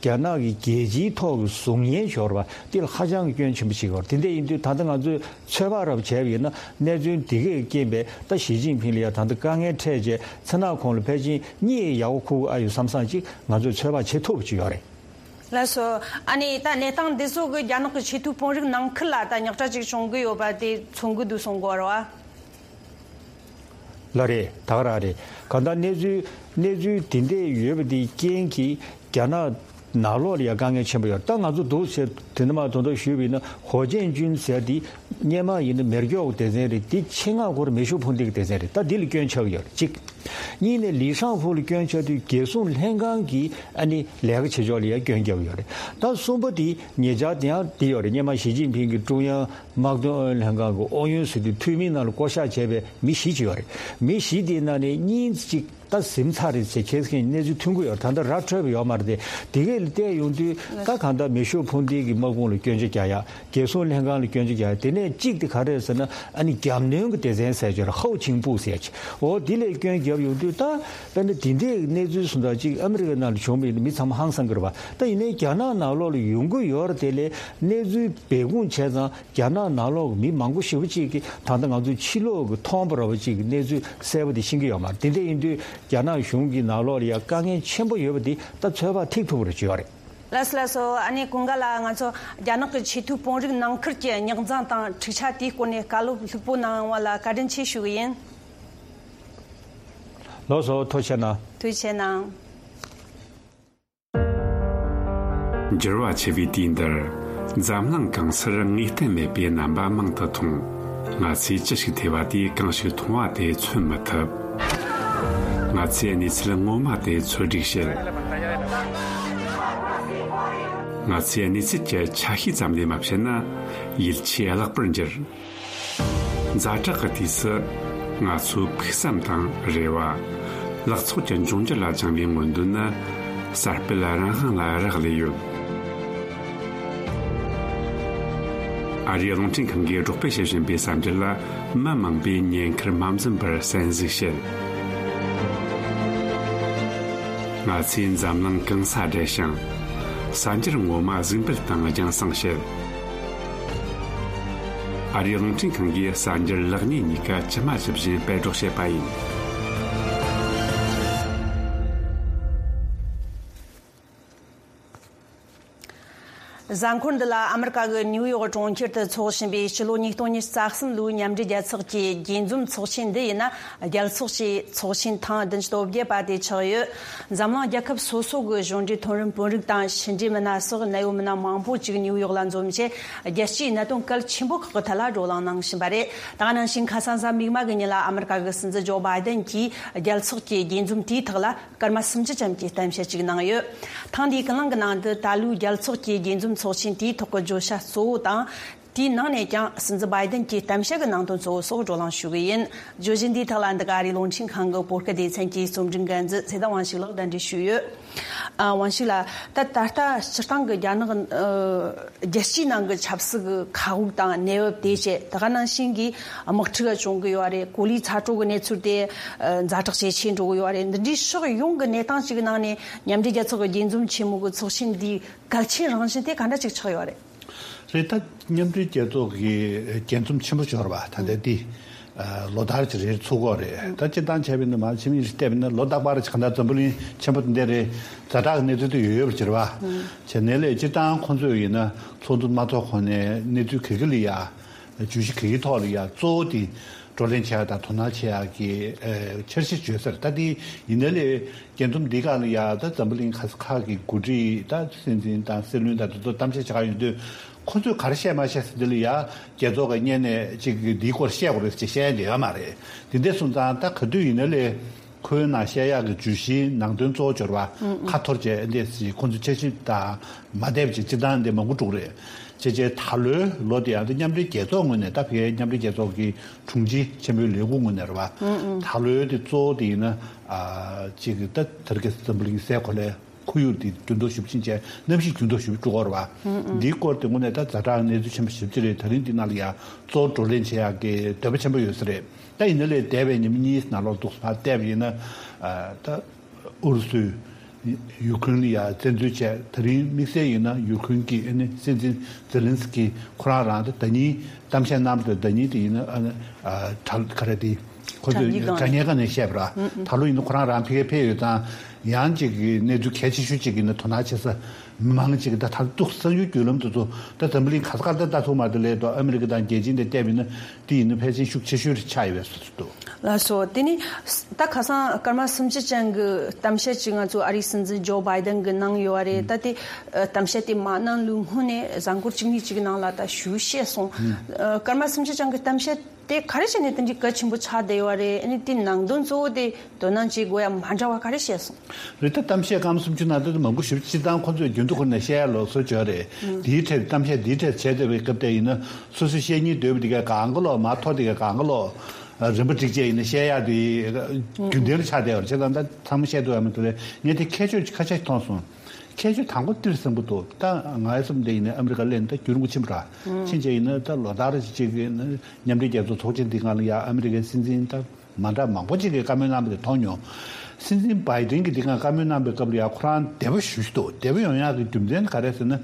རྒྱ་ནག་གི་རྒྱལ་སྤྱིའི་ཐོག་གི་གཟུགས་བརྙན་ཞོར་བ་འདི་ལ་ཧ་ཅང་གི་སྐྱོན་ཆེན་པོ་ཞིག་ཡོད་རེད། དེ་འདྲ་ཡིན་དུས་ད་ལྟ་ང་ཚོས་ཚོད་དཔག་རབ་བྱས་པ་ཡིན་ན་གནས་ཚུལ་འདི་གས་རྐྱེན་པས་ད་ཞི་ཅིན་ཕིང་ལ་ཡང་ད་ལྟ་དཀའ་ངལ་འཕྲད་རྗེས་མཚན་ནག་ཁོང་ལ་ཕལ་ཆེར་གཉིད་ཡག་པོ་ཁུག་ཨ་ཡོད་བསམ་བསམ་ཅིག་ང་ཚོས་ཚོད་དཔག་བྱེད་ཐུབ་པ་ཅིག་ཡོད་རེད། ལགས་སོ། ཨ་ནི་ད་གནས་སྟངས་འདི་ཚོ་གི་རྒྱ་ནག་གི་ཆེས་མཐོའི་དཔོན་རིགས་ནང་ཁུལ་ལ་ད་རྙོག་དྲ་ཅིག་བྱུང་གི་ཡོད་པ་དེ་མཚོན་གི་འདུག་གསུང་གི་ཡོད་རེད་བ། ལགས་རེད། ད་ག་རང་རེད། གང་ལྟར་གནས་ཚུལ་གནས་ཚུལ་དེ་འདྲས་ཡོད་པ་དེའི་རྐྱེན་གྱིས་རྒྱ་ནག་ནང་ལོགས་ལ་ཡང་དཀའ་ངལ་ཆེན་པོ་ཡོད། ད་ང་ཚོ་འདུག་ཟེར་དེ་འདྲ་མ་དོན་དག་ཞུས་པ་ཡིན་ན་ཧོ་ཅན་ཅུན་ཟེར་དེ་སྔོན་མ་ཡིན་ན་མེར་སྒྱོགས་སྡེ་ཚན་རེད། དེ་ཆེད་མངགས་སྐོར་མེ་ཤུགས་འཕུར་མདེལ་གྱི་སྡེ་ཚན་རེད། ད་འདི་ལ་སྐྱོན་ཆགས་ཀྱི་ཡོད་རེད་གཅིག། གཉིས་ནས་ལི་ཧྲང་ཧྥུ་ལ་སྐྱོན་ཆགས་དུས་རྒྱལ་སྲུང་ལྷན་ཁང་གིས་ཨ་ནི་ལས་ཀ་བྱེད་ཕྱོགས་ལ་ཡང་སྐྱོན་བརྒྱབ་ཡོད་རེད། ད་གསུམ་པ་དེ་ཉེ་ཆར་དེ་ཡང་དེ་ཡོད་རེད། སྔོན་མ་ཞི་ཅིན་ཕིང་གིས་ཀྲུང་དབྱང་དམག་དོན་ཨུ་ཡོན་ལྷན་ཁང་གི་ཨུ་ཡོན་ཟེར་དུས་འཐུས་མིའི་ནང་ལ་བསྐོ་བཞག་བྱས་པའི་མི་བཞི་ཅིག་ཡོད་རེད། མི་བཞི་དེའི་ནང་ནས་གཉིས་གཅིག་ད་ཟིན་ཚར་རེད་ཟེར་ཁྱེད་ཀྱིས་གནས་ཚུལ་ཐོན་གྱི་ཡོད་རེད། ད་ལྟ་ར་འཕྲོད་པ་ཡོད་མ་རེད་དེ། དེ་གས་ལ་བལྟས་ཡོང་དུས་ད་གང་ལྟར་མེ་ཤུགས་འཕུར་མདེལ་གྱི་དམག་དཔུང་ལ་སྐྱོན་ཆ་རྒྱག་ཡག་རྒྱལ་སྲུང་ལྷན་ཁང་ལ་སྐྱོན་ཆ་རྒྱག་ཡག་དེ་ནས་གཅིག་དེ་ག་རེ་རེད་ཟེར་ན་ཨ་ནི་རྒྱབ་གནོན་གྱི་སྡེ་ཚན་ཟེར་གྱི་རེད། ཧའོ་ཆིང་པུའུ་ཟེར་གྱི་འོ་དེ་ལ་སྐྱོན་བརྒྱབ་ཡོང་དུས་ད་དཔེར་ན་དེ་འདྲའི་གནས་ཚུལ་སོང་ཙང་གཅིག་ཨ་མི་རི་ཀའི་ནང་ལ་བྱུང་བ་ཡིན་ན་མི་ཚང་མ་ཧང་སང་གི་རེད་བ། ད་ཡིན་ནའི་རྒྱ་ནག་ནང་ལོགས་ལ་ཡོང་གི་ཡོད་རེད། དེ་ལས་གནས་ཚུལ་སྦས་སྐུང་བྱས་ཙང་རྒྱ་ནག་ནང་ལོགས་ཀྱི་མི་མང་པོ་ཞེ་པོ་ཅིག་གིས་ད་ལྟ་ང་ཚོའི་ཕྱི་ལོགས་ཀྱི་མཐོང་བ་ར་བ་ཅིག་གི་གནས་ཚུལ་གསལ་པོ་དེ་ཤེས་ཀྱི་ཡོད་མ་རེད། དེ་འདྲ་ཡིན་དུས་རྒྱ་ནག་གཞུང་གི་ནང་ལོགས་ལ་ཡང་དཀའ་ངལ་ཆེན་པོ་ཡོད་པ་འདི་ད་ཚོད་དཔག་ཐིག་ཐུབ་པ་རེད་ཅེས་ཡོད་རེད། ལགས་སོ་ལགས་སོ། ཨ་ནི་ཀུན་དགའ་ལགས། ང་ཚོ་རྒྱ་ནག་གི་ཆེས་མཐོའི་དཔོན་རིགས་ནང་ཁུལ་གྱི་རྙོག་འཛིང་དང་འཁྲུག་ཆ་དེའི་སྐོར་ནས་བཀའ་སློབ་ལྷུག་པོ་གནང་བ་ལ་བཀའ་དྲིན་ཆེ་ཞུ་གི་ཡིན། ལགས་སོ། ཐུགས་རྗེ་གནང་། ཐུགས་རྗེ་གནང་། འགྱུར་བ་ཆེ་བའི་དུས་འདིར། འཛམ་གླིང་གང་སར་ངེས་གཏན་མེད་པའི་རྣམ་པ་མང་དུ་མཐོང་། ང་ཚོས་ཅི་ཞིག་ཐོས་པ་དེས་གང་ཞིག་མཐོང་བ་དེ་མཚོན་མི་ཐུབ། ང་ཚོས་གནས་ཚུལ་ངོ་མ་དེ་འཚོལ་སྒྲིག་བྱེད། ང་ཚོས་གནས་ཚུལ་གྱི་ཆ་ཤས་ཙམ་ལས་མ་བཤད་ན་ཡིད་ཆེས་བརླག་པར་འགྱུར། ཛ་དྲག་གི་དུས་སུ་ང་ཚོའི་ཕུགས་བསམ་དང་རེ་བ། ལག་ཚོགས་ཀྱི་འབྱུང་འགྱུར་ལ་སྦྱངས་པའི་མངོན་འདོད་ནི་གསར་སྤེལ་རང་དབང་ལ་རག་ལས་ཡོད། ཨ་རིའི་རླུང་འཕྲིན་ཁང་གིས་སྒྲོག་སྤེལ་བྱེད་བཞིན་པའི་གསར་འགྱུར་ལ་མི་མང་པོས་ཉེན་ཁར་མ་འཛེམས་པར་གསན་གཟིགས་བྱེད། ང་ཚོས་འཛམ་གླིང་གང་སར་བསྡད་ཞིང་། གསར་འགྱུར་ངོ་མ་གཟིགས་འབུལ་དང་རྒྱང་སྲིང་བྱེད། ཨ་རིའི་རླུང་འཕྲིན་ཁང་གིས་གསར་འགྱུར་ལེགས་ཉེས་གཉིས་ཀ་ཇི་མ་ཇི་བཞིན་སྤེལ་སྒྲོག་བྱེད་པ་ཡིན། གཟའ་འཁོར་འདི་ལ་ཨ་མི་རི་ཀ་གི་ནིའུ་ཡོག་གྲོང་ཁྱེར་དུ་འཚོགས་བཞིན་པའི་སྤྱི་ལོ་ཉིས་སྟོང་ཉི་ཤུ་རྩ་གསུམ་ལོའི་མཉམ་འབྲེལ་རྒྱལ་ཚོགས་ཀྱི་རྒྱས་འཛོམས་ཚོགས་ཆེན་འདི་ཡིན་ན་རྒྱལ་ཚོགས་ཀྱི་ཚོགས་ཆེན་ཐེངས་བདུན་ཅུ་དོན་བརྒྱད་པ་དེ་ཆགས་ཡོད། འཛམ་གླིང་རྒྱལ་ཁབ་སོ་སོ་གི་གཞུང་འབྲེལ་མཐོ་རིམ་དཔོན་རིགས་དང་ཕྱི་འབྲེལ་མི་སྣ་སོགས་གནད་ཡོད་མི་སྣ་མང་པོ་ཅིག་ནིའུ་ཡོག་ལ་འཛོམས་རྗེས་རྒྱལ་སྤྱིའི་གནད་དོན་གལ་ཆེན་པོ་ཁག་གི་ཐད་ལ་བགྲོ་གླེང་གནང་བཞིན་པ་རེད། ད་ག་ནང་བཞིན་ཁ་སང་གཟའ་མིག་དམར་གྱི་ཉིན་ལ་ཨ་མི་རི་ཀ་གི་སྲིད་འཛིན་ཇོ་བྷའི་ཏན་གྱིས་རྒྱལ་ཚོགས་ཀྱི་རྒྱས་འཛོམས་དེའི་ཐོག་ལ་སྐར་མ་སུམ་ཅུ་ཙམ་གྱི་གཏམ་བཤད་ཅིག་གནང་ཡོད། ཐེངས་འདིའི་ཀུན་གླེང་གི་ནང་དུ་ད་ལོའི་རྒྱལ་ཚོགས་ཀྱི་རྒྱས་འཛོམས་ཚོགས་ཆེན་དེའི་ཐོག་གི་བརྗོད་བྱ་གཙོ་བོ་དང་། དེའི་ནང་ནས་ཀྱང་སྲིད་འཛིན་བྷའི་ཏན་གྱི་གཏམ་བཤད་ཀྱི་ནང་དོན་གཙོ་བོ་སོགས་བགྲོ་གླེང་ཞུ་གི་ཡིན། བརྗོད་གཞི་འདིའི་ཐོག་ལ་འདི་ག་ཨ་རིའི་རླུང་འཕྲིན་ཁང་གི་བོད་སྐད་སྡེ་ཚན་གྱི་རྩོམ་སྒྲིག་འགན་འཛིན་ཚེ་བརྟན་དབང་ཕྱུག་ལགས་གདན་འདྲེན་ཞུས་ཡོད། ཨ། དབང་ཕྱུག་ལགས། ད་ད་ལྟ་སྤྱིར་བཏང་གི་རྒྱ་ནག་ཨ་རྒྱལ་སྤྱིའི་ནང་གི་ཆབ་སྲིད་ཀྱི་མཁའ་དབུགས་དང་གནས་བབ་དེ་བཅས་ད་ག་ནང་བཞིན་གྱི་དམག་འཁྲུག་བྱུང་གི་ཡོད་རེད། གོ་ལའི་ཚ་དྲོད་ཀྱི་གནས་ཚུལ་དེ་ཨ་ཛ་དྲག་ཇེ་ཆེ་འགྲོ་གི་ཡོད་རེད། འདི་འདྲའི་ཕྱོགས་ཡོངས་ཀྱི་གནས་སྟངས་ཤིག་གི་ནང་ནས་མཉམ་འབྲེལ་རྒྱལ་ཚོགས་ཀྱི་རྒྱས་འཛོམས་ཆེན་མོ་གི་ཚོགས་ཆེན་འདིའི་གལ་ཆེན་རང་བཞིན་དེ་ག་འདྲ་ཅིག་ཆགས་ཡོད་རེད། རེད། ད་མཉམ་འབྲེལ་རྒྱལ་ཚོགས་ཀྱི་རྒྱས་འཛོམས་ཆེན་པོ་འབྱོར་བ་ད་ལྟ་འདི་ལོ་ལྟར་གྱི་རེད་ཚུགས་ཀྱི་རེད། ད་སྤྱིར་བཏང་བྱས་པ་ཡིན་ན་མ་ཕྱི་མིག་ཅིག་བལྟས་པ་ཡིན་ན་ལོ་རྟག་པར་གྱི་གང་ལྟར་འཛམ་བུ་གླིང་ཆེན་པོ་འདི་འདྲའི་རེད། ཛ་དྲག་གི་གནས་ཚུལ་དུ་ཡོད་ཡོད་པར་གྱུར་བ་བྱས་ནས་ལས་སྤྱིར་བཏང་ཁོང་ཚོས་ཡིན་ན་ཚོགས་འདུ་མ་ཚོགས་གོང་ནས་གནས་ཚུལ་ག་གི་ལ་ཡ་བརྗོད་གཞི་ག་གི་ཐོག་ལ་ཡ་གཙོ་བོ་དེ་བགྲོ་གླེང་བྱེད་ཡ་དང་དོ་སྣང་བྱེད་ཡ་གི་འཆར་གཞི་བརྗོད་ས་རེད། ད་དེ་ཡིན་ན་ལས་རྒྱས་འཛོམས་འདི་ག་ལ་ཡ་ད་འཛམ་བུ་གླིང་ག་ས་ག་གི་འགོ་ཁྲིད་ད་སྲིད་འཛིན་དང་སྲིད་བློན་དང་དེ་ཚོ་གཏམ་བཤད་བྱེད་ག་ཡོང་དུས་ཁོ་ཚོས་ག་རེ་བཤད་མ་བཤད་ཟེར་དེ་ལ་ཡ་རྒྱལ་ཚོགས་ཀྱི་སྔོན་ནས་ཅིག་འདིའི་སྐོར་བཤད་དགོས་རེད་ཅེས་བཤད་ཡ་ཡོད་མ་རེད། དེ་འདྲ་སོང་ཙང་ད་ག་དུས་ཡིན་ན་ལས་ ཁོའི་ནང་བཤད་ཡག་གི་བརྗོད་གཞིའི་ནང་དོན་གཙོ་བོ་འབྱོར་བ་ཁ་འཐོར་བྱས་འདི་སི་ཁོང་ཚོ་འཆར་གཞི་དང་མ་བསྡད་པ་ཅིག་སྤྱིར་བཏང་འདི་མང་པོ་འགྲོ་གི་རེད། བྱས་བྱས་ད་ལོའི་ལོ་དེ་ཡང་འདི་མཉམ་འབྲེལ་རྒྱལ་ཚོགས་ངོས་ནས་ད་ཕ་གིའི་མཉམ་འབྲེལ་རྒྱལ་ཚོགས་ཀྱི་དྲུང་ཆེ་ཆེན་པོའི་ལས་ཁུངས་ངོས་ནས་རེད་བ། ད་ལོའི་འདི་གཙོ་བོ་དེ་ཡིན་ན་ཨ་ཅིག་ད་དེ་རིང་ཁ་སང་འཛམ་བུ་གླིང་སའི་གོ་ལའི་ཁོར་ཡུག་འདི་འགྱུར་ལྡོག་ཞེ་པོ་ཕྱིན་བྱས་གནམ་གཤིས་འགྱུར་ལྡོག་ཞེ་པོ་འགྲོ་གི་རེད་བ། འདིའི་སྐོར་དེ་དངོས་གནས་ད་ཛ་དྲག་གནས་ཚུལ་ཆེན་པོ་ཞེ་པོ་ཅིག་རེད། ད་རིང་འདི་ནང་ལ་ཡང་གཙོ་བོ་བགྲོ་གླེང་བྱེད་ཡག་གི་འདོད་པ་ཆེན་པོ་ཡོད་ས་རེད། ད་ཡིན་ན་ལས་འདས་པའི་ཉིན་མོ་གཉིས་ནང་ལོགས་འདུག་ཕར་བལྟས་པ་ཡིན་ན་ཨ་ད་ཨུ་རུ་སུས་ཡུ་ཁུ་རེན་ལ་ཡང་བཙན་འཛུལ་བྱས། ད་རིང་དམིགས་བསལ་ཡིན་ན་ཡུ་ཁུ་རེན་གྱི་ཨ་ནི་སྲིད་འཛིན་ཛེ་ལན་སི་ཀི་ཁོ་རང་རང་ད་ཟླ་ཉིན་གཏམ་བཤད་གནང་པ་དང་ཟླ་ཉིན་དེ་ཡིན་ན་ཨ་ནི་ཨ་དྲ་ག་རེ་དེ་ཁོ་ཚོས་དྲ་བརྙན་སྒང་དྲ་བརྙན་སྒང་ནས་བཤད་པ་ར། ད་ལོ་ཡིན་ན་ཁོ་རང་རང་ཕ་གིར་ཕེབས་ཡོད་ཙང་ཡང་ཅིག་གི་གནས་ཚུལ་གལ་ཆེ་ཤོས་ཅིག་ཡིན་ན་དོ་སྣང་བྱེད་ས་མང་ཅིག་ད་ད་འདུག་གསར་འགྱུར་བརྒྱུད་ལམ་དེ་ཚོ་ད་འཛམ་བུ་གླིང་ག་ས་ག་ལ་ད་ལྟ་ཐུག་མ་དེ་ལས་ད་ཨ་མི་རི་ཀ་དང་རྒྱལ་སྤྱི་འདི་བལྟས་པ་ཡིན་ན་དེ་ཡིན་ན་ཕལ་ཆེར་ཤུགས་ཆེ་ཤོས་རེ་ཆགས་ཡོད་པའི་བཟོ་འདུག་ལགས་སོ། དེ་ནི་ད་ཁ་སང་སྐར་མ་སུམ་ཅུ་ཅན་གྱི་གཏམ་བཤད་ཅིག་ང་ཚོ་ཨ་རིའི་སྲིད་འཛིན་ཇོ་བྷའི་ཏན་གྱིས་གནང་ཡོད་པ་རེད། ད་དེ་ཨ་གཏམ་བཤད་དེ་མ་གནང་ལུས་སྔོན་ནས་གཟའ་འཁོར་གཅིག་གཉིས་ཅིག་གི་ནང་ལ་ད་ཞུ་བཤད་སོང་། ཨ་སྐར་མ་སུམ་ཅུ་ཅན་གྱི་གཏམ་བཤད་དེ་ག་རེ་བྱས་ནས་དེ་འདྲའི་གལ་ཆེན་པོ་ཆགས་བསྡད་ཡོད་པ་རེད། ཨ་ནི་དེའི་ནང་དོན་གཙོ་བོ་དེ་དོ་སྣང་བྱེད་དགོས་ཡ་མ་འདྲ་བ་ག་རེ་བཤད་སོང་། རེད། ད་གཏམ་བཤད་སྐར་མ་སུམ་ཅུ་ནང་ད་མང་པོ་ཞེ་པོ་སྤྱིར་བཏང་ཁོ་ཚོས་རྒྱུན་དུ་ཁུར་ནས་བཤད་ཡ་ལོ་སོ་བྱོས་རེད། དེའི་ཐད་གཏམ་བཤད་དེའི་ཐད་བྱས་བསྡད་པའི་སྐབས་དེ་ཡིན་ན་སོ་སོ་བཤད་སྙིང་འདོད་པ་དེ་ག་གང་ག་ལོག་མ་ཐོ་དེ་ག་གང་ག་ལོག་རིམ་པ་བསྒྲིགས་བྱས་ཡིན་ན་བཤད་ཡ་དེ་རྒྱུན་ལྡན་ཆགས་བསྡད་པ་རེད། བྱས་ཙང་ད་ཚང་མ་བཤད་ཐུབ་ཡ་མི་འདུག་རེད། ངས་དེ་ཁྱད་ཆོས་ཁ་ཤས་མཐོང་སོང་། ཁྱད་ཆོས་དང་པོ་ཏིར་ཟིན་པོ་འདུག་ད་ང་ཡི་བསམ་དེ་ཡིན་ན་ཨ་མི་རི་ཀ་སླེབས་ནས་ད་རྒྱུན་རིང་པོ་ཕྱིན་པ་ར། ཕྱིན་བྱས་ཡིན་ན་ད་ལོ་ལྟར་ཅིག་གི་ཡིན་ན་མཉམ་འབྲེལ་རྒྱལ་ཚོགས་ཚོགས་ཆེན་འདི་སྒང་ལ་ཡ་ཨ་མི་རི་ཀའི་སྲིད་འཛིན་ད་མ་འདྲ་མང་པོ་ཅིག་གིས་བཀའ་མོལ་གནང་བ་དེ་མཐོང་མྱོང་། སྲིད་འཛིན་བྷའི་ཏིན་གྱིས་འདི་སྒང་བཀའ་མོལ་གནང་པའི་སྐབས་ལ་ཡ་ཁོ་རང་དེ་བ་ཞུ་ཞུ་འདུག་དེ་བ་ཡོང་ཡག་གི་རྒྱུ་མཚན་ག་རེ་ཟེར་ན།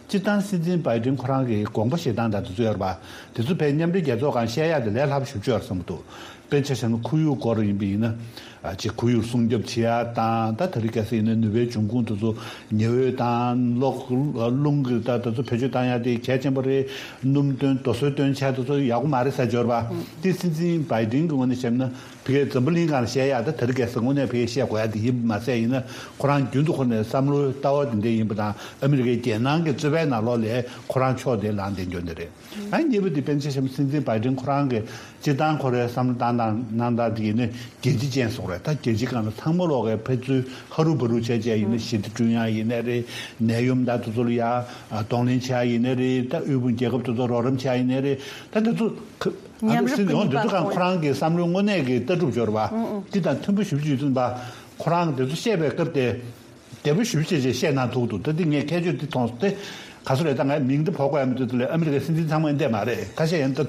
སྤྱིར་བཏང་སྲིད་འཛིན་བྷའི་ཏིན་ཁོ་རང་གི་དགོངས་པ་བཞེས་སྟངས་དང་དེ་ཚོ་ཡོད་རེད་པ། དེ་ཚོ་བས་མཉམ་འབྲེལ་རྒྱལ་ཚོགས་སྒང་བཤད་ཡག་དེ་ལས་སླ་པོ་ཞེ་པོ་ཅིག་ཡོད་རེད་བསམ་གྱི་འདུག་དཔེར་ཆ་བཞག་ན་ཁོར་ཡུག་སྐོར་ཡིན་པ་ཡིན་ན། ཨ་ཅིག་ཁོར་ཡུག་སྲུང་སྐྱོབ་བྱེད་ཡ་དང་ད་དེ་རིང་ཁ་སང་ཡིན་ན་ནུས་པའི་འབྱུང་ཁུངས་དེ་ཚོ་ཉི་འོད་དང་གློག་རླུང་གི་ད་དེ་ཚོ་བེད་སྤྱོད་བཏང་ཡ་དེ་གལ་ཆེན་པོ་རེད། སྣུམ་བཏོན་རྡོ་སོལ་བཏོན་བྱས་དེ་ཚོ་ཡག་པོ་མ་རེད་ཟེར་འབྱོར་བ། དེ་སྲིད་འཛིན་བྷའི་ཏིན་གྱི་ངོས་ནས་བཤད་ན་ཕ་གིའི་འཛམ་བུ་གླིང་སྒང་ལ་བཤད་ཡ་ད་དེ་རིང་ཁ་སང་དངོས་གནས་ཕ་གིས་བཤད་དགོས་ཡ་དེ་ཡིན་པ་མ་ཟད་ཡིན་ན་ཁོ་རང་རྒྱུན་དུ་ཁོ་ནས་བསམ་བློའི་ལྟ་བ་དེ་འདྲ་ཡིན་པ་དང་ཨ་མི་རི་ཀའི་རྒྱལ་ནང་གི་རྩོད་པའི་ནང་ལོགས་ལ་ཁོ་རང་ཕྱོགས་དེ་ལངས་བསྡད་འགྱོ་ནི་རེད། ཨ་གཉིས་པ་དེ་དཔེར་ན་ཆ་བཞག་ན་སྲིད་འཛིན་བྷའི་ཏིན་ཁོ་རང་གིས་སྤྱིར་བཏང་ཁོ་རའི་བསམ་བློ་བཏང་སྟངས་གནང་སྟངས་དེ་ཡིན་ན་རྒྱལ་སྤྱི་ཅན་བཟོ་རེད། ད་རྒྱལ་སྤྱི་སྒང་ལ་ཚང་མ་ལོག་གི་ཕན་ཚུན་ཧ་རུ་བ་རུ་བྱས་བྱས་ཡིན་ན་ཞི་བདེ་བསྐྲུན་ཡག་ཡིན་ནའི་རེད། ནད་ཡམས་ད་དེ་ཚོ་ལ་ཡ་གདོང་ལེན་བྱེད་ཡག་ཡིན་ནའི་རེད། ད་དབུལ་ཕོངས་རྒྱལ་ཁབ་དེ་ཚོ་རོགས་རམ་བྱེད་ཡག་ཡིན་ནའི་རེད། ད་དེ་ཚོ་ཁ་ཨ་མཉམ་རུབ་ཀྱི་ནུས་པ་འདི་ཚོ་གང་ཁོ་རང་གི་བསམ་བློའི་དངོས་གནས་ཀྱི་ལྟ་གྲུབ་འབྱོར་བ་འདི་དང་མཐུན་པོ་ཞེ་པོ་ཅིག་ཡོད་ཙང་ཁོ་རང་གི་དེ་ཚོ་བཤད་པའི་སྐབས་དེ། དེ་བོ་ཞུ་བྱེད་ཅེས་བཤད་གནང་ཐུབ་འདུག་ད་འདི་ངས་ཁྱད་ཆོས་འདི་མཐོང་སྟེ། ག་ཚོད་རེད། ད་ངས་མིང་འདི་འབོད་དགོས་ཡ་མི་འདུག་དེ་ལས་ཨ་མི་རི་ཀའི་སྲིད་འཛིན་ཚང་མ་འདི་མ་རེད། ཁ་ཤས་ཡང་ད་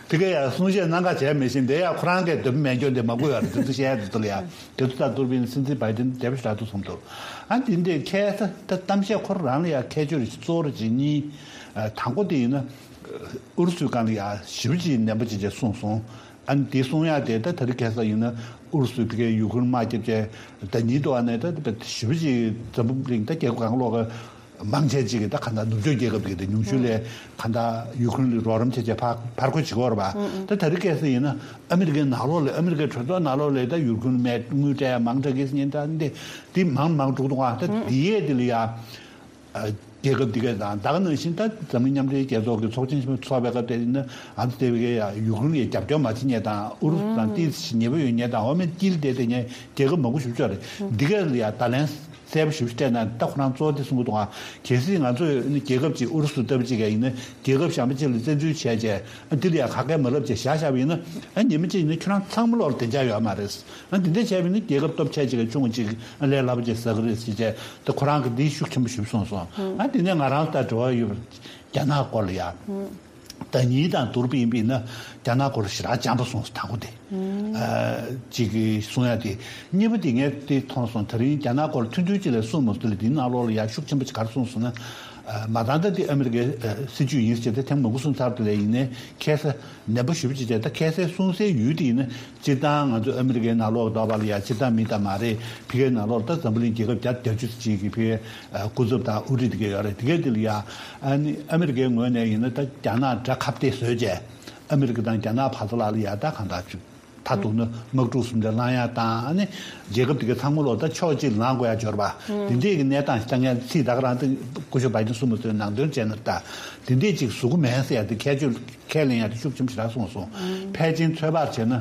དེ་ག་ཡ་གསུང་བཤད་གནང་ག་བྱས་མེད་བཞིན་དེ་ཡ་ཁོ་རང་གིས་འདོད་མེད་སྐྱོན་དེ་མ་དགོས་ཡ་རེད། དེ་ཚོ་བཤད་ཡ་འདི་ཚོ་ལ་ཡ་དེ་ཚོ་ད་འདུར་བིན་སྲིད་འཛིན་བྷའི་ཏིན་དེ་བོ་ཞིག་རག་འདུག་བསམ་འདུག་ཨ་འདི་འདྲའི་ཁ་ས་ད་གཏམ་བཤད་ཁོ་རང་ལ་ཡ་ཁྱད་ཆོས་རེ་གཙོ་བོ་རེ་གཅིག་གཉིས། དང་པོ་དེ་ཡིན་ན་ཨུ་རུ་སུའི་སྒང་ལ་ཡ་ཞེ་པོ་ཅིག་ནན་པོ་ཅིག་ཅིག་གསུངས་སོང་། ཨ་ནི་དེ་གསུང་ཡག་དེ་ད་ད་རེས་ཁ་སང་ཡིན་ན་ཨུ་རུ་སུས་ཕ་གིའི་ཡུ་ཁུ་རེན་དམག་རྒྱབ་བྱས་ཟླ་ཉིན་དུ་ཨ་ནི་ད་ཞེ་པོ་ཅིག་འཛམ་བུ་གླིང་ད་རྒྱལ་ཁབ་གང་ལོག་གི་མང་ཆེ་ཅིག་གིས་ད་གང་ལྟར་ནུབ་ཕྱོགས་རྒྱལ་ཁབ་ཀྱི་དེ་ཉུང་ཤོས་ལ་གང་ལྟར་ཡུ་ཁུ་རེན་ལ་རོགས་རམ་བྱས་བྱས་ཕར་ཕར་རྒོལ་བྱེད་ཀྱི་ཡོད་རེད་པ། ད་ད་རེས་ཁ་སང་ཡིན་ན་ཨ་མི་རི་ཀའི་ནང་ལོགས་ལ་ཨ་མི་རི་ཀའི་གྲོས་ཚོགས་ནང་ལོགས་ལ་ད་ཡུ་ཁུ་རེན་དམག་དངུལ་སྤྲད་ཡ་མང་དྲགས་ཀྱི་ཉེན་བརྡ་འདི་འདི་མང་མང་འགྲོ་གི་འདུག་ཨ་ད་འདི་ཡས་འདི་ལ་ཡ། རྒྱལ་ཁབ་འདི་གས་དང་ད་ག་ནང་བཞིན་ད་འཛམ་གླིང་མཉམ་འབྲེལ་རྒྱལ་ཚོགས་ཀྱི་ཚོགས་ཆེན་ཆེན་མོ་ཚོགས་པའི་སྐབས་དེ་ཡིན་ན་ཨ་ཙི་དེ་བའི་ཡ་ཡུ་ཁུ་རེན་ལ་ཡ་རྒྱབ་སྐྱོར་མ་བྱེད་མཁན་དང་ཨུ་རུ་སུ་དང་ཏོག་ཙམ་ཉེ་པོ་ཡོད་མཁན་དང་འོ་མའི་དཀྱིལ་དེ་དེ་ཉེ་རྒྱལ་ཁབ་མང་པོ་ཞིག་ཡོད་རེད། འདི་གས་ལ་ཡ་བརྡ་ལན་གསལ་པོ་ཞིག་སྤྲད་ན་ད་ཁོ་རང་གཙོ་བོ་དེ་གསུང་གི་འདུག་ཨ། གལ་སྲིད་ང་ཚོས་རྒྱལ་ཁབ་ཅིག་ཨུ་རུ་སུ་ལྟ་བུ་ཅིག་གས་ཡིན་ན་རྒྱལ་ཁབ་གཞན་པ་ཅིག་ལ་བཙན་འཛུལ་བྱས་བྱས་ཨ་འདི་ལ་ཡ་ཁ་སྐད་མ་ལབ་བྱས་བཞག་བཞག་པ་ཡིན་ན་ཨ་ཉི་མ་གཅིག་ཡིན་ན་ཁྱོད་རང་ཚང་མ་ལོག་ལ་བདེ་འཇགས་ཡོད་མ་རེད། ཨ་འདི་འདྲ་བྱས་པ་ཡིན་ན་རྒྱལ་ཁབ་སྟོབས་ཆེ་ཅིག་གི་ཆུང་ཅིག་ཨ་ལས་སླ་པོ་ཅིག་ཟ་གི་རེད་ཟེར་བྱས་ད་ཁོ་རང་གིས་འདི་ཤུགས་ཆེན་པོ་ཞིག་གསུངས་སོང་། ཨ་འདི་ནས་ང་རང་ལ་ད་དྲི་བ་ཡོད་པ་རྒྱ་ནག་སྐོར་ལ་ཡ། ཟླ་ཉིན་དང་བསྡུར་བ་ཡིན་པ་ཡིན་ན་རྒྱ་ནག་སྐོར་ཞེ་དྲག་འཇམ་པོ་གསུངས་སོང་དང་པོ་དེ། ཨ་ཅིག་གིས་གསུང་ཡ་དེ། གཉིས་པ་དེ་ངས་དེ་མཐོང་སོང་། ད་རིང་རྒྱ་ནག་སྐོར་ཐུང་ཐུང་ཅིག་ལ་གསུངས་མ་སོང་། དེ་ལ་དེའི་ནང་ལོགས་ལ་ཡ་ཤུགས་ཆེན་པོ་ཅིག་ག་རེ་གསུངས་སོང་ན། ཨ་མ་ད་ལྟ་དེ་ཨ་མི་རི་ཀའི་ཨ་སྲིད་ཇུས་ཡིན་ཟེར་ཏེ་ཐེངས་མང་པོ་གསུངས་ཚར་དེ་ལ་ཡིན་ནའི་ཁ་སང་ནན་པོ་ཞེ་པོ་ཅིག་བྱས། ད་ཁ་སང་གསུང་སའི་ཡུལ་དེ་ཡིན་ན་སྤྱིར་བཏང་ང་ཚོ་ཨ་མི་རི་ཀའི་ནང་ལོགས་འདྲ་བ་ལ་ཡ་སྤྱིར་བཏང་མི་ད་མ་རེད། ཕ་གིའི་ནང་ལོགས་ད་འཛམ་བུ་གླིང་རྒྱལ་ཁབ་བརྒྱ་དང་བརྒྱད་ཅུ་ཅིག་གི་ཕ་གིའི་ཨ་སྐུ་ཚབ་དང་དབུ་ཁྲིད་དེ་ག་ཡོད་རེད། དེ་ག་དེ་ལ་ཡ་ཨ་ནི་ཨ་མི་རི་ཀའི་ངོས་ནས་ཡིན་ན་ད་རྒྱ་ནག་དགྲ་ཁ་གཏད་བཟོས་བྱས་ཨ་མི་རི་ཀ་དང་རྒྱ་ནག་བར་དུ་ལ་ལ་ཡ་ད་གང་ལྟར་བཅུག་མཐའ་གཏུགས་ན་དམག་འཁྲུག་གསུམ་དེ་ལངས་ཡ་དང་ཨ་ནི་རྒྱལ་ཁབ་དེ་ག་ཚང་མ་ལོག་ད་ཕྱོགས་གཅིག་ལངས་དགོས་ཡ་འབྱོར་བ་དེ་འདྲས་ཀྱི་གནས་སྟངས་ཤིག་ད་ངས་ཚིག་ད་ག་རང་ད་སྐུ་ཞབས་བྷའི་ཏིན་གསུངས་པ་ཚོའི་ནང་དོན་བྱས་ན་ད་དེ་འདྲས་ཅིག་བཟོ་གི་མེད་ཟེར་ཡ་དེ་ཁྱད་ཆོས། ཁས་ལེན་ཡག་དེ་ཤུགས་ཆེན་པོ་ཞེ་དྲག་སོང་སོང་། ཕལ་ཆེར་ཚོད་དཔག་བྱས་ན།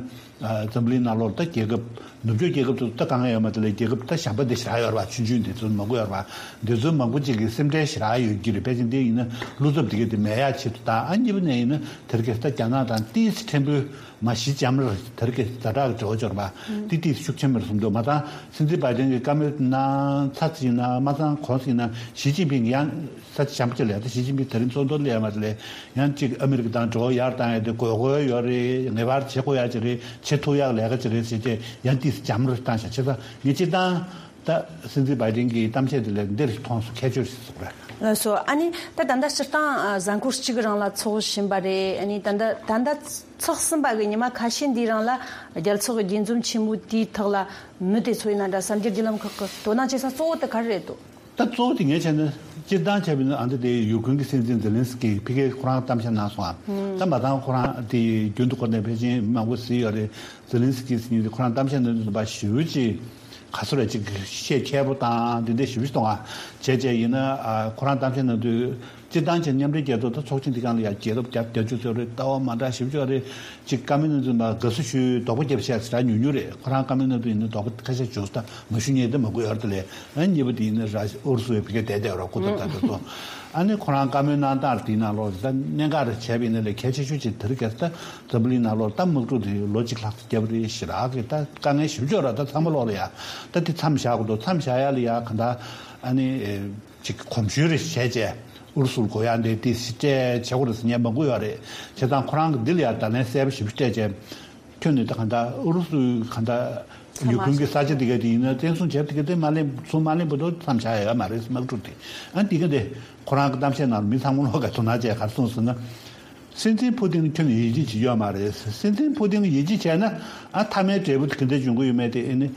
ཨ། འཛམ་བུ་གླིང་ནང་ལོགས་ད་རྒྱལ་ཁབ་ནུབ་ཕྱོགས་རྒྱལ་ཁབ་ཚོ་ད་དཀའ་ངལ་ཡོད་མ་རེད་དེ་ལས། རྒྱལ་ཁབ་ད་གཞན་པ་འདི་ཞེ་དྲག་ཡོད་རེད་པ། ཆུང་ཆུང་འདི་ཚོ་མང་པོ་ཡོད་རེད་པ། འདི་ཚོ་མང་པོ་ཅིག་གི་སེམས་ཁྲལ་ཞེ་དྲག་ཡོད་ཀྱི་རེད། ཕལ་ཆེར་འདི་ཡིན་ན་བློ་འཚབ་འདི་ག་དེ་མེད་ཡག་ཆེད་དུ། ད་ཨ་གཉིས་པ་ནས་ཡིན་ན་དེ་རིང་ཁ་སང་ད་རྒྱ་ནག་དང་ཏོག་ཙམ་ཕྲན་བུ་མ་གཞི་འཇམ་རེད། དེ་རིང་ཁ་སང་ཛ་དྲག་གི་འབྲེལ་བ་འབྱོར་བ་འདི་ཏོག་ཙམ་ཤུགས་ཆེན་པོ་རེད་བསམ་འདུག། མ་ཚད་སྲིད་འཛིན་བྷའི་ཌེན་གྱིས་བཀའ་མོལ་གནང་ཚར་ཟིན་ན། མ་ཚད་གོང་ཟིན་ན་ཞི་ཅིན་ཕིང་ཡང་ས་ཆ་གཞན་པ་ཅིག་ལ་ཡ། ད་ཞི་ཅིན་ཕིང་དེ་རིང་ཚོགས་འདུར་སླེབས་མ་རེད་ལས། ཡང་ཅིག་ཨ་མི་རི་ཀ་དང་འབྲེལ་བ་ཡར་བཏང་ཡ་དེ་དགོས་མཁོ་ཡོད་རེད། ངེས་པར་བྱེད་དགོས་ཡ་ཅིག་རེད། བྱེད་ཐུབ་ཡག་ལས་ཀ་ཅིག་རེད་ཟེར་ཏེ་ཡང་ཏོག་ཙམ་འཇམ་རུ་བཏང་བཞག། བྱས་ཙང་ངས་སྤྱིར་བཏང་ད་སྲིད་འཛིན་བྷའི་ཌེན་གྱི་གཏམ་བཤད་དེ་ལ་འདིར་མཐོང་སོང་། ཁྱད་ཆོས་ཤིག་སོང་རེད། ལགས་སོ། ཨ་ནི་ད་ད་ལྟ་སྤྱིར་བཏང་ཨ་གཟའ་འཁོར་གཅིག་རིང་ལ་ཚོགས་བཞིན་པ་རེད། ཨ་ནི་ད་ལྟ་ད་ལྟ་ཚོགས་ཟིན་པ་གི་ཉི་མ་ཁ་ཤས་འདིའི་རིང་ལ་རྒྱལ་ཚོགས་ཀྱི་དགྱེས་འཛོམས་ཆེན་མོ་དེའི་ཐོག་ལ་མི་དེ་ཚོ་ཡིན་ན་འདྲ། གསར་འགྱུར་བརྒྱུད་ལམ་ཁག་གི་དོ་སྣང་བྱེད་ས་གཙོ་བོ་དེ་ག་རེ་རེད་འདུག། ད་གཙོ་བོ་དེ་ངས་བྱས་ན་སྤྱིར་བཏང་བྱས་པ་ཡིན་ན། ཨ། འདི་དེ་ཡུ་ཀེ་རེན་གྱི་སྲིད་འཛིན་ཛེ་ལན་སི་ཀི་ཕ་གིར་ཁོ་རང་གཏམ་བཤད་གནང་སོང་ཨ། ད་མ་ཚད་ཁོ་རང་དེ་རྒྱུན་དུ་ཁོ་ནས་ཕལ་ཆེར་མི་མང་པོ་གཟིགས་ཡོད་རེད། ཛེ་ལན་སི་ཀི་ཟེར་མཁན་དེ་ཁོ་རང་གཏམ་བཤད་གནང་དུས་ཙམ་པ་ཞེ་པོ་ཅིག་ག་ཚོད་རེད། ཅིག་ཤེད་ཁྱད་པོ་དང་དེ་འདྲ་ཞེ་པོ་ཅིག་གཏོང་ཨ། བྱས་བྱས་ཡིན་ན། ཨ། ཁོ་རང་གཏམ་བཤད་གནང་དུས། སྤྱིར་བཏང་བྱས་མཉམ་འབྲེལ་རྒྱལ་ཚོགས་དང་ཚོགས་ཆེན་འདི་སྒང་ལ་ཡ་རྒྱལ་ཁབ་བརྒྱ་དང་བརྒྱད་ཅུ་ཙམ་རེད། ལྟ་བ་མ་འདྲ་ཞེ་པོ་ཅིག་ཡོད་རེད། ཅིག་བཀའ་མོལ་གནང་དུས་ཙམ་པ་དགའ་བསུ་ཞུས། རྡོག་པོ་རྒྱབ་བྱས་ཟེར་ཡ་ཉུང་ཉུང་རེད། ཁོ་རང་བཀའ་མོལ་གནང་དུས་ཡིན་ན་རྡོག་པོ་ཁ་ཤས་ཞུ་ད་མ་ཞུ་མཁན་དེ་མང་པོ་ཡོད་རེད་དེ་ལས། ཨ། གཉིས་པ་དེ་ཡིན་ན་ར་ཨུ་རུ་སུ་བའི་ཕ་གིར་བསྡད་བསྡད་ཡོད་རེད། སྐུ་ཚབ་ད་དེ་ཚོ། ཨ་ནི་ཁོ་རང་བཀའ་མོལ་གནང་སྟངས་དེའི་ནང་ལོགས་ད་གནད་འགག་རེ་བྱས་པ་ཡིན་ན་ལས་གལ་ཆེ་ཤོས་ཅིག་དེ་རིང་ཁ་སང་ད་འཛམ་བུ་གླིང་ནང་ལོགས་ད་དམག་འཁྲུག་དེ་ལོ་གཅིག་ལྷག་ཙམ་བརྒྱབ་རེད། ཞེ་དྲག་གི་ད་དཀའ་ངལ་ཞེ་པོ་ཅིག་ཡོད་རེད། ད་ཚང་མ་ལོག་ལ་ཡ་ད་དེ་མཚམས་བཞག་དགོས་འདུག། མཚམས་བཞག་ཡ་ལ་ཡ་གང་ལྟར་ཨ་ནི། ཨེ། ཅིག་གོམ་ཞུ་རེ་བྱས་བྱས་ཨུ་རུ་སུར་དགོས་ཡ་འདི་དེ་སྤྲད་བྱེད་དགོས་རེད་ཟེར་མཁན་མང་པོ་ཡོད་རེད། བྱས་ཙང་ཁོ་རང་གིས་འདི་ལ་ཡ་བརྡ་ལན་གསལ་པོ་ཞིག་སྤྲད་བྱས། ཁྱོད་ནི་ད་གང་ལྟར་ཨུ་རུ་སུའི་གང་ལྟར་ཡུ་ཀེ་རེན་གྱི་ས་ཆ་དེ་ག་དེ་ཡིན་ན་བཙན་བཟུང་བྱས་པ་དེ་ག་དེ་མ་ལེན་ཚུར་མ་ལེན་བར་དུ་མཚམས་བཞག་ཡ་ཡོད་མ་རེད། དམག་འཁྲུག་དེ། ཨ། འདི་ག་དེ་ཁོ་རང་གི་གཏམ་བཤད་ནང་མི་ཚང་མ་ལོག་ག་དོ་སྣང་བྱས་ག་རེ་གསུངས་ཟེར་ན། སྲིད་འཛིན་ཕུ་ཏིན་ཁྱོན་ནས་ཡིད་ཆེས་བྱེད་ཀྱི་ཡོད་མ་རེད། སྲིད་འཛིན་ཕུ་ཏིན་ཡིད་ཆེས་བྱས་ན། ཨ། མཐའ་མའི་འབྲས་བུ་དེ་ག་འདྲ་འབྱུང་གི་ཡོད་མེད་དེ། ཨ་ནི།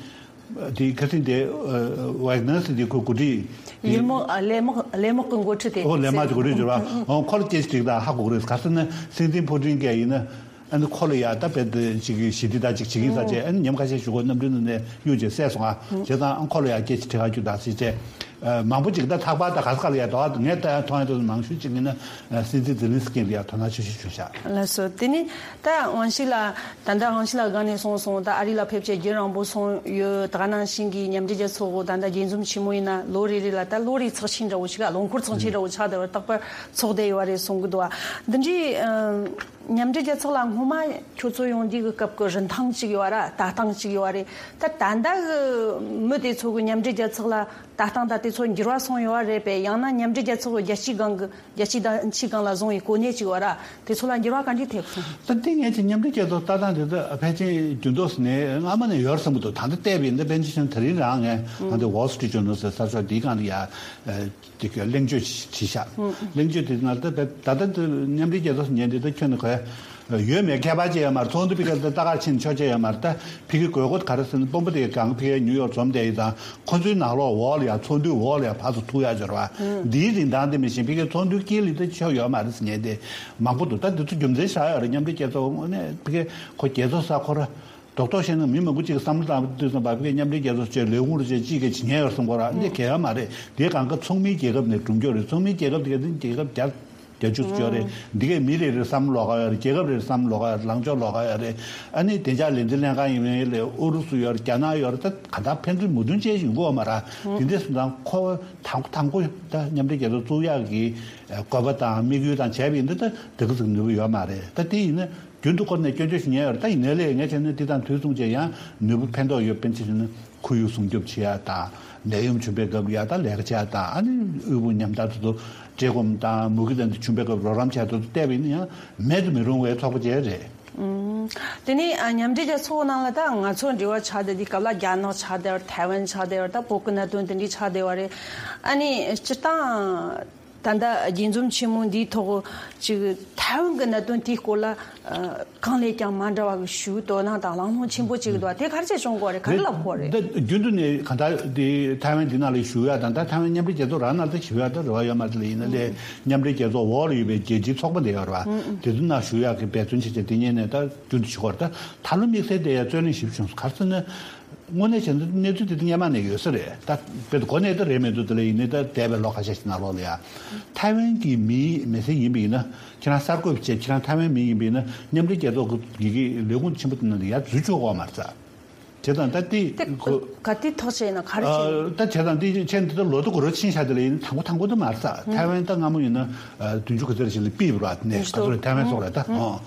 དེ་ཁ་སང་དེ། ཨ། ཝེག་ནར་ཟེར་དེ་ཁོ་འགོ་ཁྲིད་དེ། ཡུལ་དམག་ཨ། གླས་དམག་གླས་དམག་གི་འགོ་ཁྲིད་དེ། ཨོ། གླས་དམག་གི་འགོ་ཁྲིད་འགྱུར་བ། ཨོ། ཁོ་ལ་སྐད་ཆ་དྲིས་ད་ཧ་གོ་གི་རེད། ག་ཟེར་ན་སྲིད་འཛིན་ཕུ་ཏིན་གྱིས་ཡིན་ན། ཨ་ནི་ཁོ་ལ་ཡ་ད་དཔེ་དེ་ཅིག་གི་ཞི་བདེ་ད་ཅིག་བྱེད་ཀྱི་ཡིན་ས་བྱས། ཨ་ནི་ཉམས་ཁ་ཤས་ཞུ་གོ། གནམ་གྲུའི་ནང་ནས་གཡུག་བྱས་བསད་སོང་ཨ། བྱས་ཙང་ཨ་ཁོ་ལ་ཡ་སྐད་ཆ་དྲི་ག་རྒྱུགས་ད་ཟེར་བྱས། ཨ། མང་པོ་ཅིག་ད་ཚགས་པར་ད་ག་ས་ག་ལ་ཡ་དོ། ངས་ད་མཐོང་ཡ་དེ་མང་ཤོས་ཅིག་ཡིན་ན། ཨ། སྲིད་འཛིན་ཛེ་ལན་སི་ཀི་ལ་ཡ་དོ་སྣང་ཆེ་ཤོས་ཞུ་བཞག། ལགས་སོ། དེ་ནས་ད་དབང་ཕྱུག་ལགས། ད་ལྟ་དབང་ཕྱུག་ལགས་སྒང་ནས་གསུངས་སོང་། ད་ཨ་རི་ལ་ཕེབས་བྱས་རྒྱུན་རིང་པོ་སོང་ཡོད། ད་ག་ནང་བཞིན་གྱི་མཉམ་འབྲེལ་རྒྱལ་ཚོགས་འོག་ད་ལྟ་དགྱེས་འཛོམས་ཆེན་མོ་ཡིན་ན་ལོ་རེ་རེ་ལ་ད་ལོ་རེའི་ཚོགས་ཆེན་འདྲ་བོ་ཞིག་ལ། ལོ་འཁོར་ཚོགས་ཆེན་འདྲ་བོ་ཆགས་བསྡད་པ། རྟག་པར་ཚོགས་བསྡད་ཡོད་རེད་གསུང་གི་འདུག་བ། འདི་འདྲའི། ཨ། མཉམ་འབྲེལ་རྒྱལ་ཚོགས་ལ་སྔོན་མ་ཁྱོད་ཚོ་ཡོང་དུས་ཀྱི་སྐབས་ཀྱི་རིན་ཐང་གཅིག་ཡོད་ར། ལྟ་སྟངས་གཅིག་ཡོད་རེད། ད་ད་ལྟ་གི་མི་དེ་ཚོ་གི་མཉམ་འབྲེལ་རྒྱལ་ཚོགས་ལ་ལྟ་སྟངས་ད་དེ་ཚོ་འགྱུར་བ་སོང་ཡོད་རེད་པས། ཡང་ན་མཉམ་འབྲེལ་རྒྱལ་ཚོགས་ཀྱི་རྒྱལ་སྤྱིའི་སྒང་གི་རྒྱལ་སྤྱིའི་བརྡ་འཆིའི་སྒང་ལ་བཟུང་བའི་གོ་གནས་གཅིག་ཡོད་ར། དེ་ཚོ་ལ་འགྱུར་བ་ག་འདྲ་ཐེབས་སོང་། ད་དེ་ངས་ཀྱི་མཉམ་འབྲེལ་རྒྱལ་ཚོགས་ལྟ་སྟངས་དེ་ཚོ་ཕལ་ཆེར་རྒྱུན་ཐོག་ནས་སྔ་མ་ནས་ཡོད་བསམ་གྱི་འདུག། ད་ལྟ་བལྟས་པ་ཡིན་ན། པཎ་ཆེན་ཆོས་དེ་རིང་རང་ངས་ང་ཚོ་Wall Street Journal་ཟེར་གསར་ཤོག་འདིའི་སྒང་ལ་ཡ། དེ་ག་གླེང་བརྗོད་བྱས་ཤག། གླེང་བརྗོད་དེ་ནང་ད་ད་ད་ད་མཉམ་འབྲེལ་རྒྱལ་ཚོགས་ཉན་དེ་ད་ཁྱོན་ནས་གོ་ཡ་ཡོད་མེད་ཁྱད་པར་ཅི་ཡོད་མ་རེད། ཚོགས་འདུ་ཕ་གིར་ད་ལྟ་གར་ཕྱིན་ཆོག་ཅི་ཡོད་མ་རེད། ད་ཕ་གི་དགོས་མཁོ་ག་རེ་ཟེར་ན། དཔོན་པོ་དེ་གང་ཕ་གིར་ནིའུ་ཡོག་འཛོམས་བསྡད་ཡིན་ཙང་། ཁོ་ཚོའི་ནང་ལོགས་འོག་ལ་ཡ། ཚོགས་འདུའི་འོག་ལ་ཡ་ཕར་ཚུར་ཐུག་ཡ་འབྱོར་བ། འདིའི་རིན་ཐང་དེ་མི་ཤེས། ཕ་གིར་ཚོགས་འདུའི་དཀྱིལ་ལ་ད་ཆོག་ཡོད་མ་རེད་ཟེར་ཉན་དེ་མང་པོ་འདུག། ད་འདི་ཚོ་རྒྱུ་མཚན་ཞིག་ཡོད་རེད། མཉམ་འབྲེལ་རྒྱལ་ཚོགས་དངོས་གནས་ཕ་གི་ཁོ་རྒྱལ་ཚོགས་ས་ཁོ་ར། རྡོག་རྡོག་བཤད་ན་མི་མང་པོ་ཅིག་གི་བསམ་བློ་བཏང་དུས་ཙམ་པ་ཕ་གིར་མཉམ་འབྲེལ་རྒྱལ་ཚོགས་བྱས་ལས་ཁུངས་རེ་བྱས་ཅིག་གིས་བྱེད་མཁན་ཡོད་བསམ་གོ་ར། འདི་གལ་ཡོད་མ་རེད། དེའི་སྒང་ག་ཚོགས་མིའི་རྒྱལ་ཁབ་ནས་གྲུབ་རྒྱུ་རེད། ཚོགས་མིའི་རྒྱལ་ཁབ་དེ་ག་དེ་རྒྱལ་ཁབ་བརྒྱ་བརྒྱད་ཅུ་ཙམ་ཡོད་རེད། འདི་གའི་མི་རེ་རེར་བསམ་བློ་ལོགས་ཀ་ཡོད་རེད། རྒྱལ་ཁབ་རེར་བསམ་བློ་ལོགས་ཀ་ཡོད་རེད། ལངས་ཕྱོགས་ལོགས་ཀ་ཡོད་རེད། ཨ་ནི་དེ་འཇགས་ལས་འཛིན་ལྷན་ཁང་ཡིན་པ་ཡིན་ལས་ཨུ་རུ་སུ་ཡོད་རེད། རྒྱ་ནག་ཡོད་རེད། ད་ག་ད་ཕན་ཚུན་མོས་མཐུན་ཅན་ཞིག་ཡོང་གི་ཡོད་མ་རེད། དེ་འདྲ་སོང་ཙང་ཁོ་དང་དང་པོ་ད་མཉམ་འབྲེལ་རྒྱལ་ཚོགས་བཙུགས་ཡག་གི་དགོས་པ་དང་དམིགས་ཡུལ་དང་བྱས་པ་ཡིན་ན་ད་དེ་ག་ཙམ་ནུས་པ་ཡོད་མ་རེད། ད་དེ་ཡིན་ན། རྒྱུན་དུ་ཁོ་ནས་སྐྱོན་བརྗོད་ཞུ་མཁན་ཡོད་རེད། ད་ཡིན་ནའི་ལས་ངས་བྱས་ན་འདི་དང་དུས་མཚུངས་བྱས་ཡང་ནུས་པ་ཕན་ཐོགས་ཡོད། དཔེར་ན་ཆ་བཞག་ན་ཁོར་ཡུག་སྲུང་སྐྱོབ་བྱེད་ཡ་དང་། ནད་ཡམས་བྱུང་པའི་སྐབས་ལ་ཡ་ད་ལས་ཀ་བྱེད་ཡ་དང་། ཨ་ནི་དབུལ་པོ་ཉམ་ཐག་དེ་ཚོ་བཀྲེས་སྐོམ་དང་མུ་གེ་དང་དེ་བྱུང་པའི་སྐབས་རོགས་རམ་བྱེད་ཡ་དེ་ཚོ་བལྟས་པ་ཡིན་ན་ཡང་མེད་དུ་མི་རུང་བའི་ཚོགས་པ་ཅིག་རེད། ཨུམ། དེ་ནས་ཨ་མཉམ་འབྲེལ་རྒྱལ་ཚོགས་ནང་ལ་ད་ང་ཚོ་འབྲེལ་བ་ཆགས་བསྡད་དུས་སྐབས་ལ་རྒྱ་ནག་ཆགས་བསྡད་པ་རེད། ཐའེ་ཝན་ཆགས་བསྡད་པ་རེད། ད་བོད་ཀྱི་གནད་དོན་དེ་འདྲ་ཆགས་བསྡད་པ་རེད། ཨ་ནི་སྤྱིར་བཏང་། ད་ལྟ་དགྱེས་འཛོམས་ཆེན་མོ་འདིའི་ཐོག་ཅིག་ཐའེ་ཝན་གྱི་གནད་དོན་དེའི་སྐོར་ལ་ཨ་གང་ལས་ཀྱང་མ་འདྲ་བ་གི་ཞུ་དོ་སྣང་དང་གླེང་སློང་ཆེན་པོ་ཅིག་འདུག། དེ་ག་རེ་བྱས་བྱུང་དགོས་རེད། ག་རེ་ལབ་དགོས་རེད། འདི་རྒྱུན་དུ་ནས་གང་ལྟར་དེ་ཐའེ་ཝན་འདི་ནང་ལ་ཞུ་ཡ་དང་། ད་ཐའེ་ཝན་མཉམ་འབྲེལ་རྒྱལ་ཚོགས་རང་ནང་ལ་ཞུ་ཡ་ད་རེ་བ་ཡོད་མ་རེད་ལ། ཡིན་ན་ལས་མཉམ་འབྲེལ་རྒྱལ་ཚོགས་འོག་ལ་ཡོད་པའི་རྒྱལ་སྤྱིའི་ཚོགས་པ་འདི་ཡོད་རེད་བ། དེ་ཚོ་ནང་ཞུ་ཡ་གི་འབད་བརྩོན་བྱས་བྱས་དེ་ཉིད་ནས་ད་རྒྱུན་དུ་བྱེད་དགོས་རེད། ད་ད་ལོ་དམིགས་བསལ་དེ་ཡ་རྩོད་གླེང་ཞིབ་བྱུང་སོང་། ག་རེ་ཟེར་ན། དངོས་གནས་བྱས་ན་གནས་ཚུལ་དེ་དུས་སྔོན་མ་ནས་ཡོད་ས་རེད། ད་དཔེ་དེ་གོ་གནས་དེ་རེད་མི་འདུག་དེ་ལ་ཡིན་ནའི་ད་འདས་པའི་ལོ་ཁ་ཤས་ཤིག་ནང་ལོགས་ལ་ཡ། ཐའེ་ཝན་གྱི་མི་མི་སེར་ཡིན་པ་ཡིན་ན་ཁྱེད་རང་གསར་འགོད་བྱས་ཁྱེད་རང་ཐའེ་ཝན་མི་ཡིན་པ་ཡིན་ན་མཉམ་འབྲེལ་རྒྱལ་ཚོགས་ཀྱི་ལས་ཁུངས་ཆེན་པོ་དེ་ནང་ལ་ཡར་འཛུལ་ཆོག་གི་མ་རེད་ས། བྱས་ཙང་ད་དེ་དེ་གོ་ག་དེ་ཐག་བཅད་ན་ག་རེ་བྱེད། ད་བྱས་ཙང་དེ་ཆེན་དེ་ད་ལོ་དུ་གོ་རོ་ཕྱིན་བཞག་དེ་ལ་ཡིན་དང་པོ་དང་པོ་དུ་མ་རེད་ས། ཐའེ་ཝན་ད་སྔ་མོ་ཡིན་ན་བདུན་ཅུ་ག་ཚོད་ཞིག་ལ་པི་བ་ར་ནས་ག་ཚོད་ཐའེ་ཝན་སོགས་རེད་ད།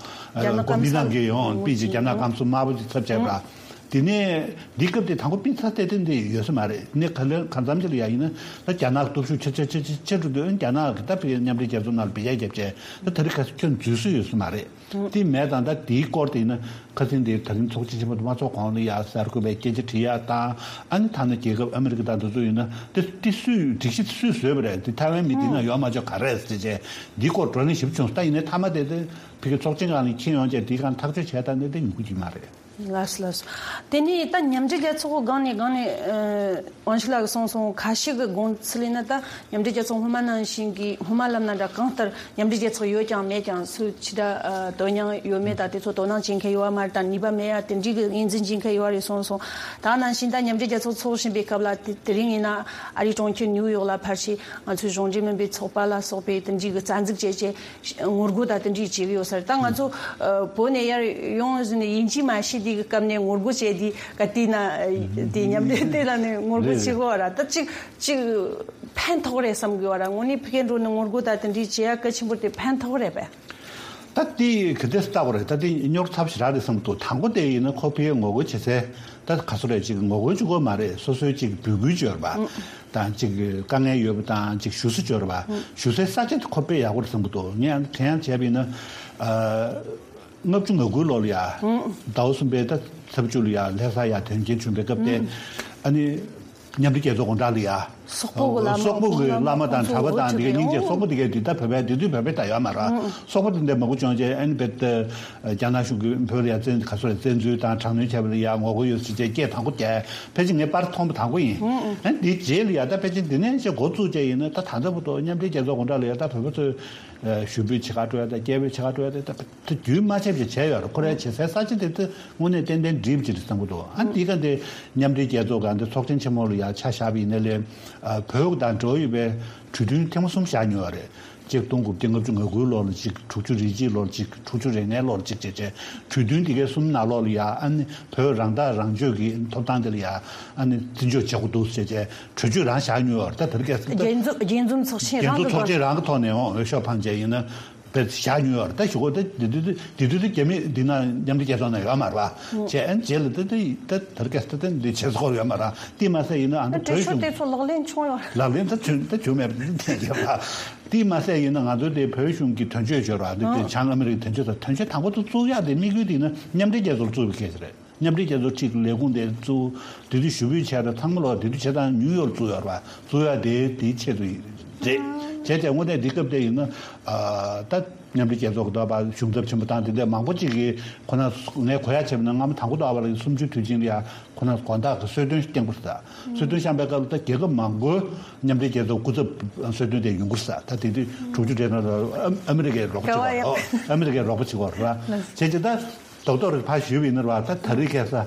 རྒྱ་ནག་གོ་མི་ནང་གི་ཡོང་པི་ཅིག་རྒྱ་ནག་སྐམ་སུ་དམར་པོ་ཅིག་ཚབ་བྱས་པ། དེ་ནས་འདི་སྐབས་དེ་དང་པོ་པི་ཚ་ཏེ་ཏེ་འདི་ཡོད་ས་མ་རེད། ནི་ག་ལེ་གང་འཚམ་ཅིག་ལ་ཡ་ཡིན་ན་ད་རྒྱ་ནག་སྟོབས་ཤུགས་ཆེ་ཆེ་ཆེ་ཆེ་ཆེ་འགྲོ་དུས་རྒྱ་ནག་གི་ད་བི་མཉམ་འབྲེལ་རྒྱལ་ཚོགས་ནང་ལ་བི་ཡ་རྒྱབ་བྱས་ད་དེ་རིང་ཁ་ཁྱོན་འཛུལ་སྲོལ་ཡོད་ས་མ་རེད། དེ་མེད་ཙང་ད་དེའི་སྐོར་དེ་ཡིན་ན་ཁ་སང་དེ་ད་རིང་ཚོགས་ཆེན་ཆེན་པོ་དུ་མ་ཚོགས་གོང་ལ་ཡ་གསར་འགོད་པའི་སྐད་ཆ་དྲི་ཡ་དང་ཨ་ནི་ཐ་ན་རྒྱལ་ཁབ་ཨ་མི་རི་ཀ་དང་དེ་ཚོ་ཡིན་ན་དེ་དེ་སུས་སྒྲིག་གཞི་སུས་བཟོས་པ་རེད། དེ་ཐའེ་ཝན་མི་དེ་ན་ཡོད་མ་ཆོག་ག་རེད་ཟེར་བྱས་འདིའི་སྐོར་བགྲོ་གླེང་ཞིབ་བྱུང་ད་ཡིན་ནའི་མཐའ་མ་དེ་དེ་ཕ་གི་ཚོགས་ཆེན་སྒང་ལ་ཁྱེར་ཡོང་བྱས་དེའི་སྒང་ཐག་གཅོད་བྱས་ད་ནི་དེ་ཉུང་གུ་ཅིག་མ་རེད། ལགས་སོ་ལགས་སོ། དེ་ནས་ད་མཉམ་འབྲེལ་རྒྱལ་ཚོགས་སྒང་ནས་སྒང་ནས་ཨ་དབང་ཕྱུག་ལགས་ཀྱིས་གསུངས་སོང་། ཁ་ཤས་ཀྱི་དགོངས་ཚུལ་ཡིན་ན་ད་མཉམ་འབྲེལ་རྒྱལ་ཚོགས་སྔོན་མ་ནང་བཞིན་གྱི་སྔོན་མ་ལབ་ན་འདྲ་གང་ལྟར་མཉམ་འབྲེལ་རྒྱལ་ཚོགས་ཡོད་ཀྱང་མེད་ཀྱང་སུ་ཅི་འདྲ་ཨ་དོན་སྙིང་ཡོད་མེད་ད་དེ་ཚོ་དོ་སྣང་བྱེད་མཁན་ཡོད་པ་མ་རེད། ད་ནུས་པ་མེད་ཡ་དེ་འདྲའི་གི་ངོས་འཛིན་བྱེད་མཁན་ཡོད་པ་རེད་གསུངས་སོང་། ད་ནང་བཞིན་ད་མཉམ་འབྲེལ་རྒྱལ་ཚོགས་ཚོགས་བཞིན་པའི་སྐབས་ལ་དེ་དེ་རིང་ཡིན་ན་ཨ་རིའི་གྲོང་ཁྱེར་ནིའུ་ཡོག་ལ་ཕར་ཞིག་ང་ཚོའི་གཞུང་འབྲེལ་མིན་པའི་ཚོགས་པ་ལ་སོགས་པའི་དེ་འདྲའི་གི་རྩ་འཛུགས་བྱས་རྗེས། ངོ་རྒོལ་དང་དེ་འདྲའི་བྱེད་ཀྱི་ཡོད་ས་རེད། ད་ང་ཚོ་ཨ་བོད་ནས་ཡར་ཡོང་ཟིན་ནས་ཡིན་གཅིག་མིན་གཅིག་དེ་གི་སྐབས་ནས་ངོ་རྒོལ་བྱས་དེ་ག་དུས་ན་དེ་མཉམ་འབྲེལ་དེ་ལ་ནས་ངོ་རྒོལ་བྱེད་དགོས་པ་ར། ད་གཅིག་གཅིག་ཕན་ཐོགས་རེད་བསམ་དགོས་པ་ར། དངོས་གནས་ཕ་གིར་འགྲོ་ནས་ངོ་རྒོལ་དང་དེ་འདྲའི་བྱེད་ཡ་གལ་ཆེན་པོ་དེ་ཕན་ཐོགས་རེད་པས། ད་དེ་ག་དེ་ལྟ་བུ་རེད། ད་དེ་རྙོག་ཚབས་ཞེ་དྲག་རེད་བསམ་འདུག་དང་པོ་དེ་ཡིན་ན་ཁོ་ཕ་གིར་ངོ་རྒོལ་བྱེད་སའི་ད་ག་ཚོད་རེད། ཅིག་ངོ་རྒོལ་བྱེད་དགོས་མ་རེད། སོ་སོའི་ཅིག་འབོད་སྐུལ་བྱོས་པ་དང་ཅིག་དཀའ་ངལ་ཡོད་པ་དང་ཅིག་ཞུ་ས་བྱོས་པ་ཞུ་སའི་ས་ཆ་དེ་ཁོ་ཕ་གིར་ཡག་པོ་རེད་བསམ་གི་འདུག་ངས་དྲན་ཡང་བྱས་པ་ཡིན་ན་ཨ་ལྔ་བཅུ་ང་དགུའི་ལོ་ལ་ཡ་ཟླ་བ་གསུམ་པའི་ད་ཚེས་བཅུ་ལ་ཡ་ལྷ་ས་ཡ་དོན་རྐྱེན་བྱུང་པའི་སྐབས་དེ་ཨ་ནི་མཉམ་འབྲེལ་རྒྱལ་ཚོགས་དགོང་དག་ལ་ཡ། སོག་པོ་གི་བླ་མ་སོག་པོ་གི་བླ་མ་དང་གྲྭ་པ་དང་དེ་གའི་སྙིང་རྗེ་སོག་པོ་དེ་གའི་དེ་ད་བོད་པའི་དེ་དུས་བོད་པའི་ད་ཡོད་མ་རེད། སོག་པོ་དེ་འདྲ་མང་པོ་བྱུང་རྗེས་ཨ་ནི་བེད་རྒྱ་ནག་གཞུང་གིས་བོད་ལ་ཡ་བཙན་ག་ཚོད་བཙན་འཛུལ་དང་དྲག་གནོན་བྱས་པ་ལ་ཡ་ངོ་རྒོལ་ཡོད་ཟེར་རྗེས་སྐད་དང་པོ་རྒྱག་ཕལ་ཆེར་ངས་པར་མཐོང་པ་དང་པོ་ཡིན། ཨ་ནི་དེའི་རྗེས་ལ་ཡ་ད་ཕལ་ཆེར་འདི་ནས་ཅིག་འགོ་བཙུགས་བྱས་ཡིན་ན་ད་ད་ལྟ་བར་དུ་མཉམ་འབྲེལ་རྒྱལ་ཚོགས་དགོང་དག་ལ་ཡ་ད་བོད་པ་ཚོས་ཞུ་འབོད་བྱེད་ག་འགྲོ་ཡ་ད་སྐད་འབོད་བྱེད་ག་འགྲོ་ཡ་ད་ད། དེ་རྒྱུན་མ་ཆད་པ་བྱས་ཡོད་རེད། ཁོ་རའི་བྱེད་སའི་ས་ཆ་དེ་ཚོ་དངོས་གནས་ཏན་ཏན་འགྲིག་པ་ཅིག་རེད་བསམ་གྱི་འདུག་ཨ་འདི་ག་འདི་མཉམ་འབྲེལ་རྒྱལ་ཚོགས་ག་འདི་ཚོགས་ཆེན་ཆེན་མོ་ལ་ཡ་ཆ་བཞག་པ་ཡིན་ན་ལས་བོད་དང་འབྲེལ་བ་ཡོད་པའི་གྲོས་མཐུན་ཐེངས་མ་གསུམ་བཞག་མྱོང་བ་རེད། གཅིག་སྟོང་དགུ་བརྒྱ་ལྔ་བཅུ་ང་དགུའི་ལོ་ལ་གཅིག་དྲུག་ཅུ་རེ་གཅིག་ལོ་ལ་གཅིག་དྲུག་ཅུ་རེ་ལྔའི་ལོ་ལ་གཅིག་བྱས་བྱས་གྲོས་མཐུན་འདི་གའི་གསུམ་ནང་ལོགས་ལ་ཡ་ཨ་ནི་བོད་རང་ཐག་རང་གཅོད་ཀྱི་ཐོབ་ཐང་དེ་ལ་ཡ་ཨ་ནི་བརྩི་འཇོག་བྱེད་དགོས་འདུག་ཟེར་བྱས་གྲོས་ཆོད་རང་བཞག་མྱོང་བ་རེད། ད་དེ་རིང་ཁ་སང་ད་རྒྱས་འཛོམས་རྒྱས་འཛོམས་ཚོགས་ཆེན་རྒྱལ་རང་ཚོགས་གི་ཚོགས་ཆེན་རང་གི་ཐོག་ནས་འོང་འོས་ཤོག་འཕངས་བྱས་ཡིན་ན། དཔེ་བཞག་མྱོང་ཡོད་རེད། ད་ཞུ་གོ་ད་དེ་དུས་དེ་དུས་དེ་རྒྱ་མི་འདི་ན་མཉམ་འབྲེལ་རྒྱལ་ཚོགས་ནང་ཡོད་མ་རེད་པ། བྱས་ཨན་རྗེས་ལ་ད་ད་ད་ད་རྒྱ་ད་ད་འདི་བྱེད་སྐོར་ཡོད་མ་རེད། དེ་མ་ཟད་ཡིན་ན་ཨ་ད་བོད་གྲོས་ཆོད་གཞུང་དེ་ཚོ་ལག་ལེན་བྱུང་ཡོད་རེད། ལག་ལེན་ད་བྱུང་ད་བྱུང་མེད་པ་དེ་འདྲ་ཡོད་པ། དེ་མ་ཟད་ཡིན་ན་ང་ཚོའི་དེ་བོད་གཞུང་གི་དོན་གཅོད་བྱོས་ར་འདི་དེ་བྱང་ཨ་མི་རི་ཀའི་དོན་གཅོད་ད་དོན་གཅོད་དང་པོ་དུ་བཙུགས་ཡག་དེ་དམིགས་ཡུལ་དེ་ཡིན་ན་མཉམ་འབྲེལ་རྒྱལ་ཚོགས་བཙུགས་པའི་སྐད་ཆ་རེད། མཉམ་འབྲེལ་རྒྱལ་ཚོགས་ཁྲིའི་ལས་ཁུངས་དེ་གཙོ་བོ་དེ་དུས་ཞུ་འབོད་བྱས་དང་ཚང་མ་ལོག་དེ་དུས་བྱས་དང་ནིའུ་ཡོག་བཙུགས་ཡོད་རེད་པ། བཙུགས་ཡ་དེ་དེའི་ཆེད་དུ་རེད། བྱས་ཙང་དངོས་གནས་འདི་སྐབས་དེ་ཡིན་ན་ད་མཉམ་འབྲེལ་རྒྱལ་ཚོགས་ཀྱི་ད་བར་གཞུང་ཚབ་ཆེན་པོ་དང་དེ་འདྲ་མང་པོ་ཅིག་གིས་ཁོ་ན་ངས་གོ་ཡ་བྱས་པ་ན་སྔ་མོ་དང་པོ་ད་བར་གསུམ་བཅུའི་དུས་ཆེན་ལ་ཡ་ཁོ་ན་དགོང་དག་གི་གསོལ་སྟོན་བསྐྱངས་པ་རེད། གསོལ་སྟོན་བསྐྱངས་པའི་སྐབས་ལ་ད་རྒྱལ་ཁབ་མང་པོའི་མཉམ་འབྲེལ་རྒྱལ་ཚོགས་སྐུ་ཚབ་གསོལ་སྟོན་དེ་ཡོང་གི་རེད། ད་དེ་དུས་དྲུག་ཅུ་རེ་ལྔ་ལ་ཨ་མི་རི་ཀའི་རོགས་པ་བྱེད་པ་རེད། ཨ་མི་རི་ཀའི་རོགས་པ་བྱེད་པ་རེད། བྱས་ཙང་ད། རྡོག་རྡོག་རེ་ཕར་ཞུས་པ་ཡིན་ན་ར་ད་ད་རེས་ཁ་སང་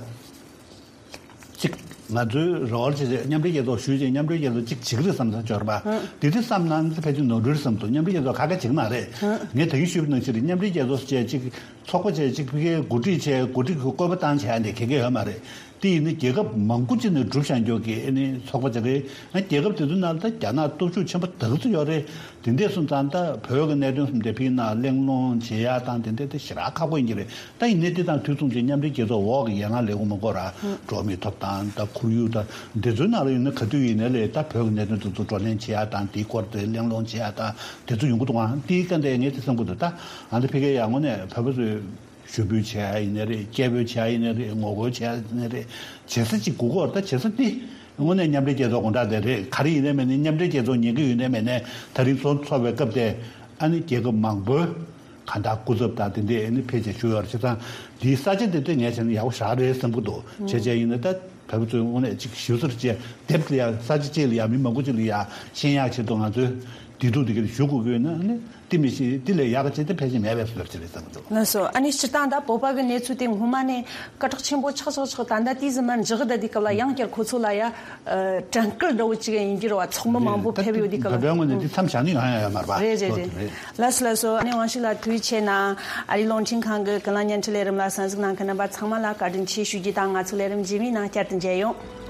གཅིག་ང་ཚོའི་རེ་བ་བྱས་རྗེས་མཉམ་འབྲེལ་རྒྱལ་ཚོགས་ཞུས་རྗེས་མཉམ་འབྲེལ་རྒྱལ་ཚོགས་གཅིག་བྱེད་ཀྱི་རེད་བསམ་ས་འབྱོར་པ། དེ་དུས་བསམ་ན་ཕལ་ཆེར་ནོར་འཁྲུལ་བསམ་འདུག་མཉམ་འབྲེལ་རྒྱལ་ཚོགས་ཁ་ཁ་བྱེད་ཀྱི་མ་རེད། ངས་ད་གིན་ཞུས་པ་ནང་བཞིན་རེད། མཉམ་འབྲེལ་རྒྱལ་ཚོགས་བཅས་གཅིག་ཚོགས་པ་བཅས་གཅིག་ཕ་གིའི་འགོ་ཁྲིད་བྱས་འགོ་ཁྲིད་ཀྱི་བཀོད་པ་བཏང་བྱས་ཡ་འདི་ག་གེ་ཡོད་མ་རེད། དེ་ཡིན་ན་རྒྱལ་ཁབ་མང་པོ་ཅིག་ནས་གྲུབ་བཞག་མགྱོགས་ཀྱི་ཨ་ནི་ཚོགས་པ་ཅིག་རེད། རྒྱལ་ཁབ་དེ་ཚོའི་ནང་ལ་ད་རྒྱ་ནག་སྟོབས་ཤུགས་ཆེན་པོ་དག་ཙམ་ཡོད་རེད། དེ་འདྲས་སོང་ཙང་ད་བོད་ཀྱི་གནད་དོན་སོགས་དེ་ཕ་གིའི་ནང་གླེང་སློང་བྱེད་ཡ་དང་དེ་འདྲས་དེ་ཞེ་དྲག་ཁག་པོ་ཡིན་གྱི་རེད། ད་ཡིན་ནའི་དེ་དང་དུས་མཚུངས་ཀྱི་མཉམ་འབྲེལ་རྒྱལ་ཚོགས་འོག་གི་ཡན་ལག་ལས་ཁུངས་མང་པོ་ར་འགྲོ་བ་མིའི་ཐོབ་ཐང་ད་ཁོར་ཡུག་ད་འདི་ཚོའི་ནང་ལ་ཡིན་ན་ག་དུས་ཡིན་ནའི་ལས་ད་བོད་ཀྱི་གནད་དོན་དེ་ཚོ་བགྲོ་གླེང་བྱེད་ཡ་དང་དེའི་སྐོར་དེ་གླེང་སློང་བྱེད་ཡ་དང་དེ་ཚོ་ཡོང་གི་འདུག་ཨང་། དེའི་སྐབས་དེ་ངས་དེ་བསམ་གྱི་འདུག་ད་ཨ་ནི་ཕ་གིའི་ཡ་དངོས་གནས་བོད་པ་ཚོས། ཞུ་འབོད་བྱས་ཡ་ཡིན་ནའི་རེད། སྐད་འབོད་བྱས་ཡ་ཡིན་ནའི་རེད། ངོ་རྒོལ་བྱས་ཡ་ཡིན་ནའི་རེད། བྱེད་ས་གཅིག་དགོས་ཀྱི་ཡོད་རེད། ད་བྱེད་ས་འདི་དངོས་གནས་མཉམ་འབྲེལ་རྒྱལ་ཚོགས་དགོང་དག་དེ་རེད། ག་རེ་ཡིན་ནའི་མིན་ནའི་མཉམ་འབྲེལ་རྒྱལ་ཚོགས་ཉན་གི་ཡོད་ནའི་མེད་ནའི་ད་རིང་ཚོགས་ཚོགས་པའི་སྐབས་དེ་ཨ་ནི་རྒྱལ་ཁབ་མང་པོའི་གང་ལྟར་སྐུ་ཚབ་དང་དེ་འདྲས་ཨ་ནི་ཕེབས་བྱས་བཞུགས་ཡོད་རེད། བྱས་ཙང་འདིའི་ས་ཆ་དེ་ཚོ་ངས་བྱས་ན་ཡག་པོ་ཞེ་དྲག་རེད་བསམ་གྱི་འདུག་བྱས་བྱས་ཡིན་ན་ད་བོད་པ་ཚོས་དངོས་གནས་ཅིག་ཞུ་སར་བྱས་དེབ་ལ་ཡ་ས་ཆ་གཅིག་ལ་ཡ་མི་མང་པོ་ཅིག་ལ་ཡ་ཤེས་ཡག་ཆེད་དུ་ང་ཚོས་བདེ་སྡུག་དེ་ག་ཞུ་དགོས་ཀྱི་ཡོད་ན་ཨ་ནི། དེ་མི་ཤེས། དེ་ལས་ཡག་ག་བྱས་ཏེ་ཕལ་ཆེར་མེད་པའི་བཟོ་འདྲ་ཅིག་རེད་བསམ་གྱི་འདུག་ལགས་སོ། ཨ་ནི་སྤྱིར་བཏང་ད་བོད་པ་གི་གནས་ཚུལ་དེ་སྔོན་མ་ནས་སྐད་གྲགས་ཆེན་པོ་ཆགས་ཆགས་ཆགས། ད་ལྟ་དེའི་ཟིན་མར་འཇགས་བསྡད་དུས་སྐབས་ལ་ཡང་བསྐྱར་ཁོ་ཚོ་ལ་ཡ་ཨ་དྲན་སྐུལ་འདྲ་བོ་ཅིག་ཡིན་གྱི་རེད་བ། ཚོགས་མི་མང་པོ་ཕེབས་ཡོད་དུས་སྐབས་ལ། བོད་པའི་ངོས་ནས་དེ་མཚམས་བཞག་ནས་ཡོང་ཡ་ཡོད་མ་རེད་པ། རེད་རེད་རེད། ལགས་སོ་ལགས་སོ། ཨ་ནི་དབང་ཕྱུག་ལགས་ཐུགས་རྗེ་ཆེ་གནང་། ཨ་རིའི་རླུང་འཕྲིན་ཁང་གི་ཀུན་གླེང་བརྙན་འཕྲིན་ལས་རིམ་ལ་གསན་གཟིགས་གནང་མཁན་རྣམ་པ་ཚང་མ་ལ་བཀའ་དྲིན་ཆེ་ཞུ་རྒྱུ་དང་། ང་ཚོ་ལས་རིམ་རྗེས་མའི་ནང་བསྐྱར་དུ་མཇལ་ཡོང་།